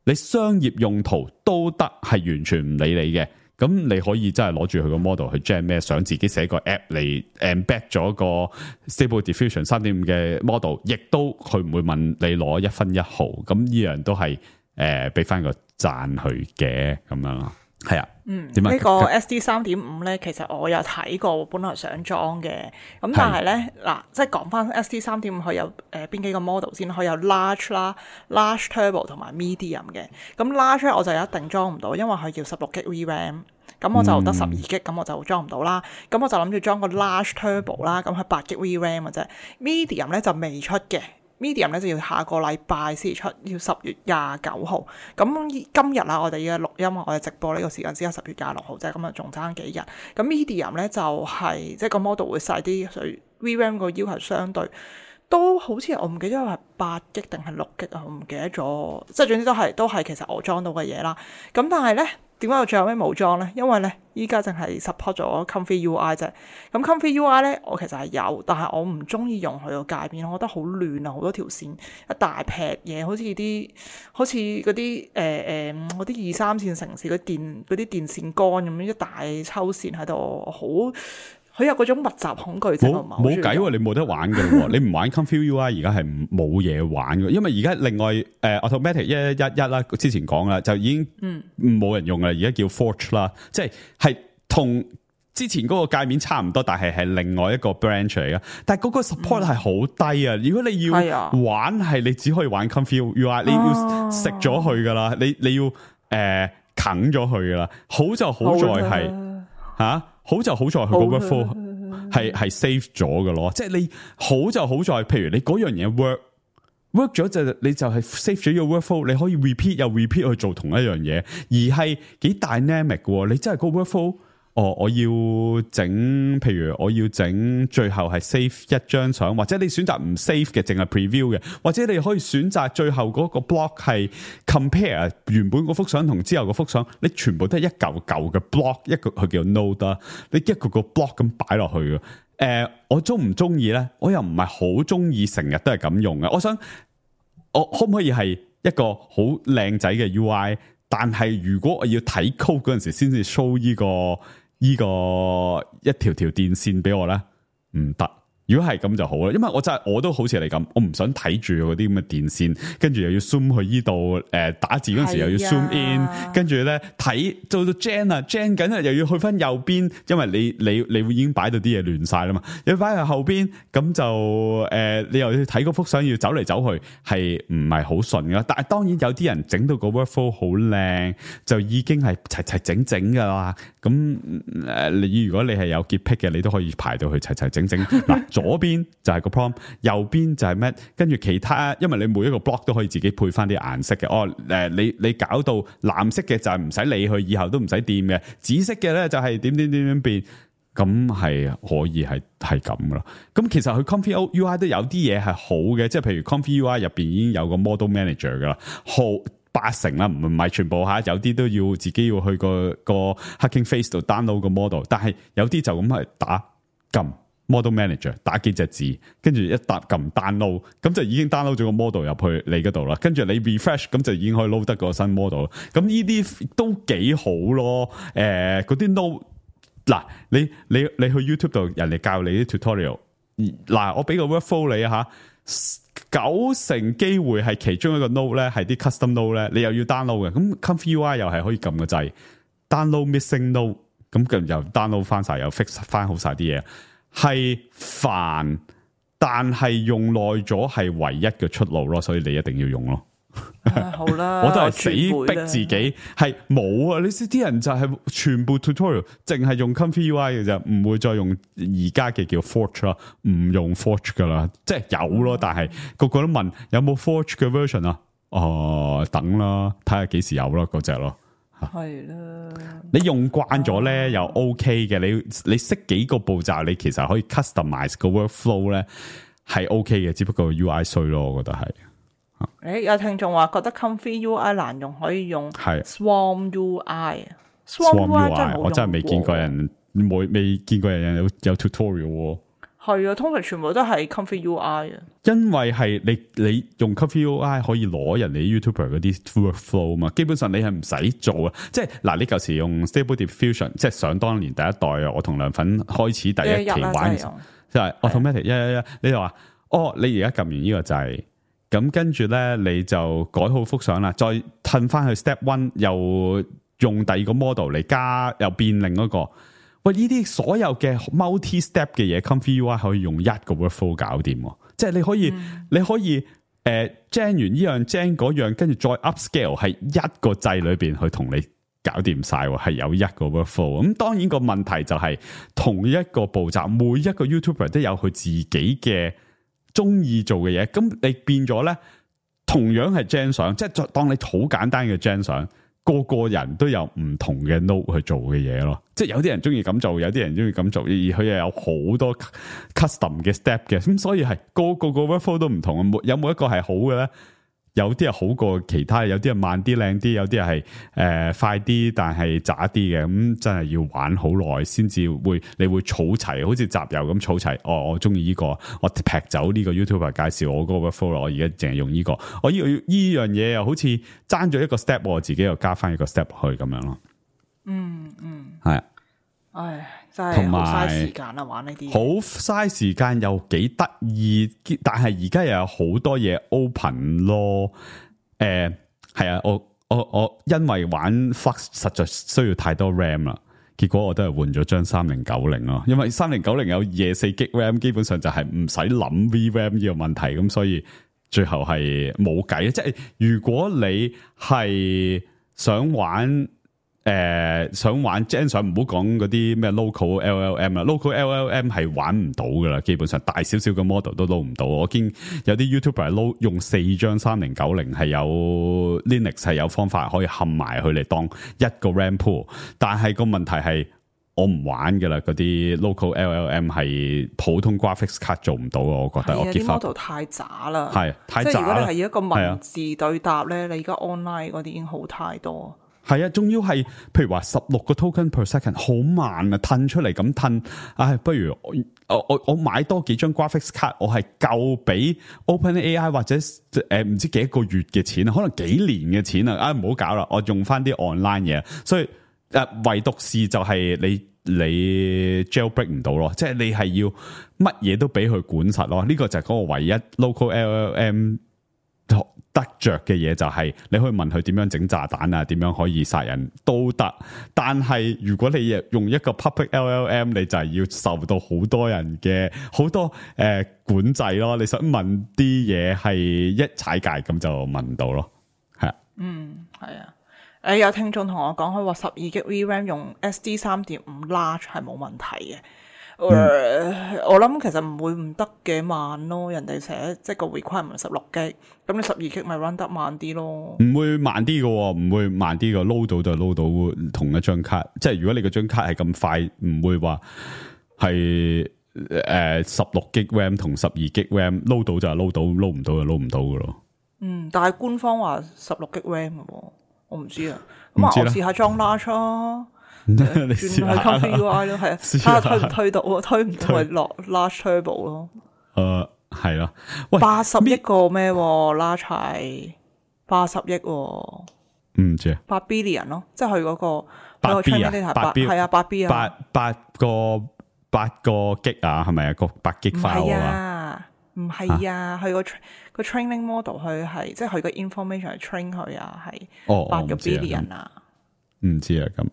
你商業用途都得，係完全唔理你嘅。咁你可以真係攞住佢個 model 去 gen 咩相，自己寫個 app 嚟 embed 咗個 Stable Diffusion 三點五 嘅 model， 亦都佢唔會問你攞一分一毫。咁呢樣都係誒俾翻個讚佢嘅咁樣咯。係啊，嗯，點啊？呢個 S D 三點五 咧，其實我有睇過，本來想裝嘅。咁但係咧，嗱，即係講翻 S D 三點五，佢有誒邊幾個 model 先？佢有 large 啦、large turbo 同埋 medium 嘅。咁 large 我就一定裝唔到，因為佢要十六 G V RAM。咁我就得十二 G，咁我就裝唔到啦。咁我就諗住裝個 large turbo 啦，咁係八 G V RAM 嘅啫。medium 咧就未出嘅。Medium 咧就要下個禮拜先出，要十月廿九號。咁今日啊，我哋嘅錄音，我哋直播呢個時間只係十月廿六號啫，咁啊仲爭幾日。咁 Medium 咧就係、是、即係個 model 會細啲，所以 V RAM 個要求相對都好似我唔記得係八 G 定係六 G 啊，我唔記得咗。即係總之都係都係其實我裝到嘅嘢啦。咁但係咧。點解我最後尾冇裝咧？因為咧，依家淨係 support 咗 Comfy U I 啫。咁 Comfy U I 咧，我其實係有，但係我唔中意用佢個界面，我覺得好亂啊，好多條線，一大撇嘢，好似啲好似嗰啲誒誒嗰啲二三線城市嗰電嗰啲電線桿咁樣一大抽線喺度，好。佢有嗰種密集恐懼症，冇冇計喎，你冇得玩噶喎，你唔玩 Comfy U I 而家係冇嘢玩嘅，因為而家另外誒、呃、Automatic 一一一啦，之前講啦，就已經冇人用啦，而家叫 Forge 啦，即係係同之前嗰個界面差唔多，但係係另外一個 branch 嚟嘅，但係嗰個 support 係好低啊！如果你要玩係你只可以玩 Comfy U I， 你要食咗佢噶啦，你你要誒啃咗佢噶啦，好就好在係吓。好就好在佢個 workflow 係係 save 咗嘅咯，即係你好就好在，譬如你嗰樣嘢 work work 咗就你就係 save 咗個 workflow， 你可以 repeat 又 repeat 去做同一樣嘢，而係幾 dynamic 嘅。你真係個 workflow，哦，我要整，譬如我要整，最後係 save 一張相，或者你選擇唔 save 嘅，淨係 preview 嘅，或者你可以選擇最後嗰個 block 係 compare 原本嗰幅相同之後嗰幅相，你全部都係一嚿嚿嘅 block， 一個佢叫 node， 你一個個 block 咁擺落去嘅。誒、呃，我中唔中意咧？我又唔係好中意成日都係咁用嘅。我想，我可唔可以係一個好靚仔嘅 U I？ 但係如果我要睇 code 嗰陣時，先至 show 呢個。呢個一條條電線俾我咧，唔得，如果係咁就好啦，因為我真係我都好似你咁，我唔想睇住嗰啲咁嘅電線，跟住又要 zoom 去依度，誒打字嗰陣時又要 zoom in，跟住咧睇做到 gen 啊 gen 緊啊，又要去翻右邊，因為你你你會已經擺到啲嘢亂晒啦嘛，又擺喺後邊，咁就誒、呃、你又要睇嗰幅相要走嚟走去，係唔係好順噶？但係當然有啲人整到個 workflow 好靚，就已經係齊齊整整噶啦。咁誒你如果你係有潔癖嘅，你都可以排到去齊齊整整嗱。左邊就係個 prompt， 右邊就係咩？跟住其他，因為你每一個 block 都可以自己配翻啲顏色嘅。哦，誒，你你搞到藍色嘅就係唔使理佢，以後都唔使掂嘅。紫色嘅咧就係點點點點變，咁係可以係係咁噶啦。咁其實佢 Comfy U I 都有啲嘢係好嘅，即係譬如 Comfy U I 入邊已經有個 model manager 噶啦，好八成啦，唔唔係全部吓，有啲都要自己要去個個 Hugging Face 度 download 個 model， 但係有啲就咁係打撳。model manager 打幾隻字，跟住一搭撳 download， 咁就已經 download 咗個 model 入去你嗰度啦。跟住你 refresh， 咁就已經可以 load 得個新 model。咁呢啲都幾好咯。誒、呃，嗰啲 node 嗱，你你你去 YouTube 度，人哋教你啲 tutorial。嗱，我俾個 workflow 你啊吓，九成機會係其中一個 node 咧，係啲 custom node 咧，你又要 download 嘅。咁 Comfy U I 又係可以撳個掣 download missing node， 咁佢又 download 翻晒，又 fix 翻好晒啲嘢。係煩，但係用耐咗係唯一嘅出路咯，所以你一定要用咯。啊、好啦，我都係死逼自己，係冇啊！你知啲人就係全部 tutorial 淨係用 Comfy U I 嘅啫，唔會再用而家嘅叫 Forge 啦，唔用 Forge 噶啦，即係有咯，但係個個都問有冇 Forge 嘅 version 啊？哦，等啦，睇下幾時有咯，嗰隻咯。係啦，你用慣咗咧又 OK 嘅，你你識幾個步驟，你其實可以 customize 個 workflow 咧係 OK 嘅，只不過 U I 衰咯，我覺得係。誒，有聽眾話覺得 Comfy U I 難用，可以用係 Swarm U I。Swarm U I 真 U I 我真係未見過人，冇未見過人有有 tutorial。係啊，通常全部都係 Comfy U I 啊。因為係你你用 Comfy U I 可以攞人哋 YouTuber 嗰啲 workflow 嘛，基本上你係唔使做啊。即係嗱，你舊時用 Stable Diffusion， 即係想當年第一代啊，我同梁粉開始第一期玩，就係 automatic 一一一，你就話哦，你而家撳完呢個掣，咁跟住咧你就改好幅相啦，再褪翻去 Step One， 又用第二個 model 嚟加，又變另一個。喂，呢啲所有嘅 multi step 嘅嘢 ，Comfy U I 可以用一個 workflow 搞掂，即係你可以，嗯、你可以誒 gen 完呢樣 gen 嗰樣，跟住再 upscale 係一個掣裏邊去同你搞掂晒，係有一個 workflow。咁當然個問題就係、是、同一個步驟，每一個 YouTuber 都有佢自己嘅中意做嘅嘢，咁你變咗咧，同樣係 gen 相，即係當你好簡單嘅 gen 相。個個人都有唔同嘅 node 去做嘅嘢咯，即係有啲人中意咁做，有啲人中意咁做，而佢又有好多 custom 嘅 step 嘅，咁所以係個個個 workflow 都唔同，有冇一個係好嘅咧？有啲係好過其他，有啲係慢啲、靚啲，有啲係誒快啲，但係渣啲嘅，咁真係要玩好耐先至會，你會儲齊，好似集郵咁儲齊。哦，我中意呢個，我劈走呢個 YouTuber 介紹我嗰個 workflow，我而家淨係用呢、這個，我呢、這個呢樣嘢又好似爭咗一個 step，我自己又加翻一個 step 去咁樣咯。嗯嗯，係啊，唉。同埋好嘥時間啊，玩呢啲好嘥時間又幾得意，但係而家又有好多嘢 open 咯。誒、呃，係啊，我我我因為玩 Flux 實在需要太多 RAM 啦，結果我都係換咗張三零九零咯。因為三零九零有廿四 G RAM， 基本上就係唔使諗 V RAM 呢個問題，咁所以最後係冇計。即係如果你係想玩。誒、呃，想玩 Gen 上唔好講嗰啲咩 local L L M 啦 ，local L L M 係玩唔到噶啦，基本上大少少嘅 model 都撈唔到。我見有啲 YouTuber 撈用四張三零九零係有 Linux 係有方法可以冚埋佢嚟當一個 RAM pool， 但係個問題係我唔玩噶啦，嗰啲 local L L M 係普通 graphics card 做唔到啊，我覺得我啲 model 太渣啦，係太渣啦。即係如果你係一個文字對答咧，你而家 online 嗰啲已經好太多。係啊，仲要係，譬如話十六個 token per second， 好慢啊，褪出嚟咁褪，唉，不如我我我買多幾張 graphics card， 我係夠俾 OpenAI 或者誒唔、呃、知幾個月嘅錢啊，可能幾年嘅錢啊，啊唔好搞啦，我用翻啲 online 嘢，所以誒、呃、唯獨是就係你你 jailbreak 唔到咯，即係你係要乜嘢都俾佢管實咯。呢、這個就係嗰個唯一 local L L M 得着嘅嘢，就係你可以問佢點樣整炸彈啊，點樣可以殺人都得。但係如果你用一個 public L L M， 你就係要受到好多人嘅好多誒、呃、管制咯。你想問啲嘢係一踩界咁就問唔到咯。係啊，嗯，係啊。誒有聽眾同我講，佢話十二 G V RAM 用 S D 三點五 large 係冇問題嘅。嗯呃、我諗其實唔會唔得嘅慢咯，人哋寫即係個 requirement 十六 G， 咁你十二 G 咪 run 得慢啲咯。唔會慢啲嘅，唔會慢啲嘅，load 到就 load 到同一張卡。即係如果你嗰張卡係咁快，唔會話係誒十六 G RAM 同十二 G RAM load 到就 load 到，load 唔到就 load 唔到嘅咯。嗯，但係官方話十六 G RAM 嘅喎，我唔知啊。咁啊，我試下裝 large 啊。你轉試去 Comfy U I 咯，係啊，睇下推唔推到啊，推唔到咪落 large turbo 咯。誒、呃，係啦，喂，八十億個咩？large 係八十億，唔知啊，八 billion 咯，即係佢嗰個八 B 啊，八 B 係啊，八 B 啊，八八個八個 G 啊，係咪啊？個八 G file啊？唔係啊，佢個個 training model 佢係即係佢個 information 係 train 佢啊，係八個 billion 啊。唔知啊，咁。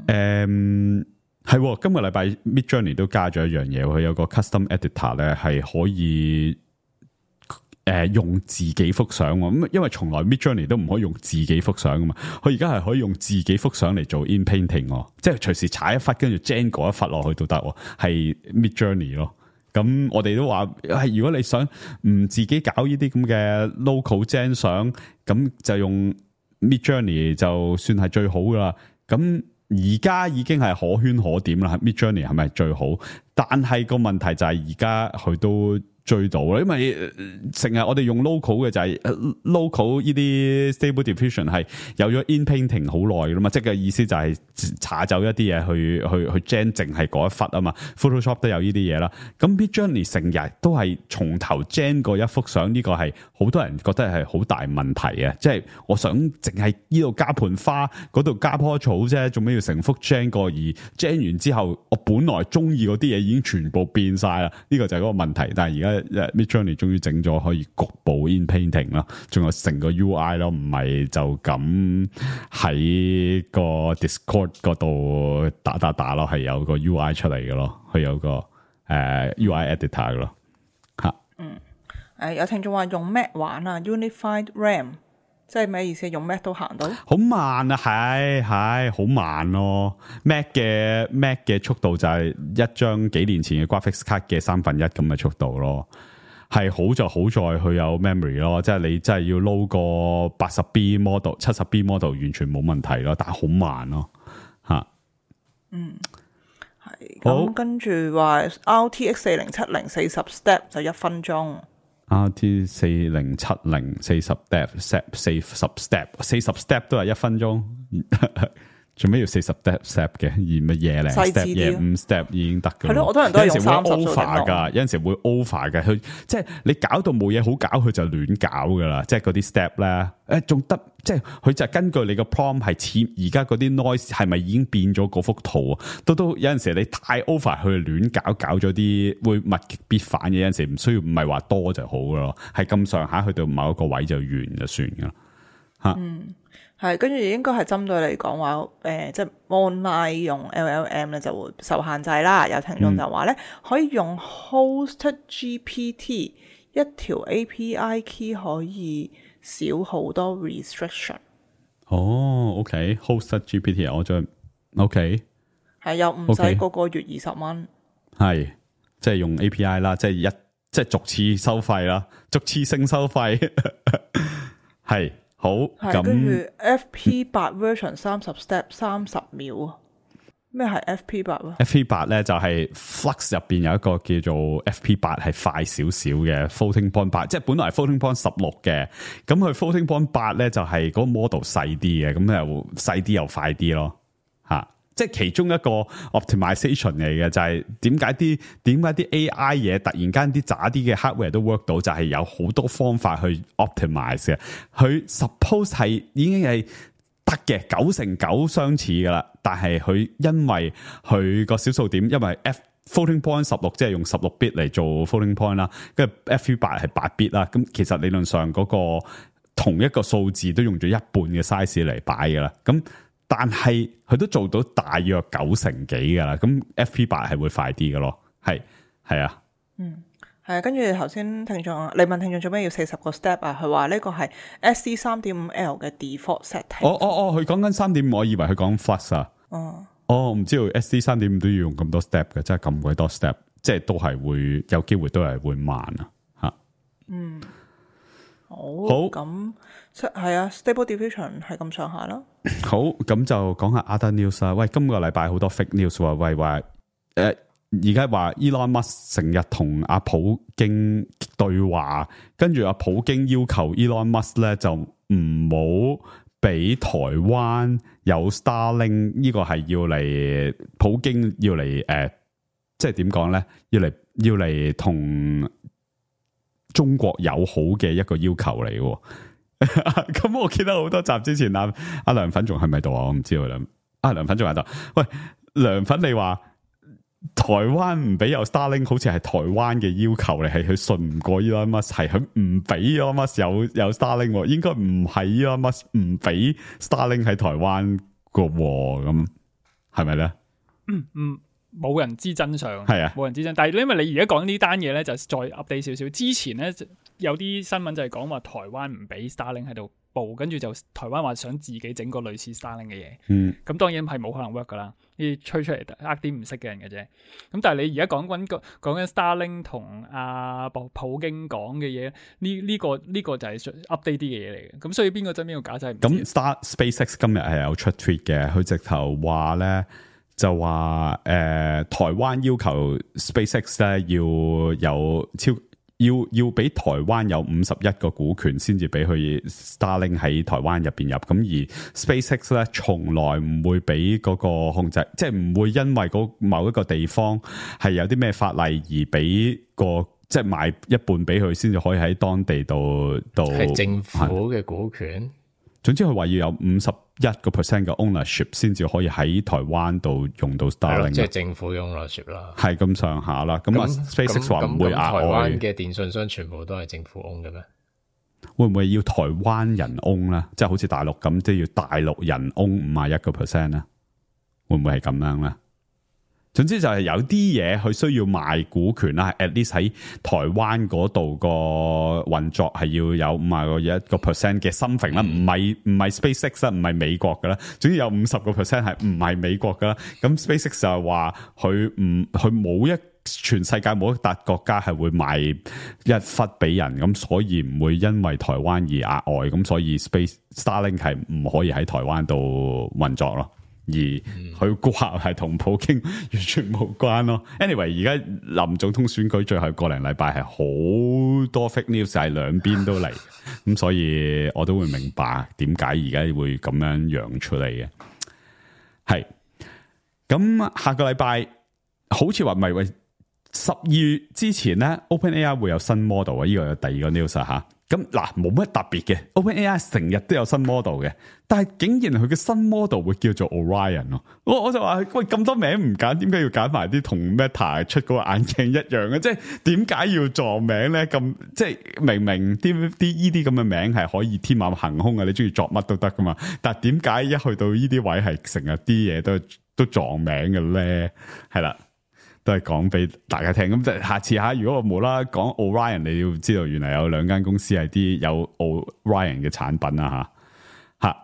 誒，係今個禮拜 Midjourney 都加咗一樣嘢，佢有個 custom editor 咧，係可以誒、呃、用自己幅相咁，因為從來 Midjourney 都唔可以用自己幅相噶嘛，佢而家係可以用自己幅相嚟做 in painting，即係隨時踩一忽跟住 gen 嗰一忽落去都得，係 Midjourney 咯。咁我哋都話係如果你想唔自己搞呢啲咁嘅 local gen 相，咁就用 Midjourney 就算係最好噶啦。咁而家已經係可圈可點啦 ，Midjourney 係咪最好？但係個問題就係而家佢都追到啦，因為成日我哋用 local 嘅就係 local 呢啲 stable diffusion 係有咗 in painting 好耐噶嘛，即係嘅意思就係查走一啲嘢去去去 gen 淨係嗰一忽啊嘛 ，Photoshop 都有呢啲嘢啦。咁 Midjourney 成日都係從頭 gen 過一幅相，呢個係好多人覺得係好大問題啊！即係我想淨係呢度加盆花，嗰度加棵草啫，做咩要成幅 gen 過？而 gen 完之後，我本來中意嗰啲嘢已經全部變晒啦，呢個就係嗰個問題。但係而家Midjourney 終於整咗可以局部 in painting 啦，仲有成個 U I 咯，唔係就咁喺個 Discord 嗰度打打打咯，係有個 U I 出嚟嘅咯，佢有個誒、呃、U I editor 嘅咯，吓。嗯，誒有聽眾話用 Mac 玩啊 ，Unified RAM， 即係咩意思？用 Mac 都行到？好慢啊，係係好慢咯。Mac 嘅 Mac 嘅速度就係一張幾年前嘅 graphics card 嘅三分一咁嘅速度咯。係好就好在佢有 memory 咯，即係你真係要撈個八十 B model、七十 B model 完全冇問題咯，但係好慢咯，吓。嗯，係咁跟住話 R T X 四零七零四十 step 就一分鐘。R T 四零七零四十 step step 四十 step 四十 step 都係一分鐘。做咩要四十 step step 嘅？而乜嘢咧 step 嘢五 step 已經得嘅。係咯，我多人都係用三十 over 噶，有陣時會 over 嘅。佢即係你搞到冇嘢好搞，佢就亂搞噶啦。即係嗰啲 step 咧，誒仲得，即係佢就係根據你個 prompt 係似而家嗰啲 noise 係咪已經變咗嗰幅圖啊？都都有陣時你太 over 佢亂搞，搞咗啲會物極必反嘅。有陣時唔需要，唔係話多就好噶咯，係咁上下去到某一個位就完就算噶啦。吓。嗯。係，跟住應該係針對嚟講話，誒、呃，即係 online 用 L L M 咧就會受限制啦。有聽眾就話咧，可以用 Host G P T 一條 A P I key 可以少好多 restriction。哦 ，OK，Host G P T 我再 OK，係又唔使個個月二十蚊，係即係用 A P I 啦，即係一即係逐次收費啦，逐次性收費係。好，咁跟住 F P 八 version 三十 step 三十秒，咩係 F P 八啊 ？F P 八咧就係 Flux 入邊有一個叫做 F P 八係快少少嘅 floating point 八，即係本來係 floating point 十六嘅，咁佢 floating point 八咧就係嗰個 model 細啲嘅，咁又細啲又快啲咯，吓。即係其中一個 optimization 嚟嘅，就係點解啲點解啲 A I 嘢突然間啲渣啲嘅 hardware 都 work 到，就係有好多方法去 optimize 嘅。佢 suppose 係已經係得嘅，九成九相似噶啦。但係佢因為佢個小數點，因為 F floating point 十六即係用十六 bit 嚟做 floating point 啦，跟住 F 八係八 bit 啦。咁其實理論上嗰個同一個數字都用咗一半嘅 size 嚟擺噶啦。咁但係佢都做到大約九成幾噶啦。咁 F P 八係會快啲嘅咯。係係啊，嗯。係，跟住頭先聽眾，你問聽眾做咩要四十個 step 啊？佢話呢個係 S D 三點五 L 嘅 default setting。哦哦哦，佢講緊三點五，我以為佢講 flux 啊。哦，哦，唔知道 S D 三點五都要用咁多 step 嘅，真係咁鬼多 step，即係都係會有機會都係會慢啊。吓，嗯，好，好，咁係啊 ，Stable Diffusion 係咁上下啦。好，咁就講下 other news 啦。喂，今個禮拜好多 fake news 喎。喂，話誒。而家話 Elon Musk 成日同阿普京對話，跟住阿普京要求 Elon Musk 咧就唔好俾台灣有 Starlink， 呢個係要嚟普京要嚟誒、呃，即係點講咧？要嚟要嚟同中國友好嘅一個要求嚟嘅。咁我記得好多集之前阿阿梁粉仲係咪度啊？我唔知道啦。阿梁粉仲喺度。喂，梁粉你話？台灣唔俾有 Starlink， 好似係台灣嘅要求嚟，係佢信唔過 Elon Musk， 係佢唔俾 Elon Musk 有有 Starlink， 應該唔係 Elon Musk 唔俾 Starlink 喺台灣個，咁係咪咧？嗯嗯，冇人知真相，係啊，冇人知真。但係因為你而家講呢單嘢咧，就再 update 少少。之前咧有啲新聞就係講話台灣唔俾 Starlink 喺度報，跟住就台灣話想自己整個類似 Starlink 嘅嘢。嗯，咁當然係冇可能 work 噶啦。啲吹出嚟呃啲唔識嘅人嘅啫，咁但係你而家講緊個講緊 Starlink 同阿普普京講嘅嘢，呢呢個呢個就係 update 啲嘅嘢嚟嘅，咁所以邊個真邊個假就係唔知。咁 Star SpaceX 今日係有出 tweet 嘅，佢直頭話咧就話誒、呃、台灣要求 SpaceX 咧要有超。要要俾台灣有五十一個股權先至俾佢 Starlink 喺台灣入邊入，咁而 SpaceX 咧從來唔會俾嗰個控制，即係唔會因為嗰某一個地方係有啲咩法例而俾個即係賣一半俾佢先至可以喺當地度度。係政府嘅股權。總之佢話要有五十一個 percent 嘅 ownership 先至可以喺台灣度用到 Starlink， 即係政府嘅 ownership 啦，係咁上下啦。咁啊 SpaceX 話唔會額外。台灣嘅電信商全部都係政府 own 嘅咩？會唔會要台灣人 own 咧？即係好似大陸咁，即係要大陸人 own 五十一個 percent 咧？會唔會係咁樣咧？總之就係有啲嘢佢需要賣股權啦 ，at least 喺台灣嗰度個運作係要有五十個一個 percent 嘅 something 啦，唔係唔係 SpaceX 啦，唔係美國噶啦，總之有五十個 percent 係唔係美國噶啦。咁 SpaceX 就係話佢唔佢冇一全世界冇一笪國家係會賣一忽俾人，咁所以唔會因為台灣而額外，咁所以 Space Starlink 係唔可以喺台灣度運作咯。而佢話係同普京完全冇關咯。Anyway， 而家林總統選舉最後個零禮拜係好多 fake news，係兩邊都嚟，咁所以我都會明白點解而家會咁樣揚出嚟嘅。係咁下個禮拜好似話唔係喂十二月之前咧 ，OpenAI 會有新 model 啊，呢個有第二個 news 吓。咁嗱，冇乜特別嘅 ，OpenAI 成日都有新 model 嘅，但係竟然佢嘅新 model 會叫做 Orion 咯，我我就話喂，咁多名唔揀，點解要揀埋啲同 Meta 出嗰個眼鏡一樣嘅？即係點解要撞名咧？咁即係明明啲啲依啲咁嘅名係可以天馬行空嘅，你中意作乜都得噶嘛？但係點解一去到呢啲位係成日啲嘢都都撞名嘅咧？係啦。都係講俾大家聽，咁就下次吓，如果我冇啦講 Orion， 你要知道原來有兩間公司係啲有 Orion 嘅產品啊吓吓。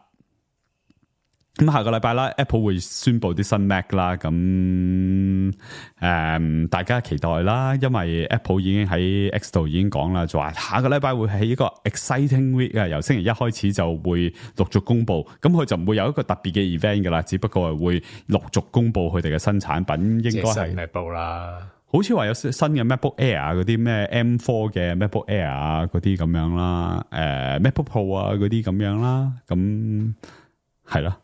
咁下個禮拜啦 ，Apple 會宣布啲新 Mac 啦，咁誒、嗯、大家期待啦，因為 Apple 已經喺 X 度已經講啦，就話下個禮拜會係一個 exciting week 啊，由星期一開始就會陸續公布，咁佢就唔會有一個特別嘅 event 噶啦，只不過係會陸續公布佢哋嘅新產品，應該係 MacBook 啦，好似話有新嘅 MacBook Air 嗰啲咩 M 四 嘅 MacBook Air 啊嗰啲咁樣啦，誒、呃、MacBook Pro 啊嗰啲咁樣啦，咁係咯。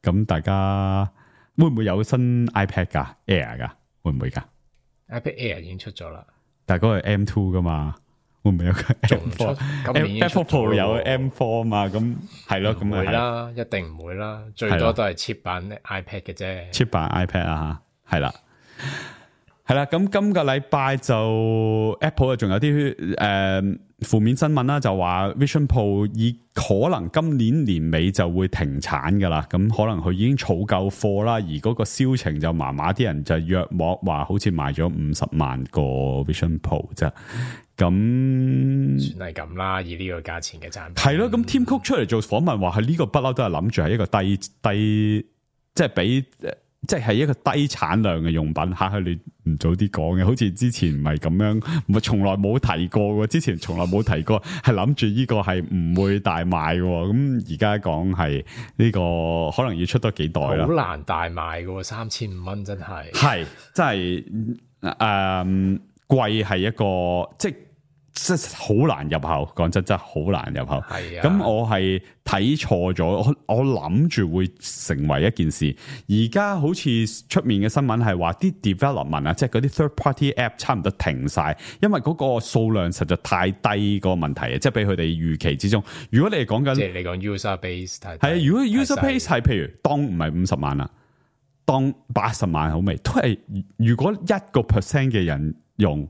咁大家會唔會有新 iPad 噶 Air 噶會唔會噶 iPad Air 已經出咗啦，但係嗰個係 M 二噶嘛，會唔會有個 M 仲唔出 four？今年已經出 MacBook Pro 有咗咯 M four 嘛？咁係咯，咁唔會啊啦，一定唔會啦，最多都係 cheap 版 iPad 嘅啫。 cheap 版 iPad 啊，係啦。係啦，咁今個禮拜就 Apple 啊，仲有啲誒負面新聞啦，就話 Vision Pro 以可能今年年尾就會停產噶啦，咁可能佢已經儲夠貨啦，而嗰個銷情就麻麻，啲人就約莫話好似賣咗五十萬個 Vision Pro 啫，咁算係咁啦，以呢個價錢嘅產品係咯，咁 Tim Cook 出嚟做訪問話係呢個不嬲都係諗住係一個低低，即係比。即係一個低產量嘅用品，吓，你唔早啲講嘅，好似之前唔係咁樣，唔係從來冇提過嘅，之前從來冇提過，係諗住呢個係唔會大賣嘅，咁而家講係呢個可能要出多幾代啦，好難大賣嘅，三千五蚊真係，係真係誒貴係一個即係。即係好難入口，講真真係好難入口。係啊，咁我係睇錯咗，我我諗住會成為一件事。而家好似出面嘅新聞係話啲 development 啊，即係嗰啲 third party app 差唔多停晒，因為嗰個數量實在太低個問題啊，即係比佢哋預期之中。如果你係講緊，即係你講 user base 太低，係啊，如果 user base 係譬如當唔係五十萬啦，當八十萬好未？都係如果一個 percent 嘅人用。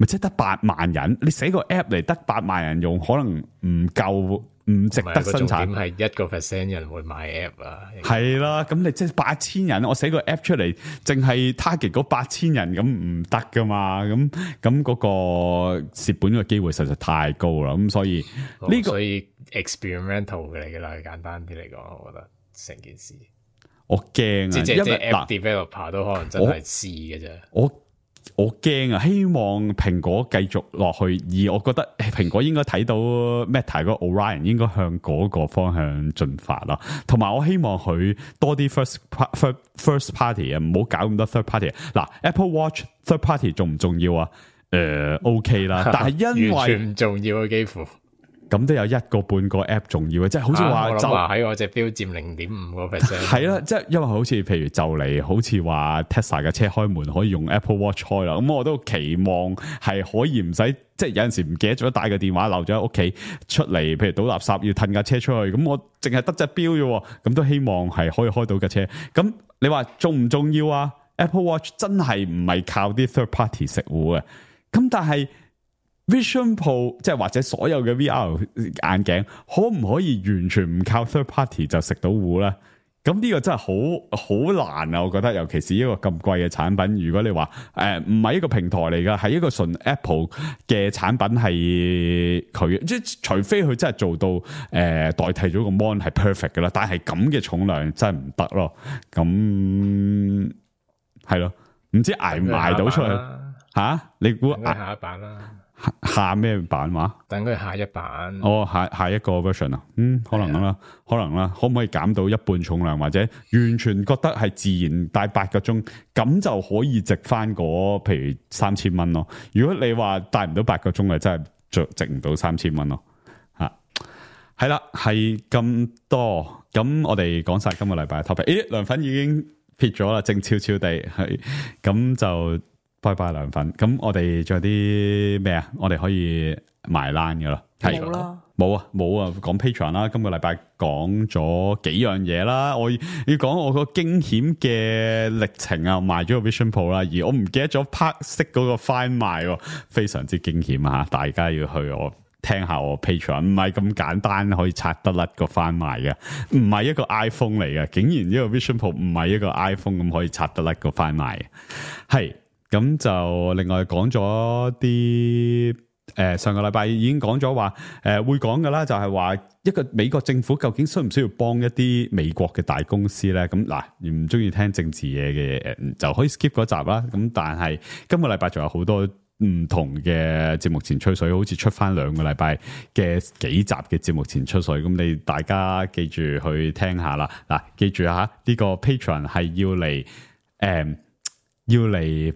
咪即係得八萬人，你寫個 app 嚟得八萬人用，可能唔夠，唔值得生產。點係一個 percent 人會買 app 啊？係啦，咁你即係八千人，我寫個 app 出嚟，淨係 target 嗰八千人，咁唔得噶嘛？咁咁嗰個蝕本嘅機會實在太高啦。咁所以呢、這個所以 experimental 嚟噶啦，簡單啲嚟講，我覺得成件事我驚啊，即係即係 app 嗱 developer 都可能真係試嘅啫。我我驚啊！希望蘋果繼續落去，而我覺得蘋果應該睇到 Meta 嗰個 Orion 應該向嗰個方向進發啦。同埋我希望佢多啲 first first first party 啊，唔好搞咁多 third party。嗱 ，Apple Watch third party 重唔重要啊？誒、呃、OK 啦，但係因為完全唔重要啊，幾乎。咁都有一個半個 app 重要嘅，即係好似話就喺我隻錶佔零點五個 percent。係啦，即係因為好似譬如就嚟，好似話 Tesla 嘅車開門可以用 Apple Watch 開啦。咁我都期望係可以唔使，即係有陣時唔記得咗帶個電話漏咗喺屋企出嚟，譬如倒垃圾要褪架車出去，咁我淨係得隻錶啫，咁都希望係可以開到架車。咁你話重唔重要啊？ Apple Watch 真係唔係靠啲 third party 食糊嘅，咁但係。Vision Pro 即係或者所有嘅 V R 眼鏡，可唔可以完全唔靠 third party 就食到糊咧？咁呢個真係好好難啊！我覺得，尤其是一個咁貴嘅產品，如果你話誒唔係一個平台嚟噶，係一個純 Apple 嘅產品，係佢即係除非佢真係做到誒、呃、代替咗個 mon 係 perfect 噶啦，但係咁嘅重量真係唔得咯。咁係咯，唔知捱唔捱到出去吓、啊？你估下一版啦？下咩版話？等佢下一版。哦，下下一個 version 啊，嗯，可能啦，可能啦，可唔可以減到一半重量，或者完全覺得係自然戴八個鐘，咁就可以值翻嗰譬如三千蚊咯。如果你話戴唔到八個鐘啊，真係值值唔到三千蚊咯。吓，係啦，係咁多，咁我哋講晒今個禮拜嘅 topic。誒，涼粉已經撇咗啦，靜悄悄地係，咁就。拜拜涼粉，咁我哋仲有啲咩啊？我哋可以埋單噶啦，係冇啦，冇啊冇啊，講 Patreon 啦，今個禮拜講咗幾樣嘢啦，我要講我個驚險嘅歷程啊，賣咗個 Vision Pro 啦，而我唔記得咗 Park 識嗰個 Find My，非常之驚險啊！大家要去我聽下我 Patreon，唔係咁簡單可以拆得甩個 Find My嘅，唔係一個 iPhone 嚟嘅，竟然呢個 Vision Pro 唔係一個 iPhone 咁可以拆得甩個 Find My 嘅，係。咁就另外講咗啲誒，上個禮拜已經講咗話誒會講噶啦，就係話一個美國政府究竟需唔需要幫一啲美國嘅大公司咧？咁嗱，唔中意聽政治嘢嘅誒，就可以 skip 嗰集啦。咁但係今個禮拜仲有好多唔同嘅節目前吹水，好似出翻兩個禮拜嘅幾集嘅節目前吹水。咁你大家記住去聽下啦。嗱，記住吓呢個 Patreon 係要嚟誒要嚟。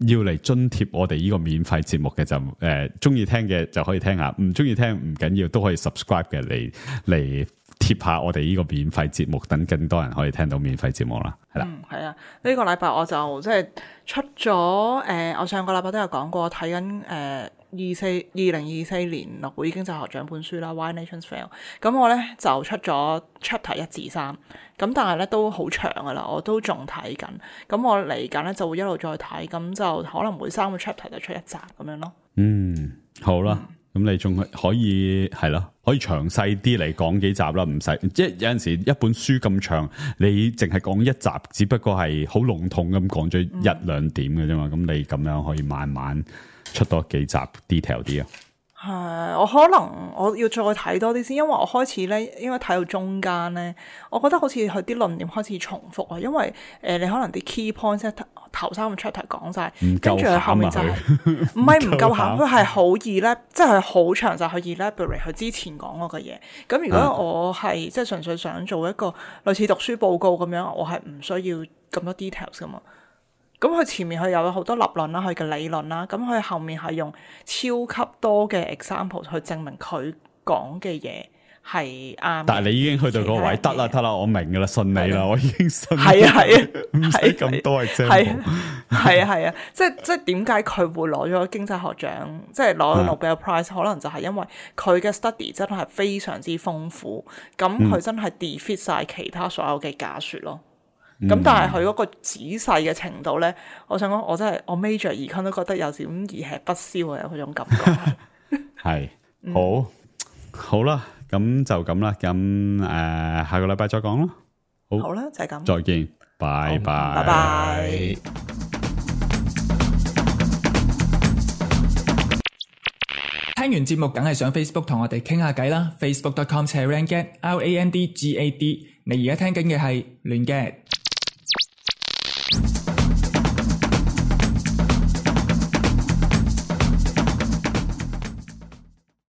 要嚟津貼我哋呢個免費節目嘅就誒，中意聽嘅就可以聽下，唔中意聽唔緊要，都可以 subscribe 嘅嚟嚟貼下我哋呢個免費節目，等更多人可以聽到免費節目啦。係啦，嗯，係啊，呢、這個禮拜我就即係出咗誒、呃，我上個禮拜都有講過睇緊誒。二四二零二四年諾貝爾經濟學獎本書啦 ，Why Nations Fail。咁我咧就出咗 chapter 一至三，咁但係咧都好長噶啦，我都仲睇緊。咁我嚟緊咧就會一路再睇，咁就可能每三個 chapter 就出一集咁樣咯。嗯，好啦。嗯咁你仲可以係咯，可以詳細啲嚟講幾集啦，唔使即係有陣時一本書咁長，你淨係講一集，只不過係好籠統咁講咗一兩點嘅啫嘛。咁、嗯、你咁樣可以慢慢出多幾集 detail 啲啊。係，我可能我要再睇多啲先，因為我開始咧，應該睇到中間咧，我覺得好似佢啲論點開始重複啊。因為誒、呃，你可能啲 key points 咧頭三個 chapter 講晒，跟住後面就係唔係唔夠餡，佢係好易咧，即係好詳細去 elaborate 佢之前講嗰個嘢。咁如果我係、啊、即係純粹想做一個類似讀書報告咁樣，我係唔需要咁多 details 噶嘛。咁佢前面佢有好多立論啦，佢嘅理論啦，咁佢後面係用超級多嘅 example 去證明佢講嘅嘢係啱。但係你已經去到嗰個位，得啦得啦，我明噶啦，信你啦，我已經信你。係啊係啊，唔使咁多 example。係啊係啊係啊，即係即係點解佢會攞咗經濟學獎，即係攞咗 Nobel Prize，可能就係因為佢嘅 study 真係非常之豐富，咁佢真係 defeat 晒其他所有嘅假說咯。咁、嗯、但係佢嗰個仔細嘅程度咧，我想講我真係我 major econ 都覺得有點宜吃不消啊，嗰種感覺。係好、嗯、好啦，咁就咁啦，咁誒、呃、下個禮拜再講咯。好，好啦，就係、是、咁，再見，拜拜，拜拜。聽完節目梗係上 Facebook 同我哋傾下偈啦 ，facebook dot com slash randgad r a n d g a d。你而家聽緊嘅係亂 gad。